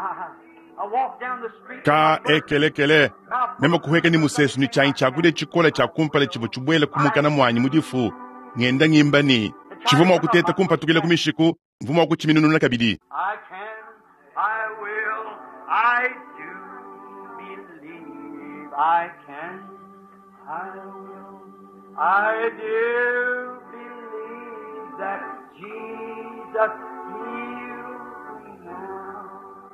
I walked down the street. Ka ekelekele mema kuheka ni musesu ni chanyi chakudia chikola cha kumpala chivo chibwela kumukana mwanyi mudifu ngenda ngimba ni chivuma wakuteta kumpatukila kumishiku Mvwa mwa kuciminununa kabidi. I can, I will, I do believe. I can, I will, I do believe that Jesus heals me now.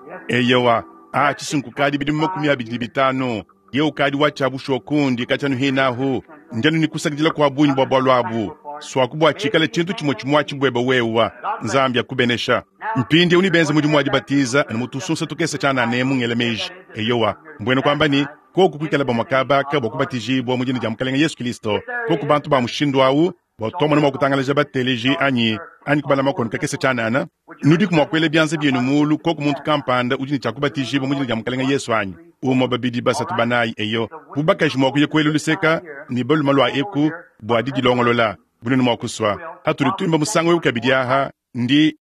Yes, Eyowa, a cisunku kadi bidimu makumi abidi ne bitanu ye ukadi wa tshiabushuwa kundi katshianu hinahu ndianu ni kusakidila kwa bungi bua bualu abu swaku bua tshikale tshintu tshimue tshimue tshibweba wewa nzambi akubenesha mpindi uni benze mudimu wa dibatiza anu mutusunsa tukese tshianana emu ngela meji eyowa mbwena kwamba ni koku kwikala bamwe kabaka bua kubatijibwa mu dina dia mukalenga yesu kristo koku bantu ba mushindu awu bua twamona mua kutangalaja bateleji anyi anyi kubala makono kakese tshianana nudiku mua kuela bianza bienu mulu koku muntu kampanda udi ne tshiakubatijibwa mu dina dia mukalenga yesu anyi umwe babidi basatu banayi eyo bubakaji mua kuya kuela luseka ne baluma lua eku bua didilongolola bunene mua kuswa hatudi tuimba musangu eu kabidi aha ndi